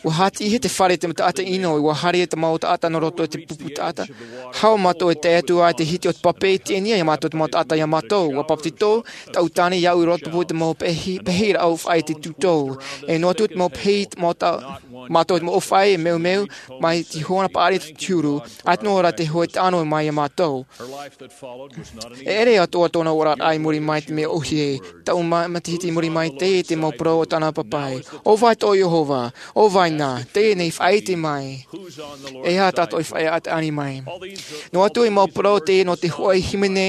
ʻUa hātiʻihia te fare i te mau taʻata ʻino, ʻua haere te mau taʻata nō roto i te pupu taʻata. Hau mātou e tae atu ai te hiti o te pape, teie nei iā mātou te mau taʻata iā mātou. ʻUa papetito tāʻu tāne iāʻu i rotopū i te mau pehi, pehi rāʻau faʻaʻite tūtau. E noa atu te mau pehi, te mau ta-, mātou te mau ʻōfaʻi, e meumeu, mai te hōʻē paʻari te huru. ʻAita noa rā te hōʻē taʻano mai iā mātou. E ʻere atoʻa tōna oraraʻa i muri mai te mea ʻōhie, taʻu ma-, matahiti i muri mai teie te mau parau o tāna papaʻi. ʻO vai tō Iehova, ʻo vai na, teie nei faʻaʻite mai. E aha tātou i faʻaʻite ani mai. Noa atu e mau parau teie nō te hōʻē hīmene,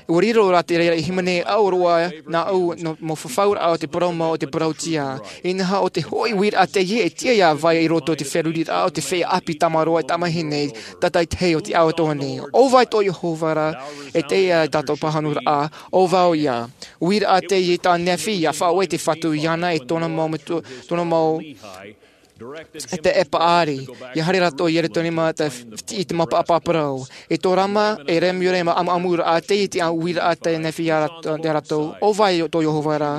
ʻua riro rā te reira hīmene ʻaore rā nāʻu nō mau fafauraʻa o te parau mau o te parautia. Inaha ʻo te hōʻē uiraʻa teie e tiʻa iā vai i roto i te feruriraʻa o te feiā ʻāpī tāmāroa e tamahine, tātaitahi o te ao atoʻa nei. ʻO vai tō Iehova ra, e teie tātou pāhonoraʻa, ʻo vau ïa. Uiraʻa teie tā Nephi, ʻia faʻaue te Fatu iāna e tōna mau metua, tōna mau, e te e paʻari. ʻIa haere rātou i Ierutarema, te f-, i te mau pāpā parau. E tō Rama, e Lemuel, e mau ʻamuʻamuraʻa, teie te uiraʻa tā Nephi iā rāt-, iā rātou. ʻO vai tō Iehova ra,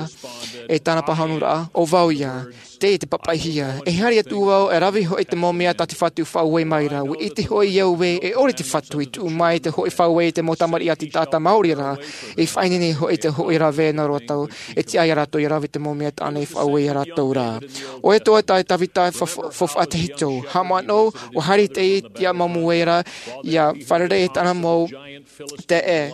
e tāna pāhonoraʻa, ʻo vau ïa. Teie te papaʻihia. E haere atu vau, e rave hoʻi te mau mea tā te Fatu faʻaue mai ra. ʻUa ʻite hoʻi au ē, e ʻore te Fatu i tuʻu mai te hōʻē faʻaue i te mau tamariʻi a te taʻata maori ra. E faʻaineine hoʻi te hōʻē rave nā rātou, e tiʻa iā rātou ʻia rave te mau mea tāna i faʻaue iā rātou ra. ʻO ʻoutou tā Tavita fa-, fa-, faufaʻa tahito. Haʻamanaʻo, ʻua haere teie i te mau moe ra, ʻia fārerei i tāna mau taeaʻe.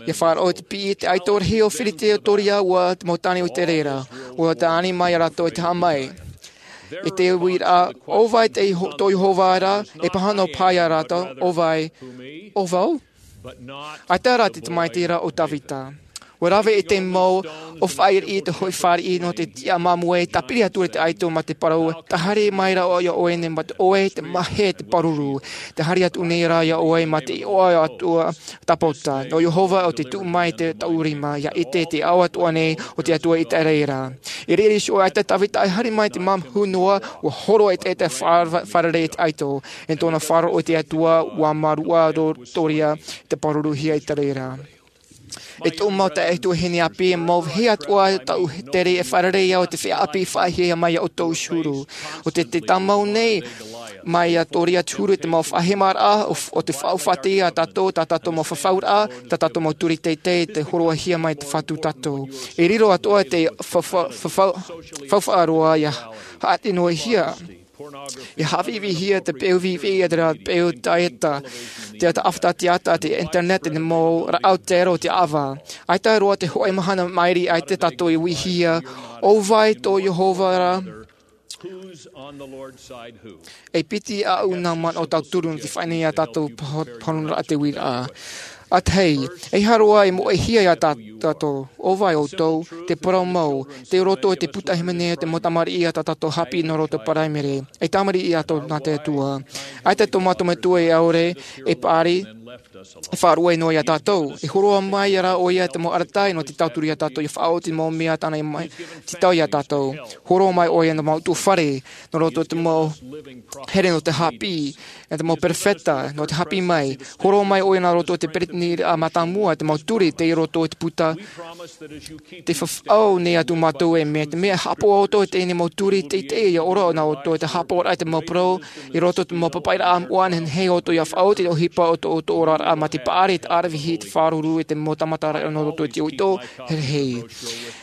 ʻIa faʻaroʻo i te piʻi i te ʻaito rahi o Filitea, ʻo Toria, ʻua te mau tāne o Iseraela. ʻUa tāʻani mai iā rātou e tahaʻa mai. I te uiraʻa, ʻo vai tō Iho-, tō Iehova ra, e pāhono paʻi iā rātou, ʻo vai, ʻo vau? ʻAita rā te tamaiti ra ʻo Tavita. Ua rave i te mau ʻōfaʻi i te hoʻi fāriʻi nō te tiʻa māmoe, tāpiri atu i te ʻaito mā te parau, tē haere mai ra ʻoe iā ʻoe nei mā te ʻoe, te mahe, te pāruru. Tē haere atu nei ra iā ʻoe mā te iʻoa atu tāpōtā. Nō Iehova ʻo tē tuʻu mai i tōʻu rima, ʻia ʻite te ao atoʻa nei o te Atua i te reira. I reira iho ʻaita Tāvita e haere mai te māmā noa, ua horo e te, te fā-, fārerei i te ʻaito. I tōna faʻaroʻo i te Atua, ua mārūʻa roa Toria te pāruruhia i te reira. E tōʻu mau taeaʻe tuahine ʻāpī, e mau vāhi atoʻa tāʻu tere e fārerei au i te feiā ʻāpī i faʻaʻitehia mai iā ʻoutou i te huru. ʻO te, te tāmau nei, mai iā Toria i te huru i te mau faʻahemaraʻa, ʻo, ʻo te faʻaʻohipa iā tātou, tā tātou mau fafauraʻa, tā tātou mau turi teitei, tē hōroʻahia mai te Fatu iā tātou. E riro atoʻa te fa-, fa-, fa-, fa-, faufaʻa roa ʻia haʻati-noa-hia. ʻIa haʻaviʻiviʻihia te peu viʻiviʻi, te peu taieta, te ata ʻāfata, te ata, te internet, te mau rāʻau taieta o te ava. ʻAita roa te hōʻē mahana maʻiri, ʻaita tātou e uihia, ʻo vai tō Iehova ra? E piti ā ʻoutou manaʻo tauturu nō te faʻaʻite iā tātou paho-, pāhonoraʻa te uiraʻa. ʻA tahi, e aha roa e moʻehia iā tā-, tātou, ʻo vai ʻoutou, te parau mau, tei roto i te puta hīmene o te mau tamariʻi a tā tātou haʻapiʻi nō roto paraimere, e tamariʻi atoʻa nā te Atua. ʻAita tō mātou Metua e ʻaore, e paʻari, e faʻaruʻe noa iā tātou. E hōroʻa mai ra ʻoia te mau arataʻi nō te tauturu iā tātou, ʻia faʻaoti te mau mea tāna i mai, tītau iā tātou. Hōroʻa mai ʻoia nō te mau ʻutuāfare, nō roto i te mau here nō te haʻapiʻi, e te mau perofeta, nō te haʻapiʻi mai. Hōroʻa mai ʻoia nā roto i te peretiteni mātāmua, te mau turi, tei roto i te puta. Tē faʻaau nei atu mātou e mea, te mea e haʻapaʻo ʻoutou i teie nei mau turi, teitei ʻia ora nā ʻoutou, tē haʻapaʻo ra i te mau parau, i roto i te mau papaʻiraʻa moʻa, nehenehe ʻoutou ʻia faʻaoti i te ʻohipa o tō, tō ʻoe oraraʻa mā te paʻari, te ʻaravihi, te fāruru, i te mau tāmataraʻa nō roto i te uito, he, he.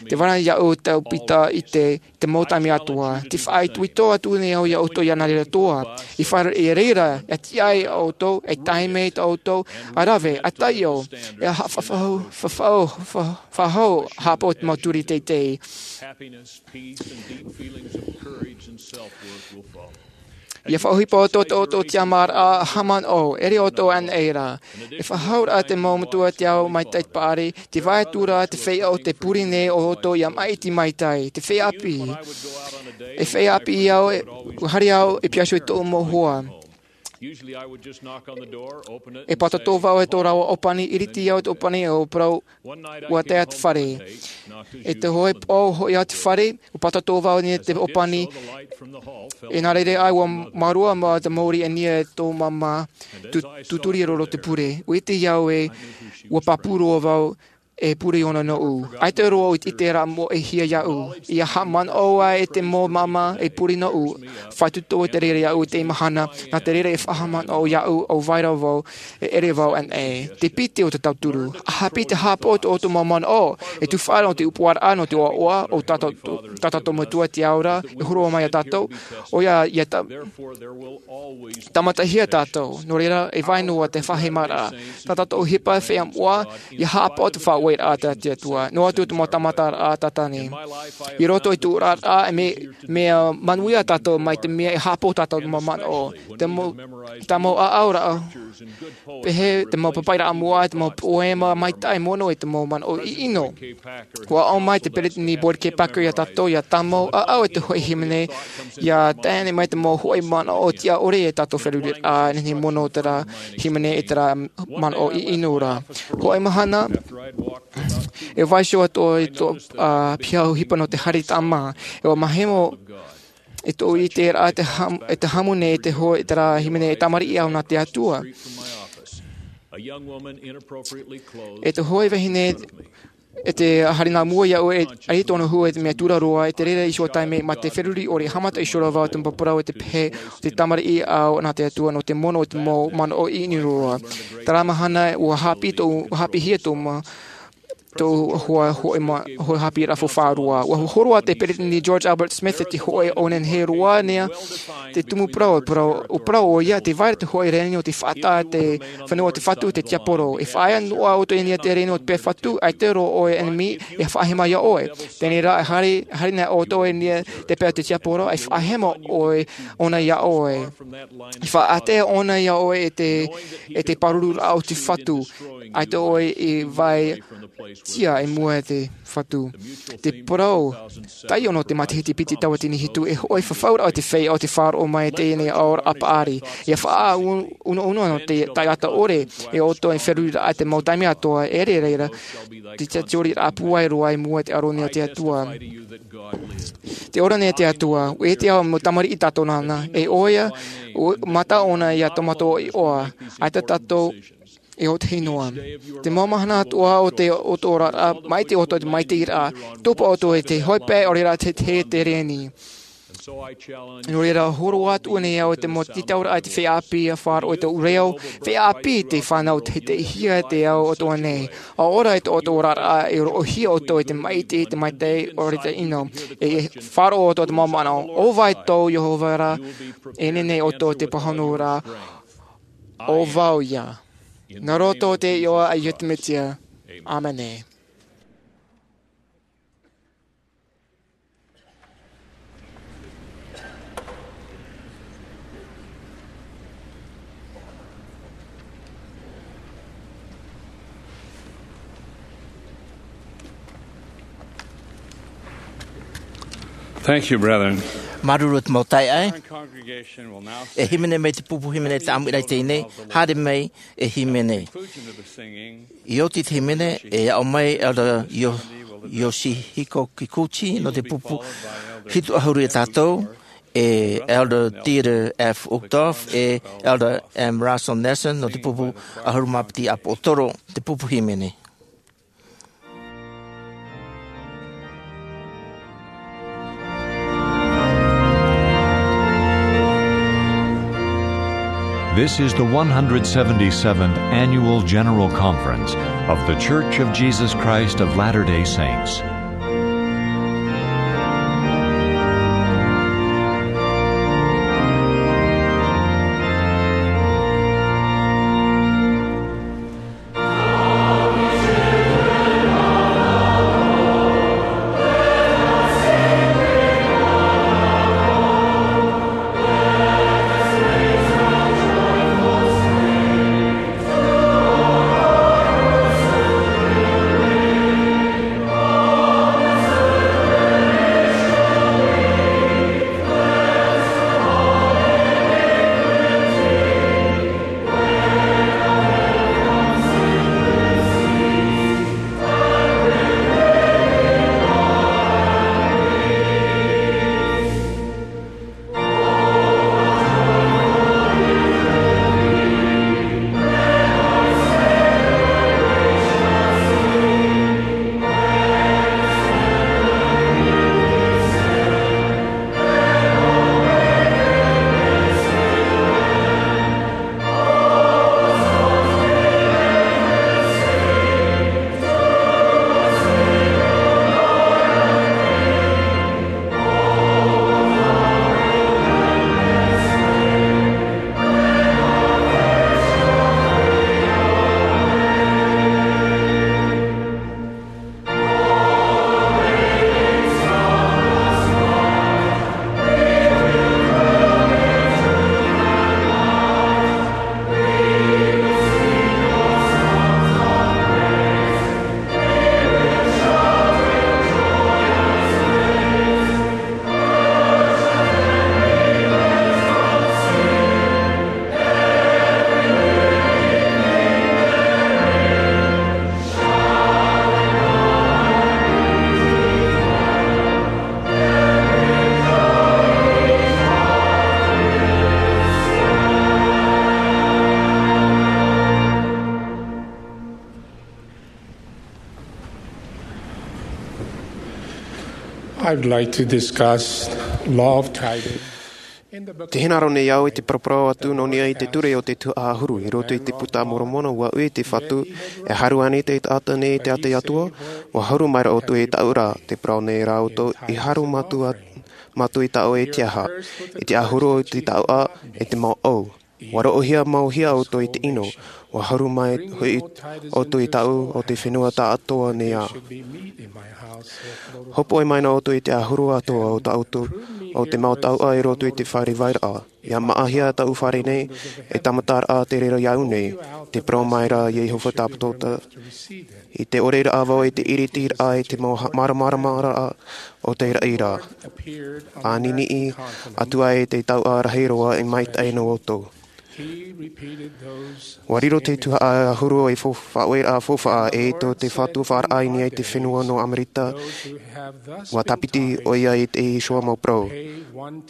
Tē vai ra iāʻu te ʻāpī ʻite, te mau taime atoʻa. Tē faʻaitoito atu nei au iā ʻoutou iā nā reira atoʻa. I fare-, i reira, ʻia tiʻa ai ʻoutou, e taime tā ʻoutou, ʻa rave, ʻa taiʻo, e ha-, fa-, fa-, fa-, fa-, fa-, faʻahou, haʻapaʻo i te mau turi teitei. Happiness, peace, and deep feelings of courage and self-worth will follow. ʻIa faʻaʻohipa ʻoutou i tō ʻoutou tiʻamāraʻa, haʻamanaʻo, ʻere ʻoutou anaʻe ra. E faʻahauraʻa te mau metua te ao maitaʻi i te paʻari, tē vai atu ra te feiā ʻo tē pure nei iā ʻoutou ʻia maʻiti maitaʻi, te feiā ʻāpī. E feiā ʻāpī au, e, ua haere au, e pihaʻi iho i tōʻu mau hoa. E pātoʻi vau i tō rāua ʻōpani, ʻiriti au i te ʻōpani, ʻo parau, ʻua tae te fare. I te hōʻē pō, hoʻi au i te fare, ʻua pātoʻi vau i te ʻōpani, e nā reira ʻae, ʻua mārua mai te mōrī e niʻa i tō māmā, tū-, tūturi roa te pure. ʻUa ʻite au ē, ʻua pāpū roa vau, e pure ʻōna nōʻu. ʻAita roa ʻoutou i te, te rā moʻehia iāʻu. ʻIa haʻamanaʻo ā e te mau māmā e pure nōʻu, faʻatupu i te reira iāʻu i teie mahana, nā te reira e faʻahaʻamanaʻo iāʻu, ʻo vai ra vau, e ʻere vau anaʻe. Te piti o te tauturu. ʻA haʻapiʻi te haʻapaʻo i tō ʻoutou mau manaʻo, e tuhaʻa nō te ʻōpuaraʻa, nō te ʻoaʻoa, ʻo tā tātou, tā tātou Metua te ao ra, e hōroʻa mai iā tātou, ʻoia, ʻia tā-, tāmatahia tātou. Nō reira, e vai noa te faʻahemaraʻa. Tā tātou ʻohipa feiā moʻa, ʻia haʻapaʻo i te faʻaueraʻa tā te Atua. Noa atu te mau tāmataraʻa Sātane. I roto i tōʻu oraraʻa, e mea, mea manuia tātou mai te mea e haʻapaʻo tā tātou mau manaʻo. Te mau, tā mau ʻāʻau ra, pēhē te mau papaʻiraʻa moʻa, te mau poema maitaʻi mono e te mau manaʻo ʻiʻino. ʻUa ʻō mai te peretiteni Boyd K. Packer iā tātou, ʻia tāmau ʻāʻau i te hōʻē hīmene, ʻia tae mai te mau hōʻē manaʻo tiʻa ʻore e tātou feruriraʻa, nehenehe mono terā hīmene e terā manaʻo ʻiʻino ra. Hōʻē mahana, e vaiiho atu i tō, ā, piha ʻohipa nō te haere i te māmā. E ʻua mahemo, e tōʻu ʻiteraʻa te ham-, e te haʻamou nei i te hō-, i terā hīmene e tamariʻi au nā te Atua. E te hōʻē vahine, e tē haere nā mua iāʻu e, e tōna hua e te mea tura roa, i te reira iho taime mā te feruri ʻore haʻamata iho ra vau te mau parau e te pehe, te tamariʻi au nā te Atua nō te mono i te mau manaʻo ʻiʻino roa. Terā mahana ʻua haʻapiʻi tō, ʻua haʻapiʻihia tō ma-, tō hōʻē, hōʻē ma-, hōʻē haʻapiʻiraʻa faufaʻa roa. ʻUa hōroʻa te peretiteni George Albert Smith i te hōʻē ʻō nehenehe roa nei, te tumu parau, parau, ʻua parau ʻoia, tē vai ra te hōʻē reni o te faʻataʻa te fenua o te Fatu, te tiaporo. E faʻaea noa ʻoutou i niʻa i te reni o te pae Fatu, ʻaita roa ʻoe ʻenemi e faʻahema iā ʻoe. Teie rā, e haere, haere nei ʻoutou i niʻa i te pae o te tiaporo, e faʻahema ʻoe, ʻōna iā ʻoe. E faʻaʻātea ʻōna iā ʻoe e te, e te pārururaʻa o te Fatu. ʻAita ʻoe i vai tia i mua i te Fatu. Te parau, taiʻo nō te matahiti piti tauatini hitu, e hoʻi fafauraʻa te feiā o te faʻaroʻo mai i teie nei aoraʻa paʻari. ʻIa faʻaunoʻuno nō te taʻata ʻore, e ʻoutou e feruriraʻa te mau taime atoʻa, e reira, te tiaturiraʻa pūai roa i mua i te ʻāroʻa nei a te Atua. Te ora nei a te Atua, ʻua ʻite au mau tamariʻi tātou nāna, e ʻoia, ʻua mata ʻōna ʻia tomato iʻoa, ʻaita tātou e ʻōtahi noa. Te mau mahana atoʻa o te, o te oraraʻa, maʻiti ʻoutou i te maʻitiraʻa, tupu ʻoutou i te hoʻi pae, ʻaore rā te, te, te reni. Nō reira, hōroʻa atu nei au i te mau tītauraʻa i te feiā ʻāpī ʻia faʻaroʻo i tō reo, feiā ʻāpī te fānau te, te hia te ao atoʻa nei. ʻA ora i tō, tō oraraʻa, e roʻohia ʻoutou i te maʻiti, te maitaʻi, ʻaore te ʻino. E faʻaroʻo ʻoutou i te mau manaʻo, ʻo vai tō Iehova ra, e nehenehe ʻoutou i te pāhono ra, ʻo vau ïa. Nā roto i te iʻoa a Iesu Mesia. ʻĀmene. Thank you, brethren. Māuruuru i te mau taeaʻe. Our congregation will now E hīmene mai te pupu hīmene i te ʻāmuiraʻa i teie nei, haere mai e hīmene. I oti i te hīmene, e aʻo mai Elder Yo-, Yoshihiko Kikuchi nō te pupu hitu ʻahuru ia tātou, e Elder Dieter F. Uchtdorf, e Elder M. Russell Nelson nō te pupu ʻahuru mā piti ʻāpoʻotoro, te pupu hīmene. This is the one hundred seventy-seventh Annual General Conference of The Church of Jesus Christ of Latter-day Saints. I'd like to discuss law of tithing. Te hinaʻaro nei au i te paraparau atu nō niʻa i te ture o te tuhaʻa ʻahuru i roto i te Puta a Moromona, ʻua ui te Fatu, e haru ānei te taʻata nei i te ʻātaʻi atoʻa, ʻua haru maira ʻoutou i tāʻu ra, tē parau nei rā ʻoutou, i haru mātou a-, mātou i tāʻu e te aha, i te ʻahuru o te taoʻa, i te mau ʻau. ʻUa roʻohia mau hia ʻoutou i te ʻino, ʻua haru mai hoʻi ʻoutou i tāʻu o te fenua taʻatoʻa nei ā. Hōpoi mai na ʻoutou i te ʻahuru atoʻa o tā ʻoutou, o te mau taoʻa i roto i te fare vairaʻa. Ia maʻahia taʻu fare nei, e tāmataraʻa te reira iāʻu nei, te parau mai ra a Iehova Tāpatota. I te ʻore raʻa vau i te ʻiritiraʻa i te mau ha-, māramarama raʻa o te raʻi ra. A niniʻi atu ai te tauʻa rahi roa i maitaʻi nō ʻoutou. Ua riro te tuhaʻa ahuru e fo-, faʻaueraʻa faufaʻa e tō te Fatu faʻaraʻa i niʻa i te fenua nō Amerika. Ua tāpiti ʻoia i te Ihoa mau parau.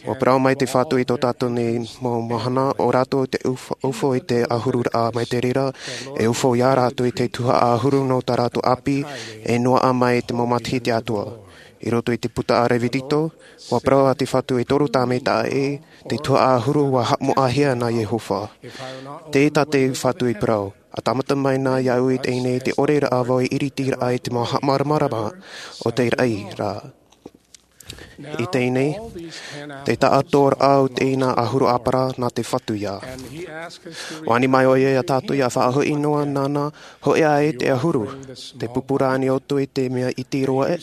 Ua parau mai te Fatu i tō tātou nei mau mahana, ʻo rātou te uf-, ufo i te ahuru raʻa mai te reira, e ufo ia rātou i te tuhaʻa ahuru nō tā rātou ʻāpī, e noaʻa mai te mau matahiti atoʻa. I roto i te puta a Revitiko, ua parau a te Fatu e toru tāmata ē, te tuhaʻa ahuru ua haʻamoʻahia nā Iehova. Tē tā te Fatu i parau, a tāmata mai na iāʻu i teie nei te ʻore raʻa vau i ʻiritiraʻa i te mau haʻamāramarama o te raʻi ra. I teie nei, te taʻatoʻaraʻa o teie ahuru ʻāpara nā te Fatu ia. Ua ani mai ʻoia ia tātou ia faʻahoʻi noa nāna, hōʻē ā e te ahuru, te pupura ānei ʻoutou i te mea iti roa ē?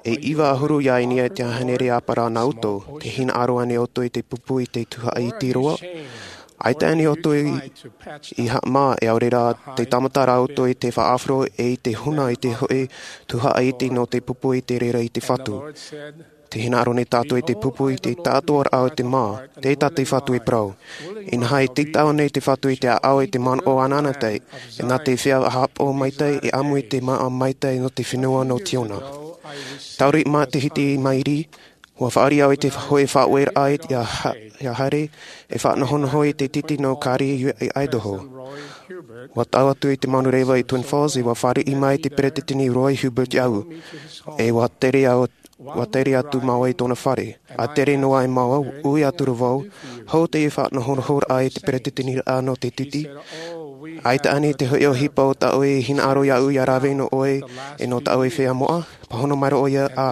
E iva ahuru ia i niʻa i te hānere ʻāpara nā ʻoutou, tē hinaʻaro ānei ʻoutou i te pupu i te tuhaʻa iti roa? ʻAita ānei ʻoutou i, i haʻamā, e ʻaore rā, te tāmata rā ʻoutou i te faʻaʻāfaro e i te huna i te hōʻē tuhaʻa iti nō te pupu i te reira i te Fatu? Tē hinaʻaro nei tātou i te pupu i te taʻatoʻaraʻa o te mā, tē tā te Fatu i parau. Inaha e tītau nei te Fatu i te ʻāʻau i te manaʻo anaanatae, e nā te feiā haʻapaʻo maitaʻi, e ʻamu i te māʻa maitaʻi nō te fenua nō Siona. Tauriʻi matahiti i maʻiri, ua fāriʻi au i te hōʻē faʻaueraʻa ia ha-, ia haere, e faʻanahonaho i te titi nō Carrie i Idaho. Ua tau atu i te manureva i Twin Falls, e ua fāriʻi mai te peretiteni Roy Hibbert iāʻu, e ua tere au, ua tere atu māua i tōna fare. A tere noa ai māua, ui atu ra vau, hou te faʻanahonahoraʻa i te peretiteniraʻa nō te titi. ʻAita ānei te hōʻē ʻohipa o tā ʻoe i hinaʻaro iāʻu ia rave nō ʻoe, e nō tā ʻoe feiā moʻa? Pāhono mai ra ʻoia, ā,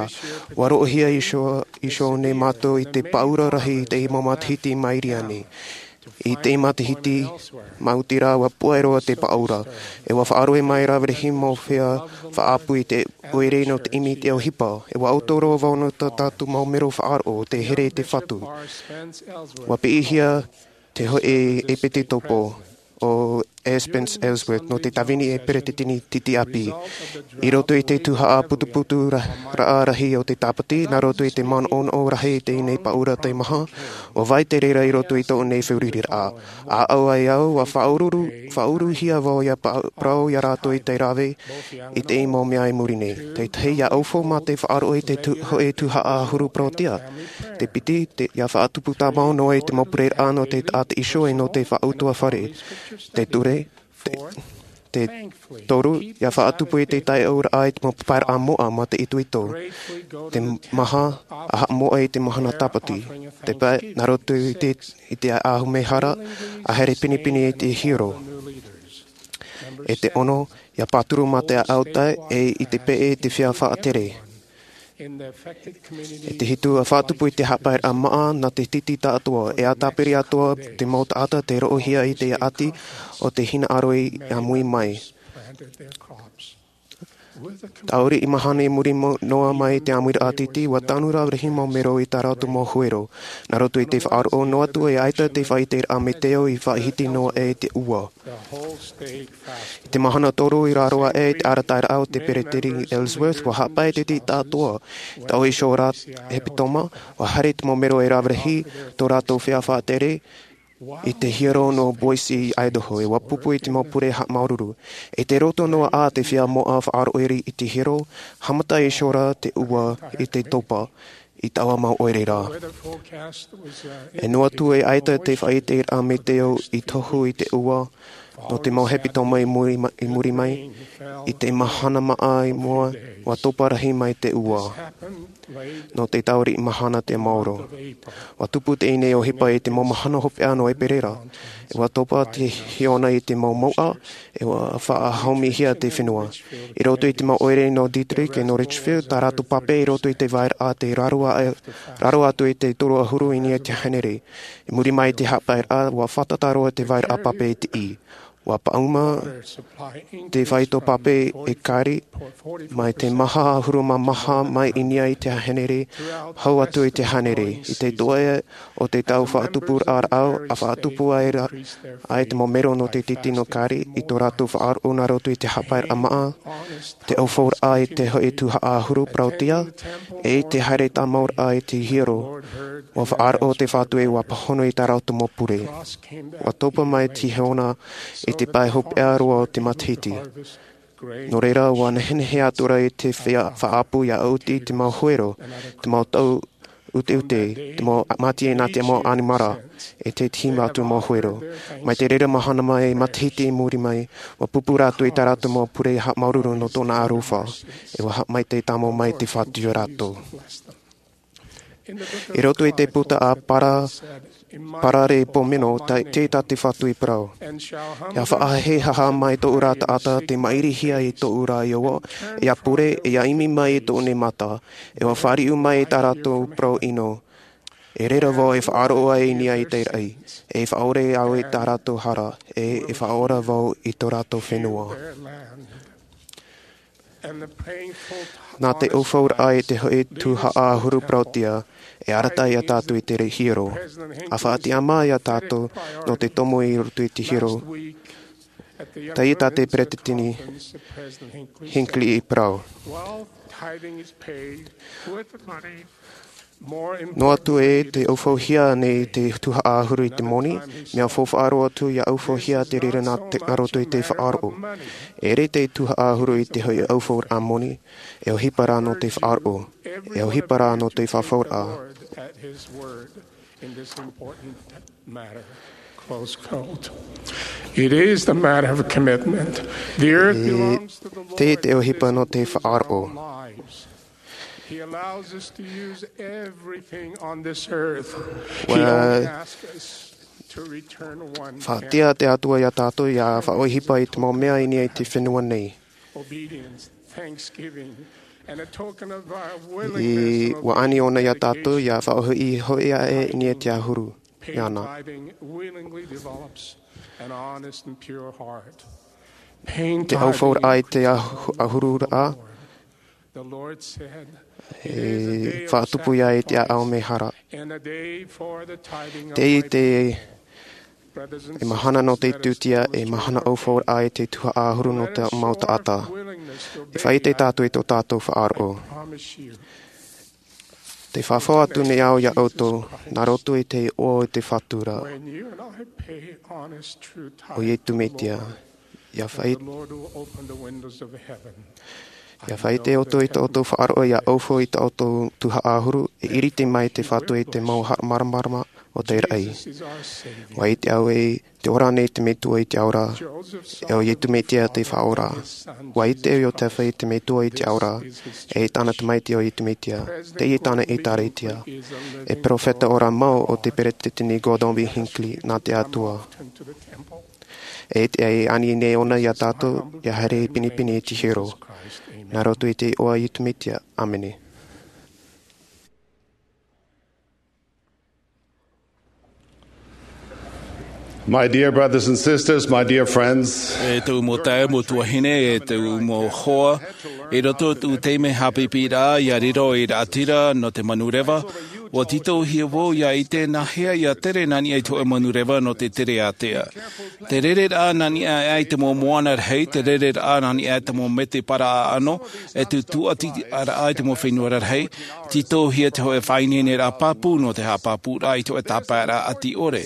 ua roʻohia iho, iho nei mātou i te pāʻura rahi i te mau matahiti i maʻiri aʻe nei. I te matahiti maoti rā, ua puʻe roa te pāʻura. E ua faʻaroʻo mai rā Revitiko mau feiā faʻaʻapu i te ʻoire nō te ʻimi i te ʻohipa. E ua ʻoto roa vau nō tā tātou mau mero faʻaroʻo, tē here i te Fatu. Ua piʻihia te hōʻē ʻepetitopo ʻo E. Spence Ellsworth nō te tāvini e peretiteni titi ʻāpī. I roto i te tuhaʻa putuputu ra-, raʻa rahi o te Tāpati, nā roto i te manaʻonaʻo rahi i teie nei pāʻura teimaha, ʻua vai te reira i roto i tō ʻoe nei fārereiraʻa. ʻĀʻau ai au, ua faʻaururu, faʻauruhia vau ia pa-, parau ia rātou i te rave i te mau mea i muri nei. Te tahi, ia ʻaufau mā te faʻaroʻo i te tu-, hōʻē tuhaʻa ahuru parauʻtiʻa. Te piti, te, ia faʻatupu tāmau noa i te mau pureraʻa nō te taʻata iho e nō te faʻautuafare. Te ture, te, te toru, ia faʻatupu i te taiʻoraʻa i te mau papaʻiraʻa moʻa mā te itoito. Te maha, a haʻamoʻa i te mahana Tāpati. Te pae, nā roto i te, i te ʻāmui hara, a haere pinepine i te hiero. E te ono, ia pāturu mā te ʻāʻau tae, e i te peʻe i te feiā faʻatere. E te hitu, a faʻatupu i te haʻapaeraʻa māʻa nā te titi taʻatoʻa, e a tāpiri atoʻa te mau taʻata tē roʻohia i te ʻati o te hinaʻaro i ʻāmui mai. Tauriʻi mahana i muri mo-, noa mai i te ʻāmuiraʻa titi, ua tanu rā Revitiko mau mero i tā rātou mau huero. Nā roto i te faʻaroʻo noa atu e ʻaita te faʻaʻiteraʻa meteo i faʻahiti noa aʻe i te ʻua. I te mahana toru i raro aʻe i te arataʻiraʻa o te peretiteni Ellsworth, ua haʻapae te titi taʻatoʻa. Taʻu iho rā hepetoma, ua haere te mau mero e Revitiko, tō rātou feiā faʻatere, i te hiero nō Boise i Idaho, e ua pupu i te mau pure haʻamāuruuru. I te roto noa ā te feiā moʻa faʻaroʻo i te hiero, haʻamata iho rā te ʻua i te topa, i taua mau ʻoire ra. E noa atu e ʻaita te faʻaʻiteraʻa meteo i tohu i te ʻua, nō te mau hepetoma i muri ma-, i muri mai, i te mahana māʻa i mua, ua topa rahi mai te ʻua. Nō te tauriʻi mahana te maoro. Ua tupu teie nei ʻohipa i te mau mahana hopeʻa nō ʻEperēra. E ua topa te hiona i te mau mouʻa, e ua faʻahaumihia te fenua. I roto i te mau ʻoire nō Dieterich e nō Litchfield, tā rātou pape i roto i te vairaʻa tei raro a-, raro atu i te toru ahuru i niʻa i te hānere. I muri mai i te haʻapaeraʻa, ua fātata roa te vairaʻa pape i te ʻī. Ua paʻuma te faito pape e kari mai te maha ʻahuru mā maha mai i niʻa i te hānere, hau atu i te hānere. I te toʻe o te tau faʻatupu rāʻau, a faʻatupu ai ra, ai te mau mero nō te titino kari, i tō rātou faʻaroʻo nā roto i te hapaeraʻa maʻa, te ʻaufauraʻa i te hoʻi tuhaʻa ʻahuru parauʻtiʻa, e i te haere tāmauraʻa i te hiero. Ua faʻaroʻo te Fatu e ua pāhono i tā rātou mau pure. Ua topa mai Siheona i te pae hopeʻa roa o te matahiti. Nō reira, ua nehenehe atu ra i te fea-, faʻaʻapu ia ʻuti te mau huero, te mau tau ʻuteʻute, te mau mātie nā te mau ʻanimara, e te tīmā atu mau huero. Mai te reira mahana mai, matahiti i muri mai, ua pupu rātou i tā rātou mau pure haʻamāuruuru nō tōna aroha, e ua haʻamaitaʻi tāmau mai te Fatu ia rātou. I roto i te puta a Para-, Parare Pomeno, ta-, tē tā te Fatu i parau. Ia faʻahehaha mai tōʻu ra taʻata te maʻirihia i tōʻu ra ʻohipa, ia pure, ia ʻimi mai i tōʻu nei mata, e ua fāriu mai i tā rātou parau ʻino. E reira vau e faʻaroʻo ai i niʻa i te raʻi, e faʻaʻore au i tā rātou hara, e, e faʻaora vau i tō rātou fenua. Nā te ʻaufauraʻa i te hoʻi tuhaʻa ʻahuru parauʻtiʻa, e arataʻi ia tātou i te hiero. A faʻatiʻa mai ia tātou nō te tomo i roto i te hiero. Teie tā te Peresideni Hinckley i parau. Noa atu e te ʻaufauhia nei te tuhaʻa ʻahuru i te moni, mea faufaʻa roa atu ia ʻaufauhia te reira nā te, nā roto i te faʻaroʻo. E ʻere te tuhaʻa ʻahuru i te hoʻi ʻaufauraʻa moni, e ʻohipa rā nō te faʻaroʻo, e ʻohipa rā nō te faufaʻa. Close quote. It is the matter of commitment. The earth E belongs to the Lord. Te, te ʻohipa nō te faʻaroʻo. He allows us to use everything on this earth. He Ua only asks us to return one tenth. Faʻatiʻa te Atua ia tātou ia faʻaʻohipa i te mau mea i niʻa i te fenua nei. Obedience, thanksgiving, and a token of our willingness and obedience to the ʻAniʻoni ia tātou ia faʻaʻohipa i niʻa i te ʻahuru. Pain tithing willingly develops an honest and pure heart. Pain tithing increases the love of the Lord. The Lord said, "It is a day of sacrifice and a day for the tithing of my people." Brothers and sisters, let us do the same. E mahana nō te tūtia, e mahana ʻaufauraʻa i te tuhaʻa ʻahuru nō te mau taʻata. E faʻaʻite tātou i tō tātou faʻaroʻo. Te faʻaʻite atu nei au ia ʻoutou, nā roto i te iʻoa o te Fatu ra, ʻo Iesu Mesia, ia faʻaʻite, ia faʻaʻite ʻoutou i tō ʻoutou faʻaroʻo ia ʻaufau i tō ʻoutou tuhaʻa ʻahuru, e ʻiriti mai te Fatu i te mau haʻamāramarama o te raʻi. ʻUa ʻite au ē, tē ora nei te Metua i te ao ra, e ʻo Iesu Mesia te Faʻaora. ʻUa ʻite au ē, tē vai te Metua i te ao ra, e tāna Tamaiti ʻo Iesu Mesia, teie tāna ʻĒtārētia. E perofeta ora mau ʻo te Peresideni Gordon B. Hinckley nā te Atua. E te, e ani nei ʻōna ia tātou, ia haere pinepine i te hiero. Nā roto i te iʻoa o Iesu Mesia. ʻĀmene. My dear brothers and sisters, my dear friends, E tōʻu mau taeaʻe, mau tuahine, e tōʻu mau hoa, i roto i tōʻu taime haʻapiʻiraʻa, ʻia riro ei raʻatira nō te manureva, ʻua tītauhia vau ʻia ʻite nāhea ʻia tere nā niʻa i te hōʻē manureva nō te tere ātea. Te rereraʻa nā niʻa i te mau moana rahi, te rereraʻa nā niʻa i te mau mete paraʻa ʻāʻano, e te tūʻatiraʻa i te mau fenua rarahi, tītauhia te hōʻē faʻaineineraʻa pāpū nō te haʻapāpūraʻa i te hōʻē tāpaeraʻa ʻati ʻore.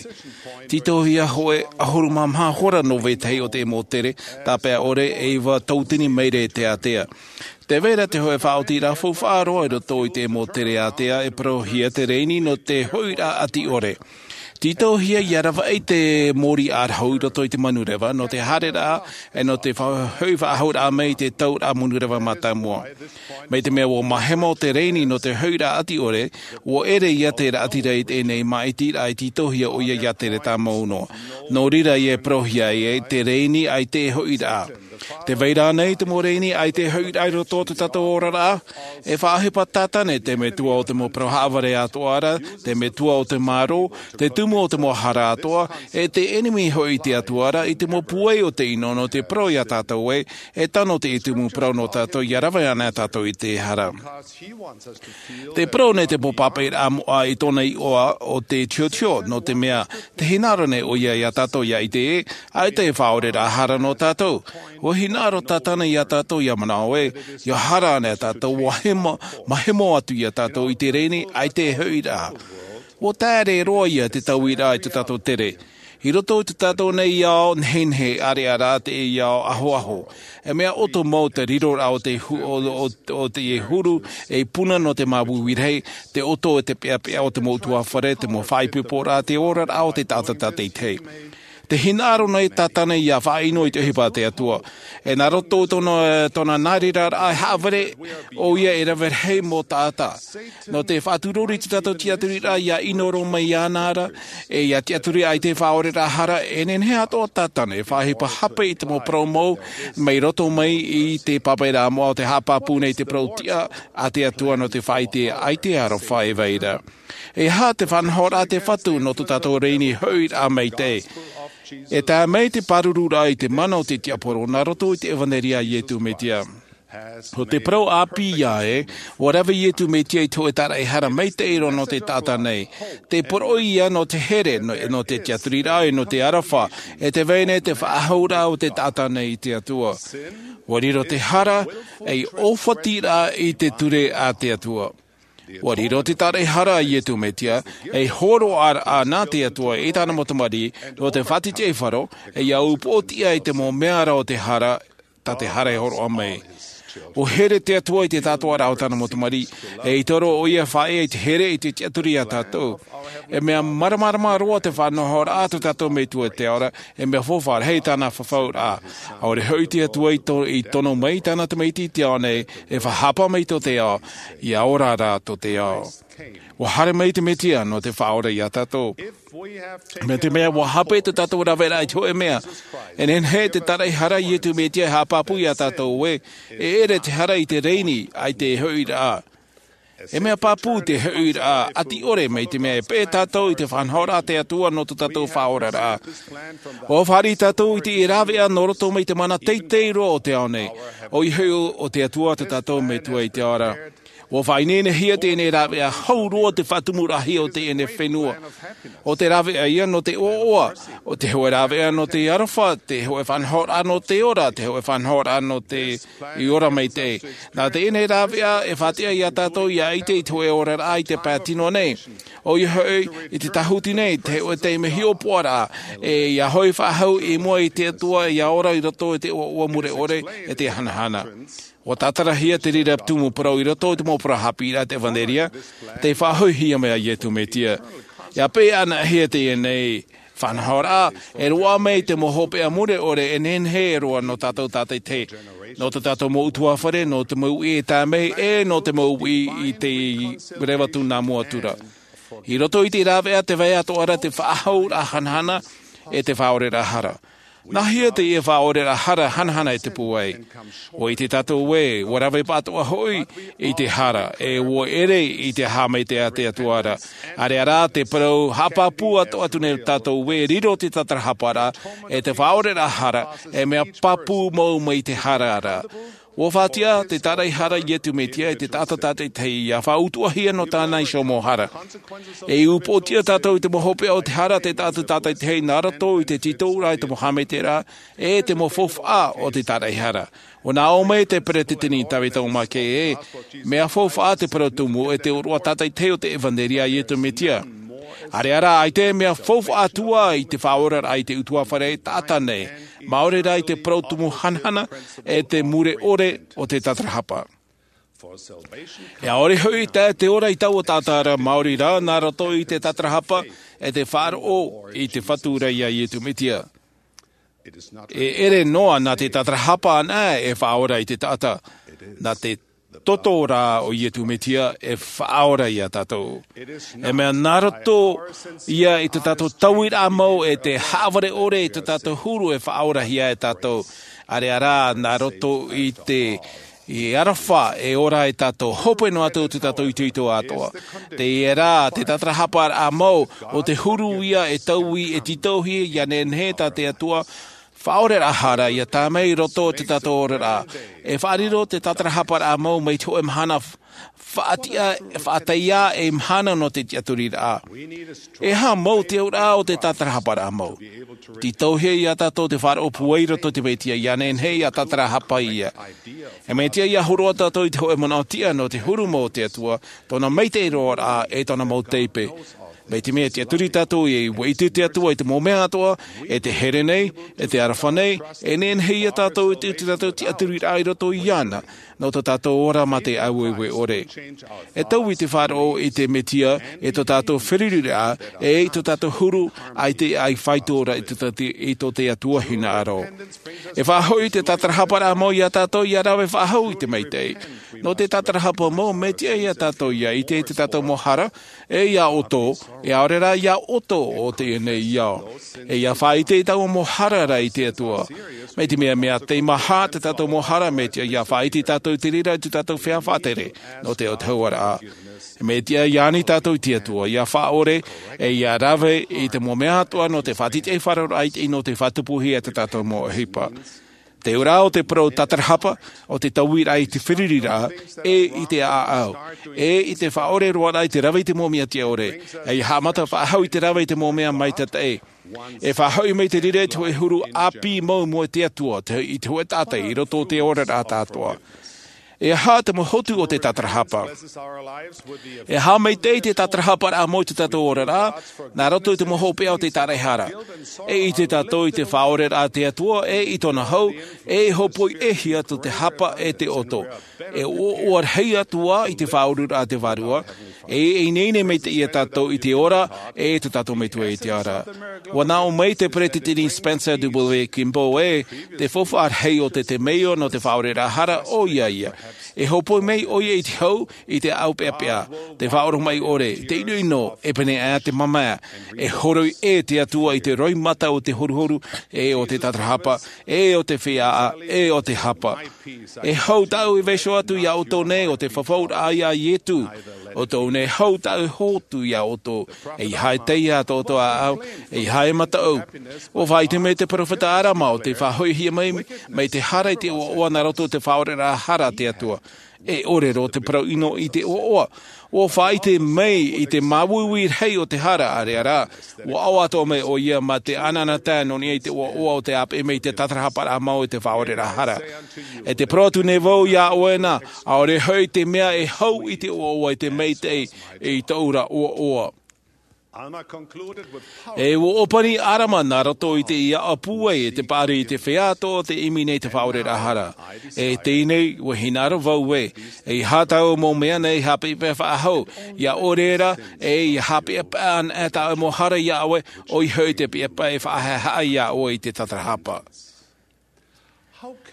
Tītauhia hōʻē ʻahuru mā maha hora nō vetahi o te mau tere tāpae ʻore e iva tautini maira i te ātea. Tē vai ra te hōʻē faʻaotiraʻa faufaʻa roa i roto i te mau tere ātea e parauhia te rēni nō te hoʻiraʻa ʻati ʻore. Tītauhia ʻia ravaʻi te mōrī ʻārahu i roto i te manureva, nō te haereraʻa, e nō te fa-, hoʻi faʻahouraʻa mai i te tauraʻa manureva mātāmua. Mai te mea ʻua mahemo te rēni nō te hoʻiraʻa ʻati ʻore, ʻua ʻere ia te raʻatira i teie nei māʻitiraʻa i tītauhia ʻoia ʻia tere tāmau noa. Nō reira e parauhia ai te rēni ʻaita e hoʻiraʻa. Te vai ra nei te mau rēni ʻaita e hoʻi ra i roto o tō tātou oraraʻa, e faʻaʻohipa tātane te metua o te mau parau haʻavare atoʻa ra, te metua o te mārō, te tumu o te mau hara atoʻa, e te ʻenemi hoʻi te Atua ra, i te mau pūai o te ʻino nō te parau iā tātou ē, e tano te tumu parau nō tātou ʻia rave ana tātou i te hara. Te parau nei te mau pāpaʻiraʻa moʻa i tōna iʻoa o te tiotio, nō te mea, te hinaʻaro nei ʻoia iā tātou ʻia ʻite ē, ʻaita e faʻaoreraʻa hara nō tātou. ʻUa hinaʻaro tātane iā tātou ʻia manaʻo ē, ʻia hara ana tātou, ʻua hemo, mahemo atu iā tātou i te rēni, ʻaita e hoʻi ra. ʻUa taere roa ïa te tauiraʻa i tō tātou tere. I roto i tō tātou nei ao, nehenehe, ʻāreʻa rā te ao ahoaho. E mea ʻoto mau te riroraʻa o te hu-, o, o, o te huru, ei puna nō te māuiui rahi, te ʻoto e te peʻapeʻa o te mau ʻutuāfare, te mau faʻaipoiporaʻa, te oraraʻa o te taʻata tātaʻitahi. Te hinaʻaro nei tātane ʻia faʻaʻino i te ʻohipa a te Atua. E nā roto i tōna, tōna nāreʻaraʻa e haʻavare ʻoia e rave rahi mau taʻata. Nō te faʻaturori i tō tātou tiʻaturiraʻa ʻia ʻino roa mai iāna ra, e ʻia tiʻaturi ʻaita e faʻaoreraʻa hara, e nehenehe atoʻa tātane e faʻaʻohipa hape i te mau parau mau, mai roto mai i te pāpaʻiraʻa moʻa o te haʻapāpū nei te parau tiʻa a te Atua nō te faʻaʻite ʻaita e aroha e vai ra. E aha te faʻanahoraʻa a te Fatu nō tō tātou rēni hoʻiraʻa maitaʻi? E tae mai te pārururaʻa i te mana o te tiaporo nā roto i te ʻevanelia a Iesu Mesia. ʻO te parau ʻāpī ïa ē, ʻua rave Iesu Mesia i te hōʻē tāraʻehara maitaʻi roa nō te taʻata nei. Te poroʻi ïa nō te here, nō, nō te tiʻaturiraʻa, nō te aroha, e te vai nei te faʻahouraʻa o te taʻata nei i te Atua. ʻUa riro te hara, ei ʻōfatiraʻa i te ture a te Atua. ʻUa riro te tāraʻehara a Iesu Mesia, ei hōroʻaraʻa nā te Atua i tāna mau tamariʻi, nō te faʻatītīʻaifaro, e ʻia upoʻotiʻa i te mau mea ra o te hara, tā te hara e hōroʻa mai. ʻUa here te Atua i te tātoʻaraʻa o tāna mau tamariʻi, e i toro ʻoia faʻaea i te here i te tiʻaturi iā tātou. E mea māramarama roa te faʻanahoraʻa a tō tātou Metua i te ao ra, e mea faufaʻa rahi tāna fafauraʻa. ʻAore hoʻi te Atua i to-, i tono mai i tāna tamaiti i te ao nei, e faʻahapa mai tō te ao, ʻia ora rā tō te ao. ʻUa haere mai te Mesia nō te faʻaora iā tātou. Mai te mea ʻua hape tō tātou raveraʻa i te hōʻē mea. E nehenehe te tāraʻehara a Iesu Mesia e haʻapāpū iā tātou ē, e ʻere te hara i te rēni, ʻaita e hoʻiraʻa. E mea pāpū te hoʻiraʻa, ʻati ʻore mai te mea e peʻe tātou i te faʻanahoraʻa a te Atua nō tō tātou faʻaoraraʻa. ʻUa fāriʻi tātou i te ʻē rāveʻa nō roto mai te mana teitei roa o te ao nei. ʻOia hoʻi ʻo te Atua tō tātou Metua i te ao ra. ʻUa faʻaineinehia teie rāveʻa hau roa te faʻatumuraʻahia o teie fenua. ʻO te rāveʻa ïa nō te ʻoaʻoa, ʻo te hōʻē rāveʻa nō te aroha, te hōʻē faʻanahoraʻa nō te ora, te hōʻē faʻanahoraʻa nō te ora maitaʻi. Nā teie rāveʻa e faʻatiʻa iā tātou ʻia ʻite i te hōʻē oraraʻa i te pae tino nei. ʻOia hoʻi, i te tāhuti nei, te hōʻē taime hiʻopoʻaraʻa, e ʻia hoʻi faʻahou i mua i te Atua ʻia ora i roto i te ʻoaʻoa mure ʻore, e te hanahana. ʻUa tātarahia te reira tumu parau i roto i te mau parau haʻapiʻiraʻa a te ʻEvanelia, tei faʻahoʻihia mai a Iesu Mesia. ʻIa peʻe anaʻe hia teie faʻanahoraʻa, e roaʻa mai te mau hopeʻa mure ʻore e nehenehe roa nō tātou tātaʻitahi. Nō tō tātou mau ʻutuāfare, nō te mau uʻi e tae mai, e nō te mau uʻi i te reva tū nā mua atu ra. I roto i te rāveʻa te vai atoʻa ra te faʻahouraʻa hanahana, e te faʻaoreraʻa hara. Nāhea teie faʻaoreraʻa hara hanahana e tupu ai? ʻUa ʻite tātou ē, ʻua rave pāʻatoʻa hoʻi i te hara, e ʻua ʻere i te haʻamaitaʻi a te Atua ra. ʻĀreʻa rā te parau haʻapāpū atoʻa atu nei tātou ē, riro te tatarahapa ra, e te faʻaoreraʻa hara, e mea pāpū mau mai te hara ra. ʻUa faʻatiʻa te tāraʻehara a Iesu Mesia i te taʻata tātaʻitahi ʻia faʻautuʻahia nō tāna iho mau hara. E upoʻotiʻa tātou i te mau hopeʻa o te hara a te taʻata tātaʻitahi nā roto i te tītauraʻa i te mau haʻamaitaʻiraʻa, e te mau faufaʻa o te tāraʻehara. ʻUa nā ʻō mai te peresideni Tavita O. McKay ē, mea faufaʻa te parau tumu e te ʻōroʻa tātaʻitahi o te ʻEvanelia a Iesu Mesia. ʻĀreʻa rā, ʻaita e mea faufaʻa atu ā i te faʻaoraraʻa i te ʻutuāfare taʻata nei, maori rā i te parau tumu hanahana, e te mure ʻore o te tatarahapa. E ʻaore hoʻi tae te ora i taua taʻata ra, maori rā nā roto i te tatarahapa, e te faʻaroʻo i te Fatu ra iā Iesu Mesia. E ʻere noa nā te tatarahapa anaʻe e faʻaora i te taʻata. Nā te toto rā o Iesu Mesia e faʻaora iā tātou. E mea nā roto ïa i tō tātou tauiraʻa mau e te haʻavare ʻore i tō tātou huru e faʻaorahia e tātou. ʻĀreʻa rā, nā roto i te, i aroha e ora ai tātou, hope noa atu te tātou itoito atoʻa. Teie rā, te tātarahaparaʻa mau o te huru ia e taui, e tītauhia, ʻia nehenehe tā te Atua, faʻaoreraʻa hara, ʻia tae mai i roto i te tātou oraraʻa. E faʻariro te tātarahaparaʻa mau mai te hōʻē mahana faʻatiʻa, faʻataʻa e mahana nō te tiʻaturiraʻa. E aha mau te auraʻa o te tātarahaparaʻa mau? Tītauhia ia tātou te faʻaroʻo pūai i roto i te Mesia, ʻia nehenehe ʻia tātarahapa ia. E mea tiʻa ʻia hōroʻa tātou i te hōʻē manaʻo tiʻa nō te huru mau o te Atua, tōna maitaʻi roa rā, e tōna mau taipe. Mai te mea e tiʻaturi tātou e ʻua ʻite te Atua i te mau mea atoʻa, e te here nei, e te aroha nei, e nehenehe ia tātou i te, te tātou tiʻaturiraʻa i roto iāna, nō tō tātou ora mā te aueue ʻore. E taui te faʻaroʻo i te Mesia, e tō tātou feruriraʻa, e i tō tātou huru, ʻaita e faʻaitoito ra i tō te, i tō te Atua hinaʻaro. E faʻahoʻi te tātarahaparaʻa mau ia tātou ʻia rave faʻahou i te maitaʻi. Nō te tātarahapa mau, mea tiʻa ia tātou ʻia ʻite i te tātou mau hara, e ia ʻoutou, e ʻaore rā ia ʻoutou o teie nei ao. E ʻia faʻaʻite i taua mau hara ra i te Atua. Mai te mea, mea teimaha te tātou mau hara, mea tiʻa ʻia faʻaʻite tātou i te reira i te tātou feiā faʻatere, nō te autahuʻaraʻa. Mea tiʻa ʻia ani tātou i te Atua, ʻia faʻaʻore, e ʻia rave i te mau mea atoʻa nō te faʻatītīʻaifarauraʻa i te, nō te faʻatupuhia te tātou mau ʻohipa. Te auraʻa o te parau tātarahapa, o te tauiraʻa i te feruriraʻa, e i te ʻāʻau, e i te faʻaʻore roa rā i te rave i te mau mea tiʻa ʻore, e ʻia haʻamata faʻahou i te rave i te mau mea maitaʻi. E faʻahoʻi mai te reira i te hōʻē huru ʻāpī mau mai te Atua, te, i te hōʻē taʻata i roto i te oraraʻa atoʻa. E aha te mau hotu o te tātarahapa? E aha maitaʻi te tātarahaparaʻa mau i tō tātou oraraʻa, nā roto i te mau hopeʻa o te tāraʻehara. E ʻite tātou i te faʻaʻoreraʻa a te Atua, e i tōna hau, e hōpoiʻahia tō te hapa e te ʻoto. E ʻoaʻoa rahi atu ā i te faʻaururaʻa a te Vārua, e, e ineine maitaʻi ia tātou i te ora, e te tātou Metua i te ara. ʻUa nā ʻō mai te Peretiteni Spencer W. Kimball ē, te faufaʻa rahi o te temeio nō te faʻaʻoreraʻa hara, ʻoia ia. E hōpoi mai ʻoia i te hau, i te ʻāʻau peʻapeʻa, te faʻaoromaʻi ʻore, te ʻinoʻino, e pēneiaʻe te mamae, e horoi ʻē te Atua i te roimata o te horuhoru, e o te tātarahapa, e o te feiā, e o te hapa. E hau tāʻu e vaiiho atu ia ʻoutou nei o te fafauraʻa ia Ietu. ʻO tōʻu nei hau tāʻu e hotu ia ʻoutou. E ʻeiaha e taiā tō ʻoutou ʻāʻau, e ʻeiaha e mataʻu. ʻUa faʻaʻite mai te peropheta Arama ʻo tei faʻahoʻihia mai, mai te hara i te ʻoaʻoa nā roto i te faʻaʻoreraʻa hara a te Atua. E ʻore roa te parau ʻino i te ʻoaʻoa. ʻUa faʻaʻite mai i te māuiui rahi o te hara, ʻāreʻa rā, ʻua ʻoaʻoa atoʻa mai ʻoia mā te ʻanaʻanatae nō niʻa i te ʻoaʻoa o te ʻāpeʻe mai i te tātarahaparaʻa mau i te faʻaʻoreraʻa hara. E te parau atu nei vau ia ʻoe na, ʻaore hoʻi te mea e hau i te ʻoaʻoa i te maitaʻi i tōʻu ra ʻoaʻoa. E ʻua ʻōpani Arama nā roto i te ʻīaʻa pūai e te paʻari i te feiā atoʻa tei ʻimi nei te faʻaʻoreraʻa hara. E teie nei, ʻua hinaʻaro vau ē, e ʻeiaha tāʻu mau mea nei haʻapeʻapeʻa faʻahou, ia ʻore ra, e ia haʻapeʻapeʻa ana e tāʻu mau hara ia ʻoe, ʻoia hoʻi te peʻapeʻa e faʻahaʻehaʻa ia ʻoe i te tātarahapa.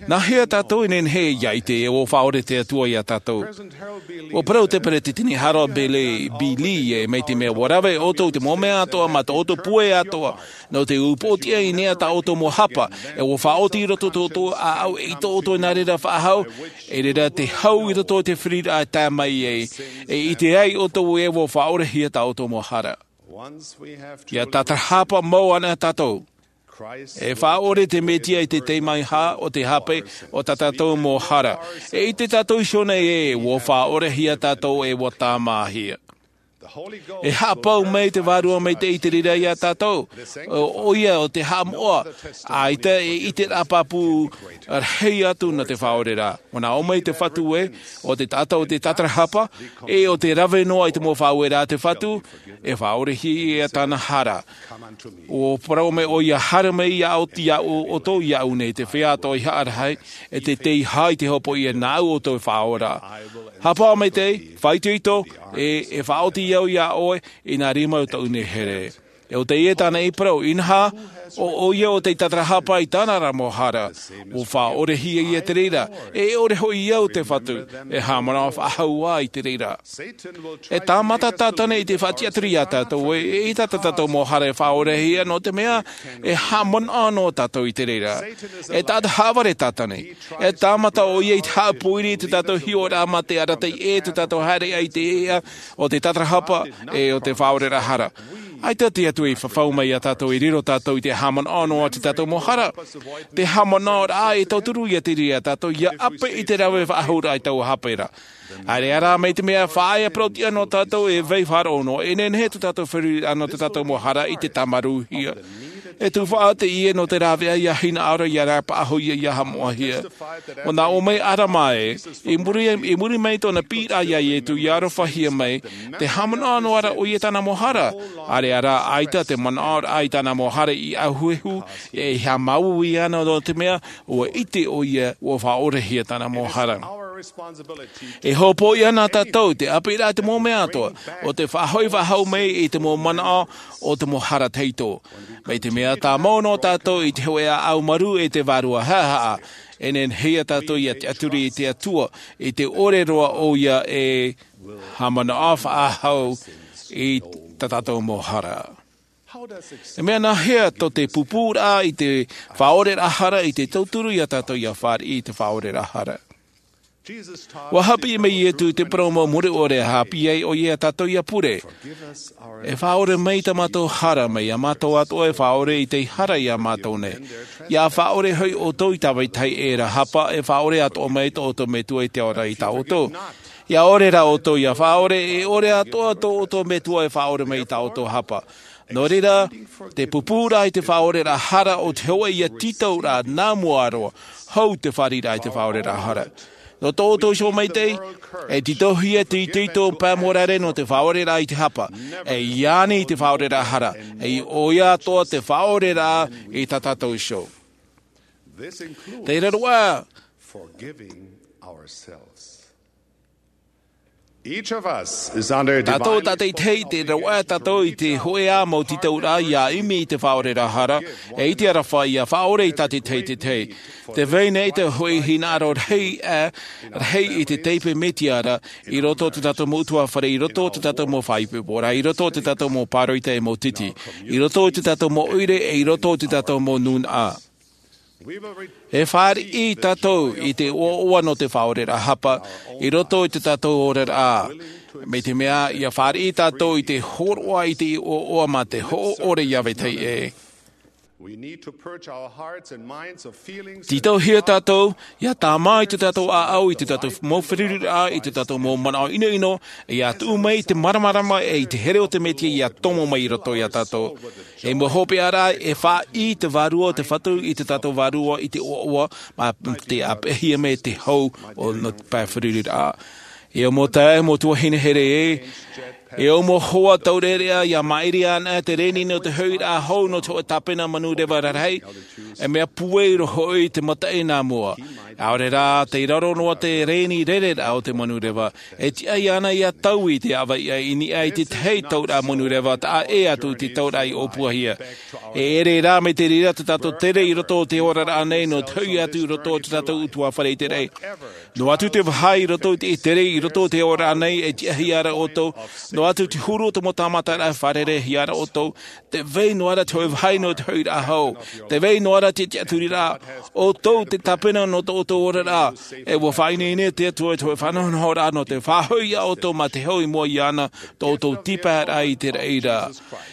Nā hea tātou e nehenehe ia ʻite ē ʻua faʻaʻore te Atua ia tātou? ʻUa parau te Peretiteni Harold B. Lee, B. Lee ē, mai te mea ʻua rave ʻoutou i te mau mea atoʻa mā tō ʻoutou pūai atoʻa, nō te upoʻotiʻa i niʻa i tā ʻoutou mau hapa, e ʻua faʻaoti i roto tō ʻoutou ʻāʻau e i tō ʻoutou nā reira faʻahou, e reira te hau i roto i te feruriraʻa e tae mai ai, e ʻite ai ʻoutou ē ʻua faʻaʻorehia tā ʻoutou mau hara. ʻIa tātarahapa mau ana tātou. E faʻaʻore te Mesia i te teimaha o te hape o tā tātou mau hara. E ʻite tātou iho nei ē ʻua faʻaʻorehia tātou e ʻua tāmāhia. E haʻapau mai te Vārua Maitaʻi i te reira ia tātou. ʻO, ʻoia ʻo te haʻamoʻa, ʻaita e ʻiteraʻa pāpū rahi atu nō te faʻaʻoreraʻa. ʻUa nā ʻō mai te Fatu ē, ʻo te taʻata o te tātarahapa, e ʻo te rave noa i te mau faʻaueraʻa a te Fatu, e faʻaʻorehia ia tāna hara. ʻUa parau mai ʻoia, haere mai ia ʻou-, ia ʻou-, ʻoutou iāʻu nei te feiā atoʻa i haʻarahi, e te tei ʻeiaha i te hopoiʻa nāʻu ʻoutou e faʻaora. Haʻapaʻo maitaʻi, faʻaitoito, e, e faʻaoti au ia ʻoe, i nā rima o tōʻu nei here. ʻO teie tāna i parau, inaha, ʻo, ʻo ia ʻo tei tatarahapa i tāna ra mau hara, ʻua faʻaʻorehia ia te reira, e ʻore hoʻi au te Fatu, e haʻamanaʻo faʻahou ā i te reira. E tāmata Tātane i te faʻatiʻaturi iā tātou, e, e ʻita tā tātou mau hara e faʻaʻorehia, nō te mea, e haʻamanaʻo noa tātou i te reira. E taʻata haʻavare Tātane. E tāmata ʻo ia i te haʻapōiri i tā tātou hiʻoraʻa mā te arataʻi ʻē tā tātou haere ai i te ea o te tatarahapa ʻe o te faʻaʻoreraʻa hara. ʻAita te Atua i fafau mai iā tātou, e riro tātou i te haʻamanaʻo noa atu i tā tātou mau hara. Te haʻamanaʻoraʻa e tauturu ia te reira iā tātou, ʻia ʻape i te rave faʻahouraʻa i taua haʻapaʻoraʻa. ʻAreʻa rā, mai te mea faʻaea parau-tiʻa noa tātou e vai faʻaroʻo noa, e nehenehe tō tātou feruriraʻa nō tā tātou mau hara i te tāmarūhia. E tufaʻa teie nō te rāveʻa ʻia hinaʻaro, ʻia rāpaʻahia, ʻia haʻamoʻahia. ʻUa nā ʻō mai ʻĀrama ē, i muri, i muri mai tōna piʻiraʻa iā Ietu, ʻia arofahia mai, te haʻamanaʻo noa ra ʻoia i tāna mau hara. ʻAreʻa rā, ʻaita te manaʻoraʻa i tāna mau hara i ʻāhuehu, e haʻamāuiui ana nō te mea, ʻua ʻite ʻoia, ʻua faʻaʻorehia tāna mau hara. E hopoiʻa na tātou i te ʻapiʻiraʻa i te mau mea atoʻa, ʻo te faʻahoʻi faʻahou mai i te mau manaʻo o te mau hara tahito. Mai te mea tāmau noa tātou i te hōʻē ʻāʻau marū ʻe te vārua haʻahaʻa, e nehenehe ia tātou ʻia tiʻaturi i te Atua, i te ʻore roa ʻoia e haʻamanaʻo faʻahou i tā tātou mau hara. E mea nāhea tō te pūpūraʻa i te faʻaʻoreraʻa hara i te tauturu iā tātou ʻia fāriʻi i te faʻaʻoreraʻa hara? ʻUa haʻapiʻi mai Ietu i te parau mau mure ʻore, ʻa haʻapiʻi ai ʻoia iā tātou ʻia pure. E faʻaʻore mai tā mātou hara, mai iā mātou atoʻa e faʻaʻore i te hara iā mātou nei. ʻIa faʻaʻore hoʻi ʻoutou i tāvai tahi ʻē ra hapa, e faʻaʻore atoʻa mai tō ʻoutou Metua i te ao ra i tā ʻoutou. ʻIa ʻore rā ʻoutou ʻia faʻaʻore, e ʻore atoʻa tō ʻoutou Metua e faʻaʻore mai i tā ʻoutou hapa. Nō reira, te pūpūraʻa i te faʻaʻoreraʻa hara ʻo te hōʻē ʻia tītauraʻa nā mua roa, hou te fāriʻiraʻa i te faʻaʻoreraʻa hara. Nō tō ʻoutou iho maitaʻi, e tītauhia te itoito pae morare nō te faʻaʻoreraʻa i te hapa, e ʻia ani i te faʻaʻoreraʻa hara, e ʻoia atoʻa te faʻaʻoreraʻa i tā tātou iho. Te reira roa. Each of us is under a tātou divine tātaʻitahi, te ravaʻa tātou i te hōʻē ā mau tītauraʻa ʻia ʻimi i te faʻaʻoreraʻa hara, ʻe i te aroha ʻia faʻaʻore i tātaʻitahi. Te vai nei te hōʻē hinaʻaro rahi, ā, rahi i te taipe Mesia ra, i roto o tā tātou mau ʻutuāfare, i roto o tā tātou mau faʻaipoipo ra, i roto o tā tātou mau pāroita ʻe mau titi, i roto o tā tātou mau ʻoire, ʻe i roto o tā tātou mau nūnaʻa. E fāriʻi tātou i te ʻoaʻoa nō te faʻaʻoreraʻa hapa, i roto i tā tātou oraraʻa. Mai te mea, ʻia fāriʻi tātou i te hōroʻa i te ʻoaʻoa mā te hoʻo ʻore ʻia vetahi ʻē. We need to purge our hearts and minds of feelings and Tītauhia tātou, ʻia tāmā i tā tātou ʻāʻau, i tā tātou mau feruriraʻa, i tā tātou mau manaʻo ʻinoʻino, ʻia tuʻu mai te māramarama ʻe i te here o te Mesia ʻia tomo mai i roto iā tātou. E mau hopeʻa ra, e fāriʻi te Vārua o te Fatu i tā tātou vārua i te ʻoaʻoa, mā te ʻāpeʻahia mai te hau o nō te pae feruriraʻa. E ʻo mau taeaʻe, mau tuahine here ē, e ʻo mau hoa taureʻareʻa, ʻia maʻiri ana te reni nō te hoʻiraʻa hou nō te hōʻē tāpena manureva rarahi, e mea pūai roa hoʻi te mataʻi nā mua. ʻAore rā, tei raro noa te reni rereraʻa o te manureva, e tiʻa iāna ʻia taui i te ʻāvaʻe i niʻa i te tahi tauraʻa manureva, taʻa ʻē atu i te tauraʻa i ʻōpuahia. E ʻere rā mai te reira tā tātou tere i roto o te oraraʻa nei nō te hoʻi atu i roto o tā tātou ʻutuāfare i te raʻi. Noa atu te vāhi i roto i te tere i roto o te oraraʻa nei e tiʻahia ra ʻoutou, noa atu te huru o te mau tāmataraʻa e fārereihia ra ʻoutou, tē vai noa ra te hōʻē vāhi nō te hoʻiraʻa hou, tē vai noa ra te tiʻaturiraʻa, ʻoutou te tāpena nō tō ʻoutou oraraʻa, e ʻua faʻaineine te Atua i te hōʻē faʻanahonahoraʻa nō te faʻahoʻi iā ʻoutou mā te hau i mua iāna, tō ʻoutou tīpaeraʻa i te raʻi ra.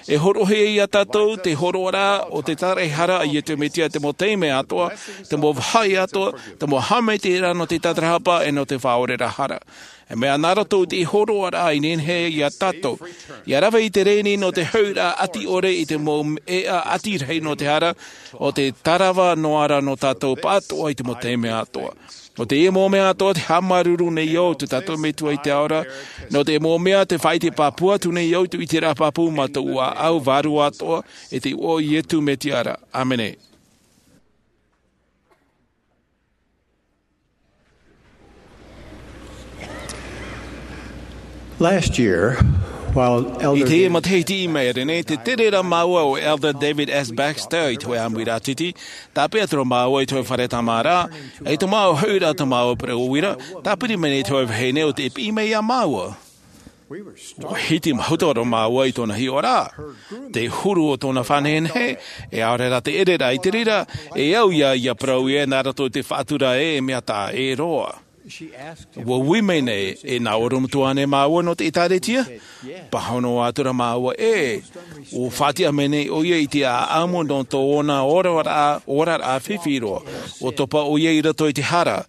E hōroʻahia iā tātou te hōroʻaraʻa o te tāraʻehara a Iesu Mesia i te mau taime atoʻa, te mau vāhi atoʻa, te mau haʻamaitaʻiraʻa nō te tatarahapa ʻe nō te faʻaʻoreraʻa hara. E mea nā roto i te hōroʻaraʻa i nehenehe iā tātou ʻia rave i te reni nō te hoʻiraʻa ʻati ʻore i te mau ʻēʻa ʻati rahi nō te hara, ʻo te tarava noa ra nō tātou pāʻatoʻa i te mau taime atoʻa. ʻO teie mau mea atoʻa te haʻamāuruuru nei au i tō tātou Metua i te ao ra, nō te mau mea te faʻaʻite pāpū atu nei au i te ʻiteraʻa pāpū mā tōʻu ʻāʻau vārua atoʻa, i te iʻoa o Iesu Mesia ra. ʻĀmene. Last year, I teie matahiti i maʻiri nei, tē tere ra māua o Elder David S. Baxter i te hōʻē ʻāmuiraʻa tītī, tāpeʻa atu ra māua i te hōʻē fare tāmāraʻa, ʻe i tō māua hoʻiraʻa tō māua pereʻoʻo ra, tāpiri mai nei te hōʻē vahine ʻo tē piʻi mai iā māua. ʻUa hiti mahuta ra māua i tōna hiʻoraʻa, te huru o tōna fānehenehe, ʻaore rā te ʻereraʻa i te reira, e au ia, ʻia parau ē nā roto i te faʻatura ē, e mea taʻa ʻē roa. ʻUa ui mai nei, e nā ʻorometua ānei māua nō te ʻĒtārētia? Pāhono atu ra māua, ʻē. ʻUa faʻatiʻa mai nei ʻoia i te ʻāʻamu nō tōna oraraʻa, oraraʻa fifi roa. ʻUa topa ʻoia i roto i te hara.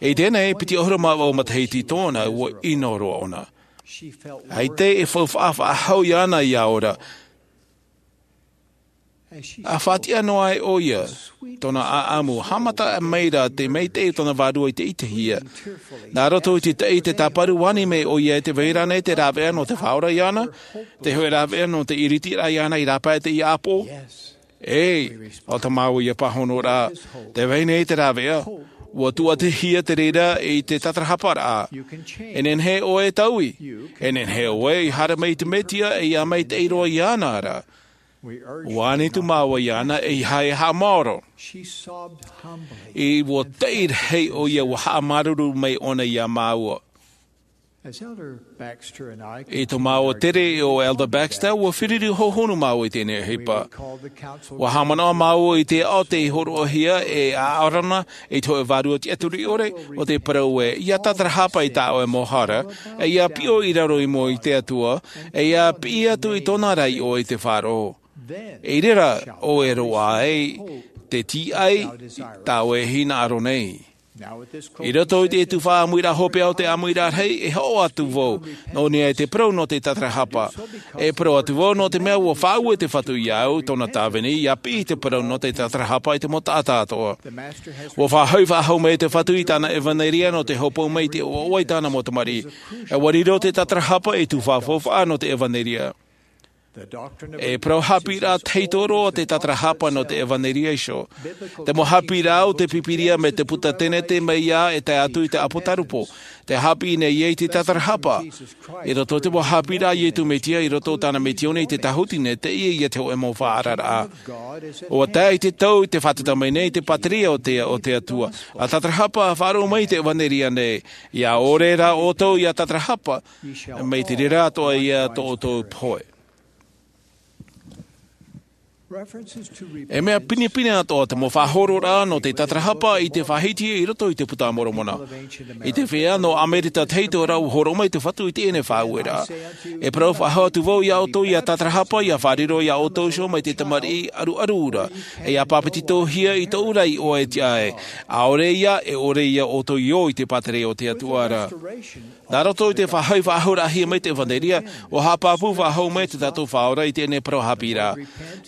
I teie nei, piti ʻahuru mā vaʻu matahiti tōna, ʻua ʻino roa ʻōna. ʻAita e faufaʻa faʻahou iāna ʻia ora. ʻA faʻatiʻa noa ai ʻoia, tōna ʻāʻamu, haʻamata mai ra te maitaʻi o tōna vārua i te ʻitehia. Nā roto i te taʻi i te tāparu, ani mai ʻoia i te vai ra ānei te rāveʻa nō te faʻaora iāna, te hōʻē rāveʻa nō te ʻiritiraʻa iāna i rāpae i teie ʻāpoʻo? ʻĒ, ʻo tā māua ia pāhonoraʻa, tē vai nei te rāveʻa, ʻua tuatihia te reira i te tatarahaparaʻa. E nehenehe ʻoe e taui, e nehenehe ʻoe i haere mai i te Mesia ʻe ʻia maitaʻi roa iāna ra. ʻUa ani atu māua iāna ʻeiaha e haʻamaoro. ʻUa taʻi rahi ʻoia, ʻua haʻamāuruuru mai ʻōna iā māua. I tō māua tere o Elder Baxter, ʻua feruri hohonu māua i teie nei ʻohipa. ʻUa haʻamanaʻo māua i te aʻo tei hōroʻahia e ʻArona i te hōʻē vārua tiʻaturi ʻore, ʻo tē parau ē, ʻia tatarahapa i tā ʻoe mau hara, ʻe ʻia piʻo i raro i mua i te Atua, ʻe ʻia piʻi atu i tōna ra iʻoa i te faʻaroʻo. I reira ʻoe e roaʻa ai te tīaʻi tā ʻoe e hinaʻaro nei. I roto i te tuhaʻa ʻāmuiraʻa hopeʻa o te ʻāmuiraʻa rahi, e hoʻo atu vau, nō niʻa i te parau nō te tatarahapa. E parau atu vau nō te mea ʻua faʻaue te Fatu iāʻu, tōna tāvini, ʻia piʻi te parau nō te tatarahapa i te mau taʻata atoʻa. ʻUa faʻahoʻi faʻahou mai te Fatu i tāna ʻevanelia nō te hopoiʻa mai i te ʻoaʻoa i tāna mau tamariʻi. ʻE ʻua riro te tatarahapa ei tuhaʻa faufaʻa nō te ʻevanelia. E parau haʻapiʻiraʻa tahito roa te tatarahapa nō te ʻevanelia iho. Te mau haʻapiʻiraʻa o te Pīpīria mai te puta Tenete mai iā e tae atu i te ʻApotarupo. Tē haʻapiʻi nei ia i te tatarahapa. I roto i te mau haʻapiʻiraʻa a Iesu Mesia i roto i tāna misiōni i te tāhuti nei, teie ia te hōʻē mau faʻaararaʻa. ʻUa tae i te tau i te fātata mai nei te pātireia o te, o te Atua. ʻA tatarahapa, ʻa faʻaroʻo mai i te ʻevanelia nei. ʻIa ʻore rā ʻoutou ʻia tatarahapa, mai te reira atoʻa ia tō ʻoutou pohe. E mea pinepine atoʻa te mau faʻahororaʻa nō te tatarahapa i te faʻahiti i roto i te Puta a Moromona. I te feiā nō Amerika tahito rā ʻua hōroʻa mai te Fatu i teie nei faʻaueraʻa. E parau faʻahou atu vau iā ʻoutou ʻia tatarahapa, ʻia faʻariro iā ʻoutou iho mai te tamariʻi ʻaruʻaru ra, ʻe ʻia pāpetitohia i tōʻu ra iʻoa e tiʻa ai. ʻAore ia, e ʻore ia ʻoutou i ō i te pātireia o te Atua ra. Nā roto i te faʻahoʻi faʻahouraʻahia mai te ʻevanelia, ʻua haʻapāpū faʻahou mai tā tātou Faʻaora i teie nei parau haʻapiʻiraʻa.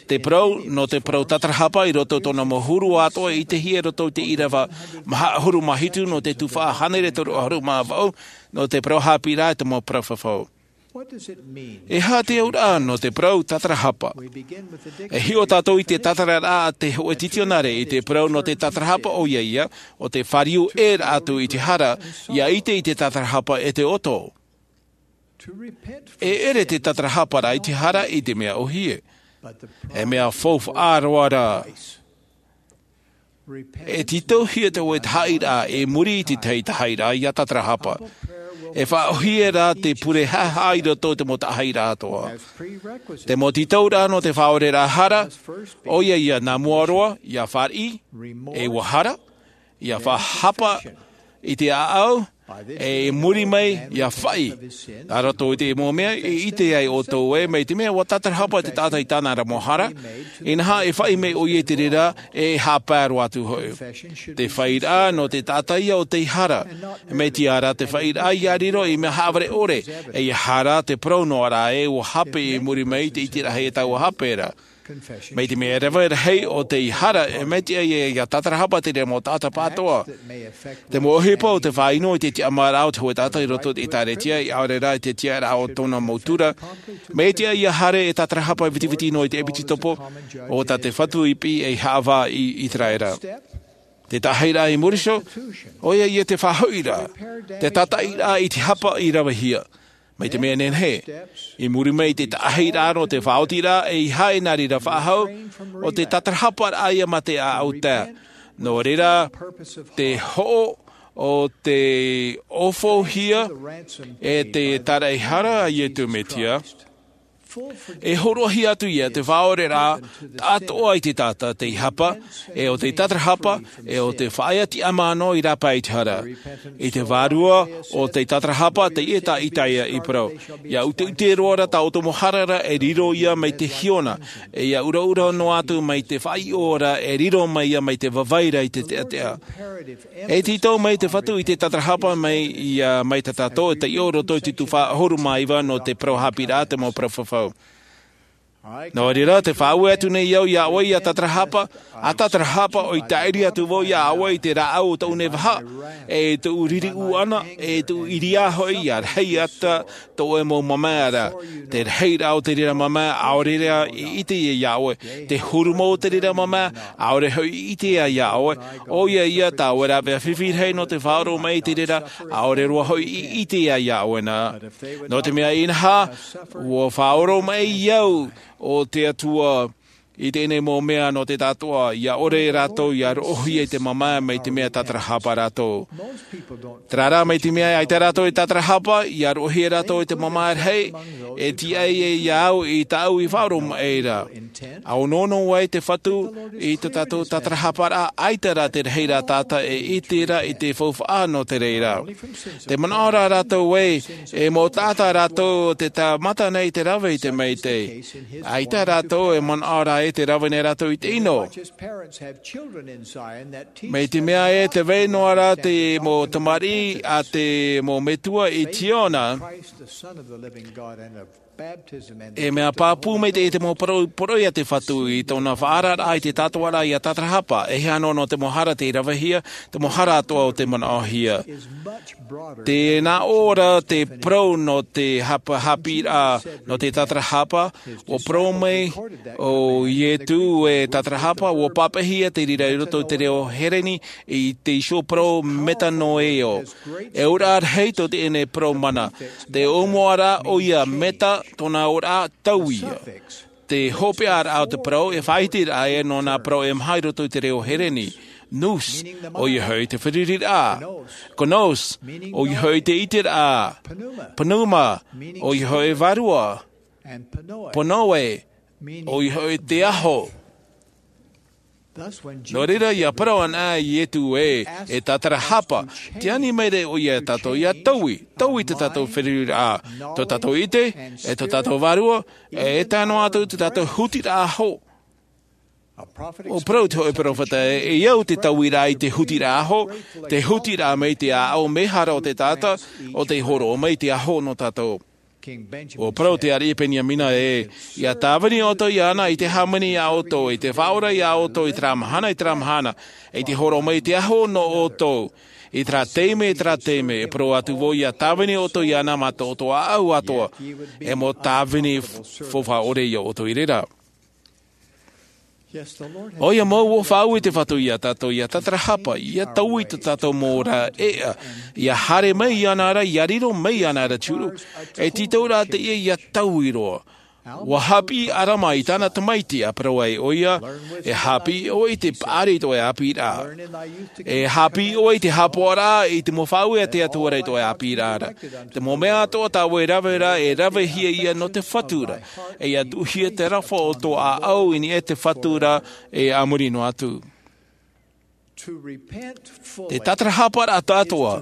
Te parau, nō te parau tatarahapa i roto i tōna mau huru atoʻa i ʻitehia i roto i te ʻīrava maha ʻahuru mā hitu nō te tuhaʻa hānere toru ʻahuru mā vaʻu, nō te parau haʻapiʻiraʻa i te mau parau fafau. E aha te auraʻa nō te parau tatarahapa? E hiʻo tātou i te tatarahapa a te hōʻē titionare i te parau nō te tatarahapa, ʻoia ia, ʻo te fāriu ʻē atu i te hara, ʻia ʻite i te tatarahapa e te ʻoto. E ʻere te tatarahapa ra i te hara i te mea ʻōhie. E mea faufaʻa roa ra. E tītauhia te hōʻē tahaʻiraʻa i muri i te tahi tahaʻiraʻa ʻia tatarahapa. E faʻaʻōhie rā te pure haʻehaʻa i roto i te mau tahaʻiraʻa atoʻa. Te mau tītauraʻa nō te faʻaoreraʻa hara, ʻoia ia nā mua roa, ʻia fāriʻi, e ʻua hara, ʻia faʻahapa i te ʻāʻau, e i muri mai, ʻia faʻi. Nā roto i te mau mea, e ʻite ai ʻoutou ē, mai te mea ʻua tatarahapa te taʻata i tāna ra mau hara, inaha e faʻi mai ʻoia i te reira, e haʻapae roa atu hoʻi. Te faʻiraʻa nō te taʻata ia ʻo tei hara. Mai te ara te faʻiraʻa ʻia riro i mea haʻavare ʻore, e ʻia hara te parau noa ra ē ʻua hape i muri mai i te ʻiteraʻa e taua hape ra. Mai te mea e rave rahi ʻo tei hara, e mea tiʻa ia ʻia tatarahapa te reira mau taʻata pāʻatoʻa. Te mau ʻohipa o te faʻaʻino i te tiʻamāraʻa o te hōʻē taʻata i roto i te ʻĒtārētia, ʻaore rā i te tiʻaraʻa o tōna mau tura. Mai te ʻai ia haere e tatarahapa vitiviti noa i te ʻepitopo, ʻo tā te Fatu i piʻi ei haʻavā i ʻĪteraʻera. Te tahaʻiraʻa i muri iho, ʻoia ia te faʻahoʻiraʻa, te tātaʻiraʻa i te hapa i ravehia. Mai te mea nehenehe, i muri mai i te taʻahiraʻa nō te faʻaotiraʻa, e ʻeiaha e nā reira faʻahou, ʻo te tatarahaparaʻa ia mā te ʻāʻau tae. Nō reira, te hoʻo o te ʻōfaʻohia e te tāraʻehara a Iesu Mesia, e hōroʻahia atu ia te faʻaoreraʻa taʻatoʻa i te taʻata, te hapa, e ʻo te tatarahapa, e ʻo te faʻaea tiʻamano i rāpae i te hara. I te vārua o te tatarahapa, teie tā Isaia i parau. ʻIa ʻuteʻute roa ra tā ʻoutou mau hara ra, e riro ia mai te hiona, e ʻia ʻuraʻura noa atu mai te faʻaiʻo ra, e riro mai ia mai te vavaira i te teʻateʻa. E tītau mai te Fatu i te tatarahapa mai ia, mai tā tātou e taiʻo roto i te tuhaʻa ʻahuru mā iva nō te parau haʻapiʻiraʻa, te mau parau fafau. Nō reira, tē faʻaue atu nei au iā ʻoe ʻia tatarahapa, ʻa tatarahapa ʻoia, tāʻiri atu vau iā ʻoe i te rāʻau o tōʻu nei vaha, e tōʻu riri ʻūʻana, e tōʻu ʻiriā hoʻi, ʻia rahi atu tō ʻoe mau mamae ra. Te rahiraʻa o te reira mamae, ʻaore rā i ʻite ia iā ʻoe. Te huru mau o te reira mamae, ʻaore hoʻi i ʻite ia iā ʻoe. ʻOia ia tā ʻoe rāveʻa fifi rahi nō te faʻaroʻo mai i te reira, ʻaore roa hoʻi i ʻite ia iā ʻoe na. Nō te mea inaha, ʻua faʻaroʻo mai au ʻo te Atua i teie nei mau mea nō te taʻatoʻa, ʻia ʻore rātou ʻia roʻohia i te mamae mai te mea tatarahapa rātou. Terā rā, mai te mea ʻaita rātou e tatarahapa, ʻia roʻohia rātou i te mamae rahi, e tiʻa ia iā au i tāʻu i faʻaroʻo mai ra. ʻA onoono ai te Fatu i tō tātou tatarahaparaʻa, ʻaita rā te rahiraʻa taʻata e ʻite ra i te faufaʻa nō te reira. Tē manaʻo ra rātou ē, e mau taʻata rātou te tāmata nei te rave i te Metua. ʻAita rātou e manaʻo ra ē tē rave nei rātou i te ʻino. Mai te mea ē tē vai noa ra te mau tamariʻi a te mau metua i Ziona, e mea pāpū maitaʻi te mau poro-, poroʻi a te Fatu i tōna faʻaararaʻa i te taʻatoʻaraʻa ʻia tatarahapa, e hia noa nō te mau hara tei ravehia, te mau hara atoʻa o tei manaʻohia. Tē nā ʻō ra te parau nō te hapa-, haʻapiʻiraʻa nō te tatarahapa, ʻua parau mai ʻo Iesu e tatarahapa, ʻua pāpaʻihia te reira i roto i te reo Hereni i te iho parau metanoeo. E auraʻa rahi tō teie nei parau mana. Te ʻōmuaraʻa ʻoia meta, tōna auraʻa taui. Te hopeʻaraʻa o te parau e faʻaʻiteraʻa ē nō nā parau e maha i roto i te reo Hereni. Nous, ʻoia hoʻi te fāriʻiraʻa. Gnos, ʻoia hoʻi te ʻiteraʻa. Pneuma, ʻoia hoʻi vārua. Pneu'e, ʻoia hoʻi te aho. Nō reira, ʻia parau ana ʻo Iesu ē, e tatarahapa, tē ani mai ra ʻoia iā tātou ʻia taui, taui tō tātou fāriʻiraʻa, tō tātou ʻite, e tō tātou vārua, e tae noa atu tō tātou hutiraʻa aho. ʻUa parau te hōʻē peropheta ē, e au te tauiraʻa i te hutiraʻa aho, te hutiraʻa mai te ʻāʻau mehara o te taʻata, ʻo tei hōroʻa mai te aho nō tātou. ʻUa parau te ariʻi Beniamina ē, ʻia tāvini ʻoutou iāna i te hāmani iā ʻoutou, i te faʻaora iā ʻoutou, i terā mahana, i terā mahana, i te hōroʻa mai te aho nō ʻoutou, i terā taime, i terā taime, e parau atu vau ʻia tāvini ʻoutou iāna mā tō ʻoutou ʻāʻau atoʻa, e mau tāvini f-, faufaʻa ʻore iā ʻoutou i reira. ʻOia mau, ʻua faʻaue te Fatu iā tātou ʻia tatarahapa, ʻia taui tō tātou mau ora ʻēʻa, ʻia haere mai iāna ra, ʻia riro mai iāna ra te huru, e tītau rā teie ʻia taui roa. ʻUa haʻapiʻi ʻo ʻArama i tāna tamaiti, ʻa parau ai ʻoia, e haʻapiʻi ʻoe i te paʻari i tō ʻoe ʻāpīraʻa. E haʻapiʻi ʻoe i te haʻapaʻoraʻa i te mau faʻaue a te Atua ra i tō ʻoe ʻāpīraʻa ra. Te mau mea atoʻa tā ʻoe e rave ra, e ravehia ia nō te Fatu ra. E ʻia tuʻuhia te aroha o tō ʻāʻau i niʻa i te Fatu ra, e a muri noa atu. Te tatarahaparaʻa taʻatoʻa,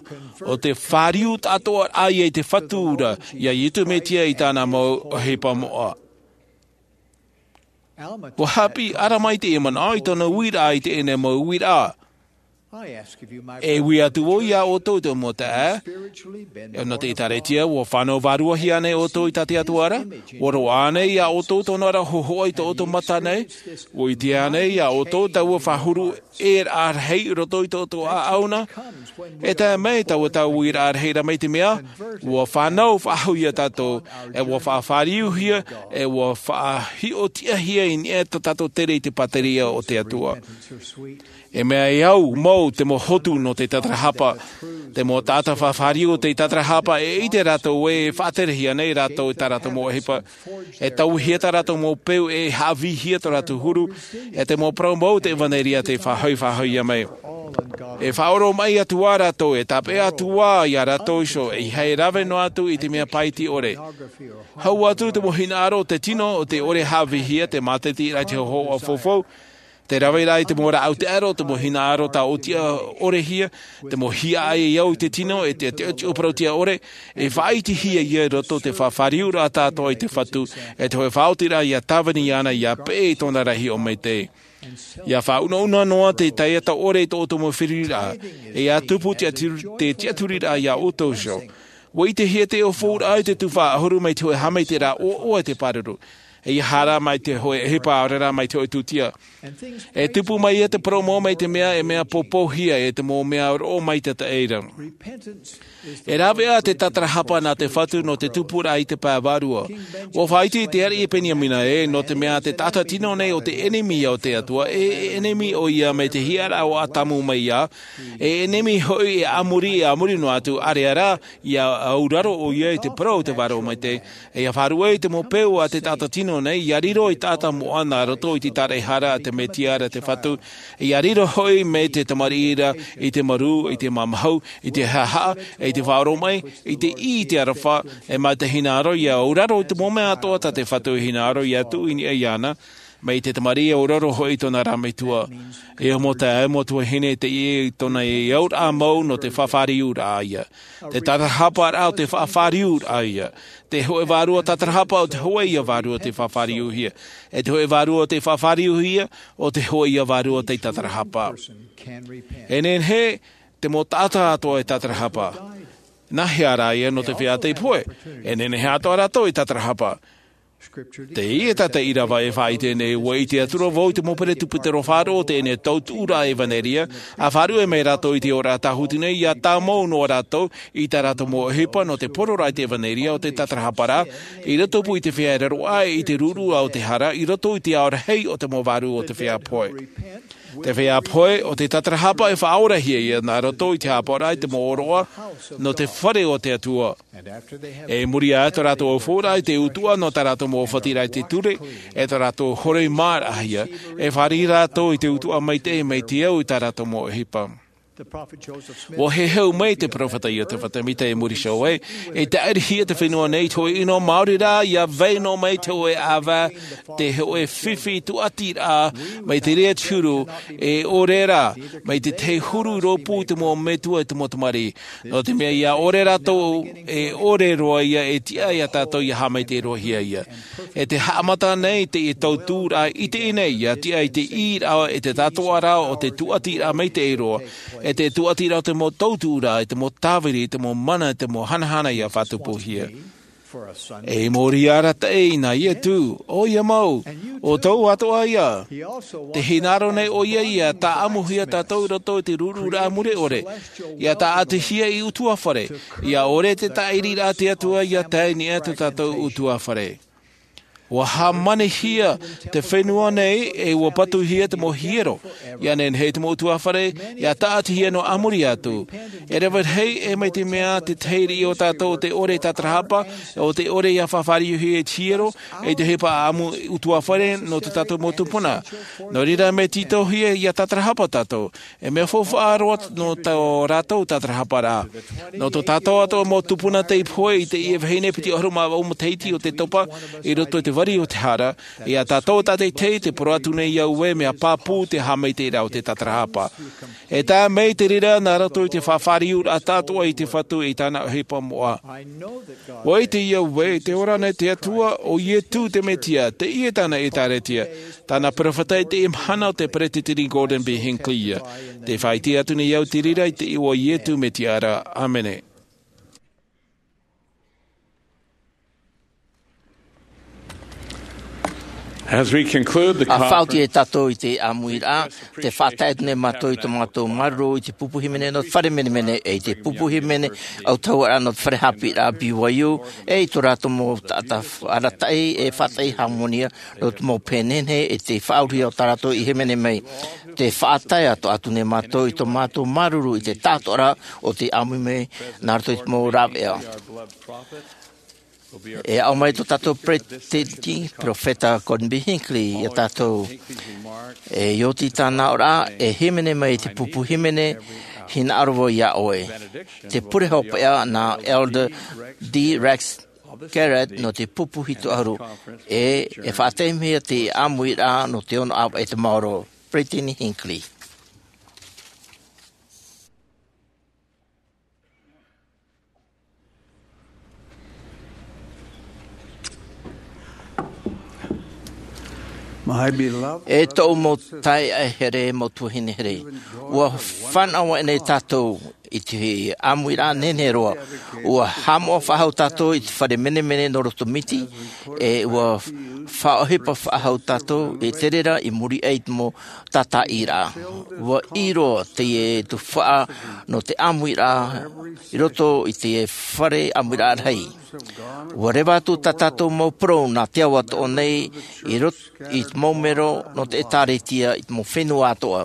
ʻo te fāriu taʻatoʻaraʻa ia i te Fatu ra, iā Iesu Mesia i tāna mau ʻohipa moʻa. ʻUa haʻapiʻi ʻo ʻArama i teie manaʻo i tōna uiraʻa i teie nei mau uiraʻa. E ui atu vau iā ʻoutou te mau taeaʻe, e nō te ʻĒtārētia, ʻua fānau vāruahia ānei ʻoutou i tā te Atua ra? ʻUa roaʻa ānei iā ʻoutou tōna ra hōhoʻa i tō ʻoutou mata nei? ʻUa ʻite ānei iā ʻoutou taua faʻahuru ʻē rahi i roto i tō ʻoutou ʻāʻau na? E tae mai taua tau uiraʻa rahi ra mai te mea, ʻua fānau faʻahou ia tātou, e ʻua faʻafāriuhia, e ʻua faʻahiʻotiʻahia i niʻa i tō tātou tere i te pātireia o te Atua. E mea e au mau te mau hotu nō te tatarahapa. Te mau taʻata fāriu o te tatarahapa, e ʻite rātou ē e faʻaterehia nei rātou i tā rātou mau ʻohipa. E tauihia tā rātou mau peu, e haʻavīhia tō rātou huru. E te mau parau mau o te ʻevanelia tei faʻahoʻi, faʻahoʻihia mai. E faʻaoromaʻi atu ā rātou, e tāpeʻa atu ā ia rātou iho, e ʻeiaha e rave noa atu i te mea pāʻiti ʻore. Hau atu te mau hinaʻaro o te tino, o te ʻore haʻavīhia, te mātaitai i te hōhoʻa faufaʻa, te rave rā i te mau rāʻau taʻero, te mau hinaʻaro tāʻotiʻa ʻorehia, te mau hiaʻai e au i te tino, e te, te, te ʻōparau tiʻa ʻore, e faʻaʻitehia ia i roto i te fāriuraʻa atoʻa i te Fatu, e te hōʻē faʻaotiraʻa ia tāvini iāna, ia peʻe i tōna rahi ʻōmaitaʻi. Ia faʻaunauna noa te taiata ʻore i tō ʻoutou mau feruriraʻa, e ia tupu te tiʻaturi-, te tiʻaturiraʻa ia ʻoutou iho. ʻUa ʻitehia te ʻōfaʻuraʻa i te tuhaʻa ʻahuru mai te hōʻē haʻamaitaʻiraʻa ʻoaʻoa i te pāruru. E ia hara mai te hōʻē ʻohipa, ʻaore rā mai te hōʻē tūtia. E tupu mai ia te parau mau mai te mea e mea pōpōhia, e te mau mea roʻo maitaʻi ra. E rave ā te tatarahapa nā te Fatu nō te tupuraʻa i te pae vārua. ʻUa faʻaʻite te ariʻi Peniamina ē, nō te mea te taʻata tino nei ʻo te ʻenemi o te Atua, e, e ʻenemi ʻoia mai te hiʻaraʻa o Atamu mai iā, e ʻenemi hoʻi e a muri, e a muri noa atu, ʻāreʻa rā, ia auraro ʻoia i te parau o te Vārua Maitaʻi. E ia faʻaruʻe i te mau peu a te taʻata tino nei, ia riro ei taʻata moʻa nā roto i te tāraʻehara a te Mesia ra te Fatu, ia riro hoʻi mai te tamariʻi ra i te marū, i te mamahu, i te haʻahaʻa, i te faʻaoromaʻi, i te ʻī, i te aroha, e mai te hinaʻaro ia auraro i te mau mea atoʻa tā te Fatu, hinaʻaro ia tuʻu i niʻa iāna, mai te tamariʻi e auraro hoʻi i tōna rā metua. E ʻo mau taeaʻe, mau tuahine, teie tōna e auraʻa mau nō te fāriuraʻa ïa. Te tatarahaparaʻa ʻo te fāriuraʻa ïa. Te hōʻē vārua tatarahapa ʻo te hōʻē ïa vārua tei fāriuhia. E te hōʻē vārua tei fāriuhia, ʻo te hōʻē ïa vārua tei tatarahapa. E nehenehe te mau taʻata atoʻa e tatarahapa. Nā hea rā ïa? Nō te feiā tei pohe. E nehenehe atoʻa rātou e tatarahapa. Teie tā te ʻīrava e faʻaʻite nei, ʻua ʻite atura vau i te mau peresideni faʻaroʻo o teie tautuʻuraʻa ʻevanelia, ʻa faʻaruʻe mai rātou i te oraraʻa tāhuti nei, ʻia tāmau noa rātou i tā rātou mau ʻohipa nō te pororaʻa i te ʻevanelia ʻo te tatarahaparaʻa, i roto pū i te feiā e raro aʻe i te ruru o te hara, i roto i te ao rahi o te mau vārua o te feiā pohe. Te feiā pohe, ʻo te tatarahapa e faʻaorahia ïa nā roto i te haʻapaʻoraʻa i te mau ʻōroʻa nō te fare o te Atua. E muri aʻe tō rātou ʻōfaʻuraʻa i te utuʻa nō tā rātou mau ʻōfatiraʻa i te ture, e tō rātou hōroʻa maraʻa ïa, e fāriʻi rātou i te utuʻa maitaʻi mai te au i tā rātou mau ʻohipa. ʻUa heheu mai te peropheta Iosefa Sāmita e muri iho ē, e tāʻirihia te fenua nei i te hōʻē ʻino maori rā, ʻia vai noa mai te hōʻē ʻāvae, te hōʻē fifi tūʻatiraʻa, mai te reira te huru, e ʻore rā, mai te tahi huru i rōpū i te mau metua, i te mau tamariʻi. Nō te mea ʻia ʻore rātou, e ʻore roa ïa, e tiʻa ia tātou ʻia haʻamaitaʻi roa hia ïa. E te haʻamata nei te tautuʻuraʻa i teie nei, ʻia tiʻa i te ʻīraʻa, e te tātoʻaraʻa o te tūʻatiraʻa maitaʻi roa, e te tūʻatiraʻa o te mau tautuʻuraʻa, e te mau tāviri, e te mau mana, e te mau hanahana ʻia faʻatupuhia. E mōrī arataʻi nā Iesu, ʻoia mau, ʻo tō atoʻa ïa. Tē hinaʻaro nei ʻoia ʻia tāʻamuhia tātou i roto i te rururaʻa mure ʻore, ʻia tāʻatihia ei ʻutuāfare, ʻia ʻore te tāʻiriraʻa a te Atua ʻia tae i niʻa i tō tātou ʻutuāfare. ʻUa hāmanihia te fenua nei, e ʻua patuhia te mau hiero, ʻia nehenehe te mau ʻutuāfare ʻia tāʻatihia noa a muri atu. E rave rahi, e mai te mea te tahi riʻi o tātou ʻo tē ʻore e tatarahapa, ʻo tē ʻore ʻia fāriʻihia e te hiero, e te ʻohipa ʻāʻamu ʻutuāfare nō tō tātou mau tupuna. Nō reira, mea tītauhia ʻia tatarahapa tātou. E mea faufaʻa roa nō tā rātou tatarahaparaʻa. Nō tō tātou atoʻa mau tupuna tei pohe i teie vahine piti ʻahuru mā vaʻu matahiti o te topa i roto i te vari o te hara, ʻia tātou tātaʻitahi tē parau atu nei au ē mea pāpū te haʻamaitaʻiraʻa o te tatarahapa. E tae mai te reira nā roto i te fāriuraʻa atoʻa i te Fatu i tāna ʻohipa moʻa. ʻUa ʻite au ē, tē ora nei te Atua, ʻo Iesu te Mesia, teie tāna ʻĒtārētia, tāna peropheta i teie mahana ʻo te Peresideni Gordon B. Hinckley ïa. Tē faʻaʻite atu nei au te reira i te iʻoa o Iesu Mesia ra. ʻĀmene. As we conclude the A faʻaoti e conference, tātou i te ʻāmuiraʻa, te faʻatae atu nei mātou i tō mātou māuruuru i te pupu hīmene nō te fare menemene, e i te pupu hīmene ʻautahuʻaraʻa nō te fare haʻapiʻiraʻa B Y U, e i tō rātou mau taʻata arataʻi e faʻataʻi hāmani nō te mau pēnene, e te faʻaurahia o tā rātou i hīmene mai. Te faʻatae atoʻa atu nei mātou i tō mātou māuruuru i te tātoʻaraʻa o te ʻāmui mai nā roto i te mau rāveʻa. E aʻo mai tō tātou peretiteni, Perofeta Gordon B. Hinckley, iā tātou. E oti tāna aʻoraʻa, e hīmene mai te pupu hīmene, hinaʻaro vau iā ʻoe. Te pure hopeʻa nā Elder D. Rex Garrett nō te pupu hitu ʻahuru, e, e faʻataimihia te ʻāmuiraʻa nō te ono ʻāvaʻe e te maoro. Peretiteni Hinckley. My beloved E tōʻu mau taeaʻe here, mau tuahine here. Ua fānaʻo nei tātou i te ʻāmuiraʻa nehenehe roa. Ua haʻamoʻa faʻahou tātou i te fare menemene nō roto miti, e ua faʻaʻohipa faʻahou tātou i te reira i muri aʻe i te mau tātaʻiraʻa. Ua ʻī roa teie tuhaʻa nō te ʻāmuiraʻa i roto i te fare ʻāmuiraʻa rahi. Ua reva atu tā tātou mau parau nā te ao atoʻa nei i roto i te mau mero nō te ʻĒtārētia i te mau fenua atoʻa.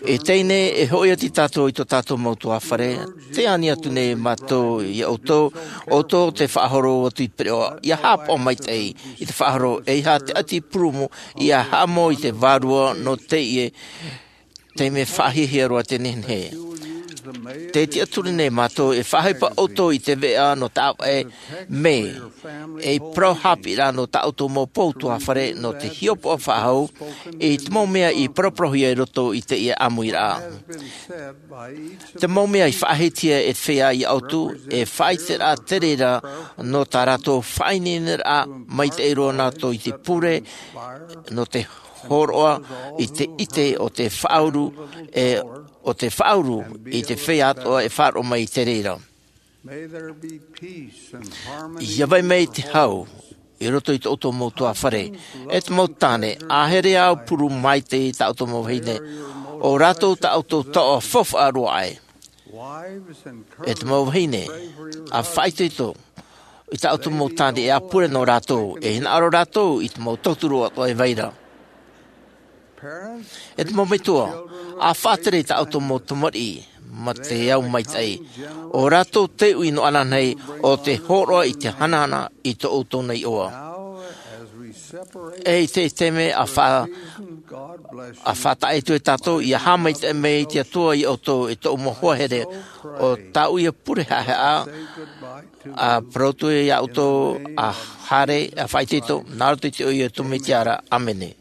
E teie nei e hoʻi atu tātou i tō tātou mau ʻutuāfare, tē ani atu nei mātou iā ʻoutou, ʻoutou te faʻahoro atu i te pereʻoʻo, ʻia haʻapaʻo maitaʻi i te faʻahoro, ʻeiaha te ʻati purumu, ʻia haʻamau i te vārua nō teie taime faʻahiahia roa te nehenehe. Tē tiʻaturi nei mātou e faʻaʻohipa ʻoutou i te veʻa nō tā ʻoe mē, e i parau haʻapiʻiraʻa nō tā ʻoutou mau ʻutuāfare nō te hiʻopoʻa faʻahou i te mau mea i paraparauhia i roto i teie ʻāmuiraʻa. Te mau mea i faʻahitihia e te feiā iā ʻoutou, e faʻaʻiteraʻa te reira nō tā rātou faʻaineineraʻa maitaʻi roa nā roto i te pure, nō te hōroʻa i te ʻite o te faʻauru, e, o te faʻauru i te feiā atoʻa e faʻaroʻo mai i te reira. May there be peace and harmony ʻIa vai mai te hau i roto i tō ʻoutou mau ʻutuāfare. E te mau tāne, ʻa here ā ʻua purū maitaʻi tā ʻoutou mau vahine. ʻO rātou tā ʻoutou taoʻa faufaʻa roa aʻe. Wives, encourage E te mau vahine, ʻa faʻaitoito i tā ʻoutou mau tāne, e ʻa pure nō rātou, e hinaʻaro rātou i te mau tauturu atoʻa e vai ra. E te mau metua, ʻa faʻatere i tā ʻoutou mau tamariʻi mā te ao maitaʻi. ʻO rātou te uʻi nō ananahi o te hōroʻa i te hanahana i tō ʻoutou nei iʻoa. E i te taime ʻa fa-, ʻa faʻataʻa atu e tātou, ʻia haʻamaitaʻi mai te Atua iā ʻoutou e tōʻu mau hoa here, ʻo tāʻu ia pure haʻehaʻa, ʻa parau atu iā ʻoutou, ʻa haere, ʻa faʻaitoito, nā roto i te iʻoa o Iesu Mesia ra. ʻĀmene.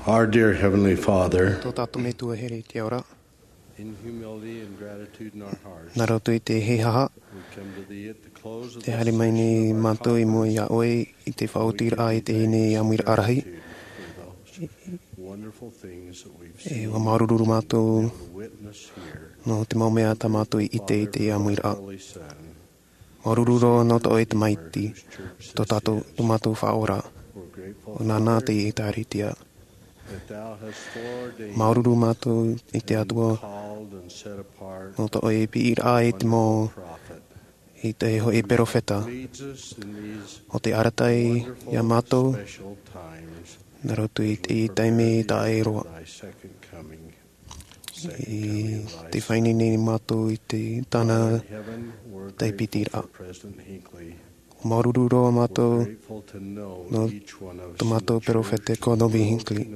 Our dear Heavenly Father, Tō tātou Metua here i te ao ra. In humility and gratitude in our hearts, Nā roto i te hīhaʻa, we come to thee at the close of te this haere mai nei mātou i mua iā ʻoe i te faʻaotiraʻa i te hine ʻāmuiraʻa rahi. Wonderful things that we've seen, e, ʻua māuruuru mātou and witnessed here nō te mau mea tā mātou i ʻite i te ʻāmuiraʻa. Māuruuru roa nō tō ʻoe Tamaiti, tō tātou, tō mātou Faʻaora. ʻO nāna te ʻĒtārētia. Māuruuru mātou i te Atua, nō tō ʻoe piʻiraʻa i te mau, i te hōʻē perofeta, ʻo tē arataʻi iā mātou, nā roto i te taime taʻa ʻē roa. I te faʻaineine nei mātou i te tāna taipitiraʻa. Māuruuru roa mātou nō tō mātou perofeta ko Novi Hinckley.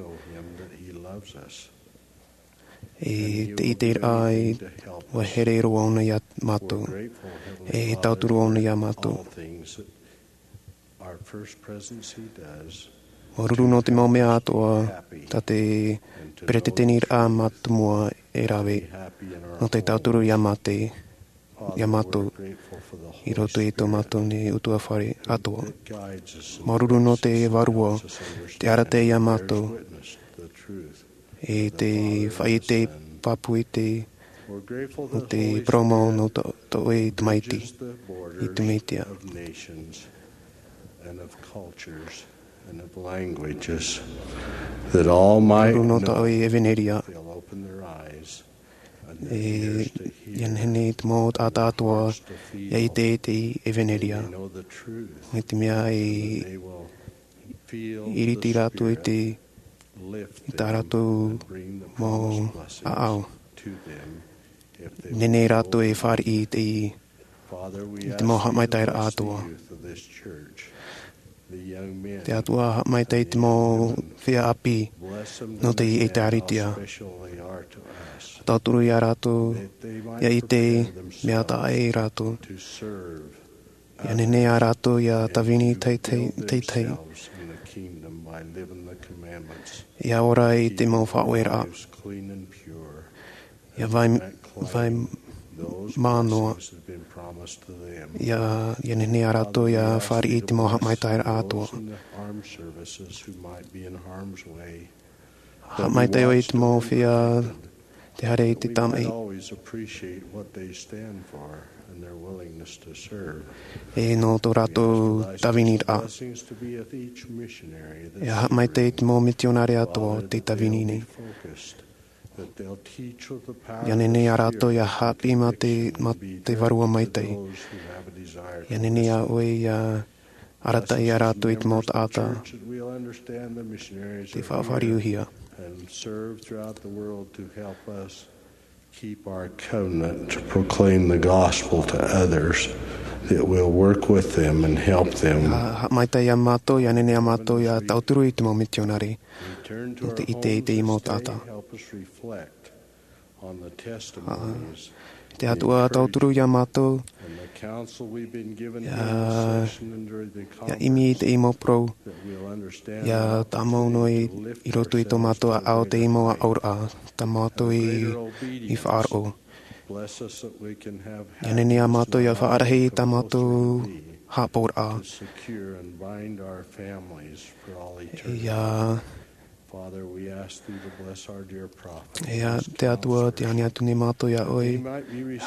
I te ʻiteraʻa ʻua here roa ʻōna iā mātou. E tauturu ʻōna iā mātou. Māuruuru nō te mau mea atoʻa tā te peretiteniraʻa mātāmua e rave, nō te tauturu iā mātou, iā mātou, i roto i tō mātou nei ʻutuāfare atoʻa. Māuruuru nō te Vārua, tē arataʻi iā mātou, e te faʻaʻite pāpū i te, nō te parau mau nō tō, tō ʻoe Tamaiti, i te Mesia. Māuruuru nō tō ʻoe ʻevaneria. E, ʻia nehenehe te mau taʻata atoʻa ʻia ʻite i te ʻevaneria. Mai te mea e iriti rātou i te, i tā rātou mau ʻāʻau. Nehenehe rātou e fāriʻi i te, i te mau haʻamaitaʻiraʻa atoʻa. Te Atua, haʻamaitaʻi i te mau feiā ʻāpī nō te ʻĒtārētia. Tauturu iā rātou ʻia ʻite mea taʻa ʻē rātou. ʻIa nehenehe ā rātou ʻia tāvini teitei, teitei. ʻIa ora i te mau faʻaueraʻa. ʻIa vai, vai mānoa. ʻIa, ʻia nehenehe ā rātou ʻia fāriʻi i te mau haʻamaitaʻiraʻa atoʻa. Haʻamaitaʻi ʻoe i te mau feiā tē haere i te tamaʻi. E nō tō rātou tāviniraʻa. ʻIa haʻamaitaʻi i te mau mitionare atoʻa o tē tāvini nei. ʻIa nehenehe ā rātou ʻia haʻapiʻi mā te, mā te Vārua Maitaʻi. ʻIa nehenehe ā ʻoe ʻia arataʻi iā rātou i te mau taʻata tē faʻafāriuhia. Keep our covenant to proclaim the gospel to others, that we'll work with them and help them. Haʻamaitaʻi iā mātou, ʻia nehenehe ā mātou ʻia tauturu i te mau mitionare. Nō te ʻite i te mau taʻata. Te Atua, tauturu iā mātou. ʻIa, ʻia ʻimi i te mau parau. ʻIa tāmau noa i, i roto i tō mātou ʻāʻau te mau ʻāʻauraʻa. Tā mātou i, i faʻaroʻo. ʻIa nehenehe ā mātou ʻia faʻarahi i tā mātou haʻapaʻoraʻa. ʻIa, ʻIa te Atua, tē ani atu nei mātou iā ʻoe.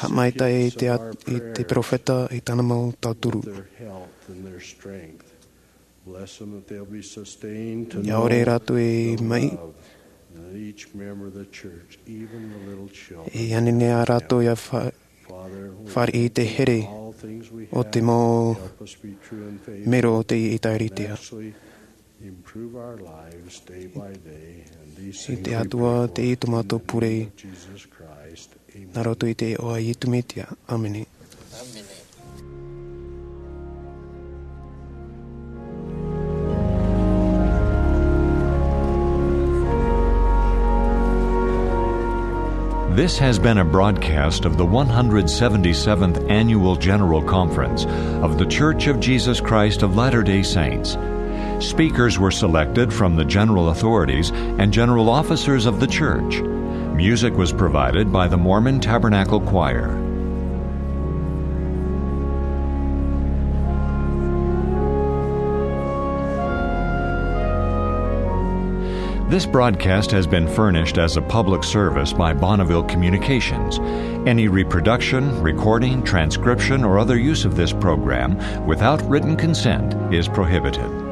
Haʻamaitaʻi i te, i te perofeta, i tāna mau tauturu. ʻIa ʻore rātou e maʻi. ʻIa nehenehe ā rātou ʻia fa-, fāriʻi i te here o te mau mero o te ʻĒtārētia. I te Atua, tei tō mātou pure. Nā roto i te iʻoa o Iesu Mesia. ʻĀmene. This has been a broadcast of the one hundred seventy-seventh Annual General Conference of The Church of Jesus Christ of Latter-day Saints. Speakers were selected from the general authorities and general officers of the church. Music was provided by the Mormon Tabernacle Choir. This broadcast has been furnished as a public service by Bonneville Communications. Any reproduction, recording, transcription, or other use of this program without written consent is prohibited.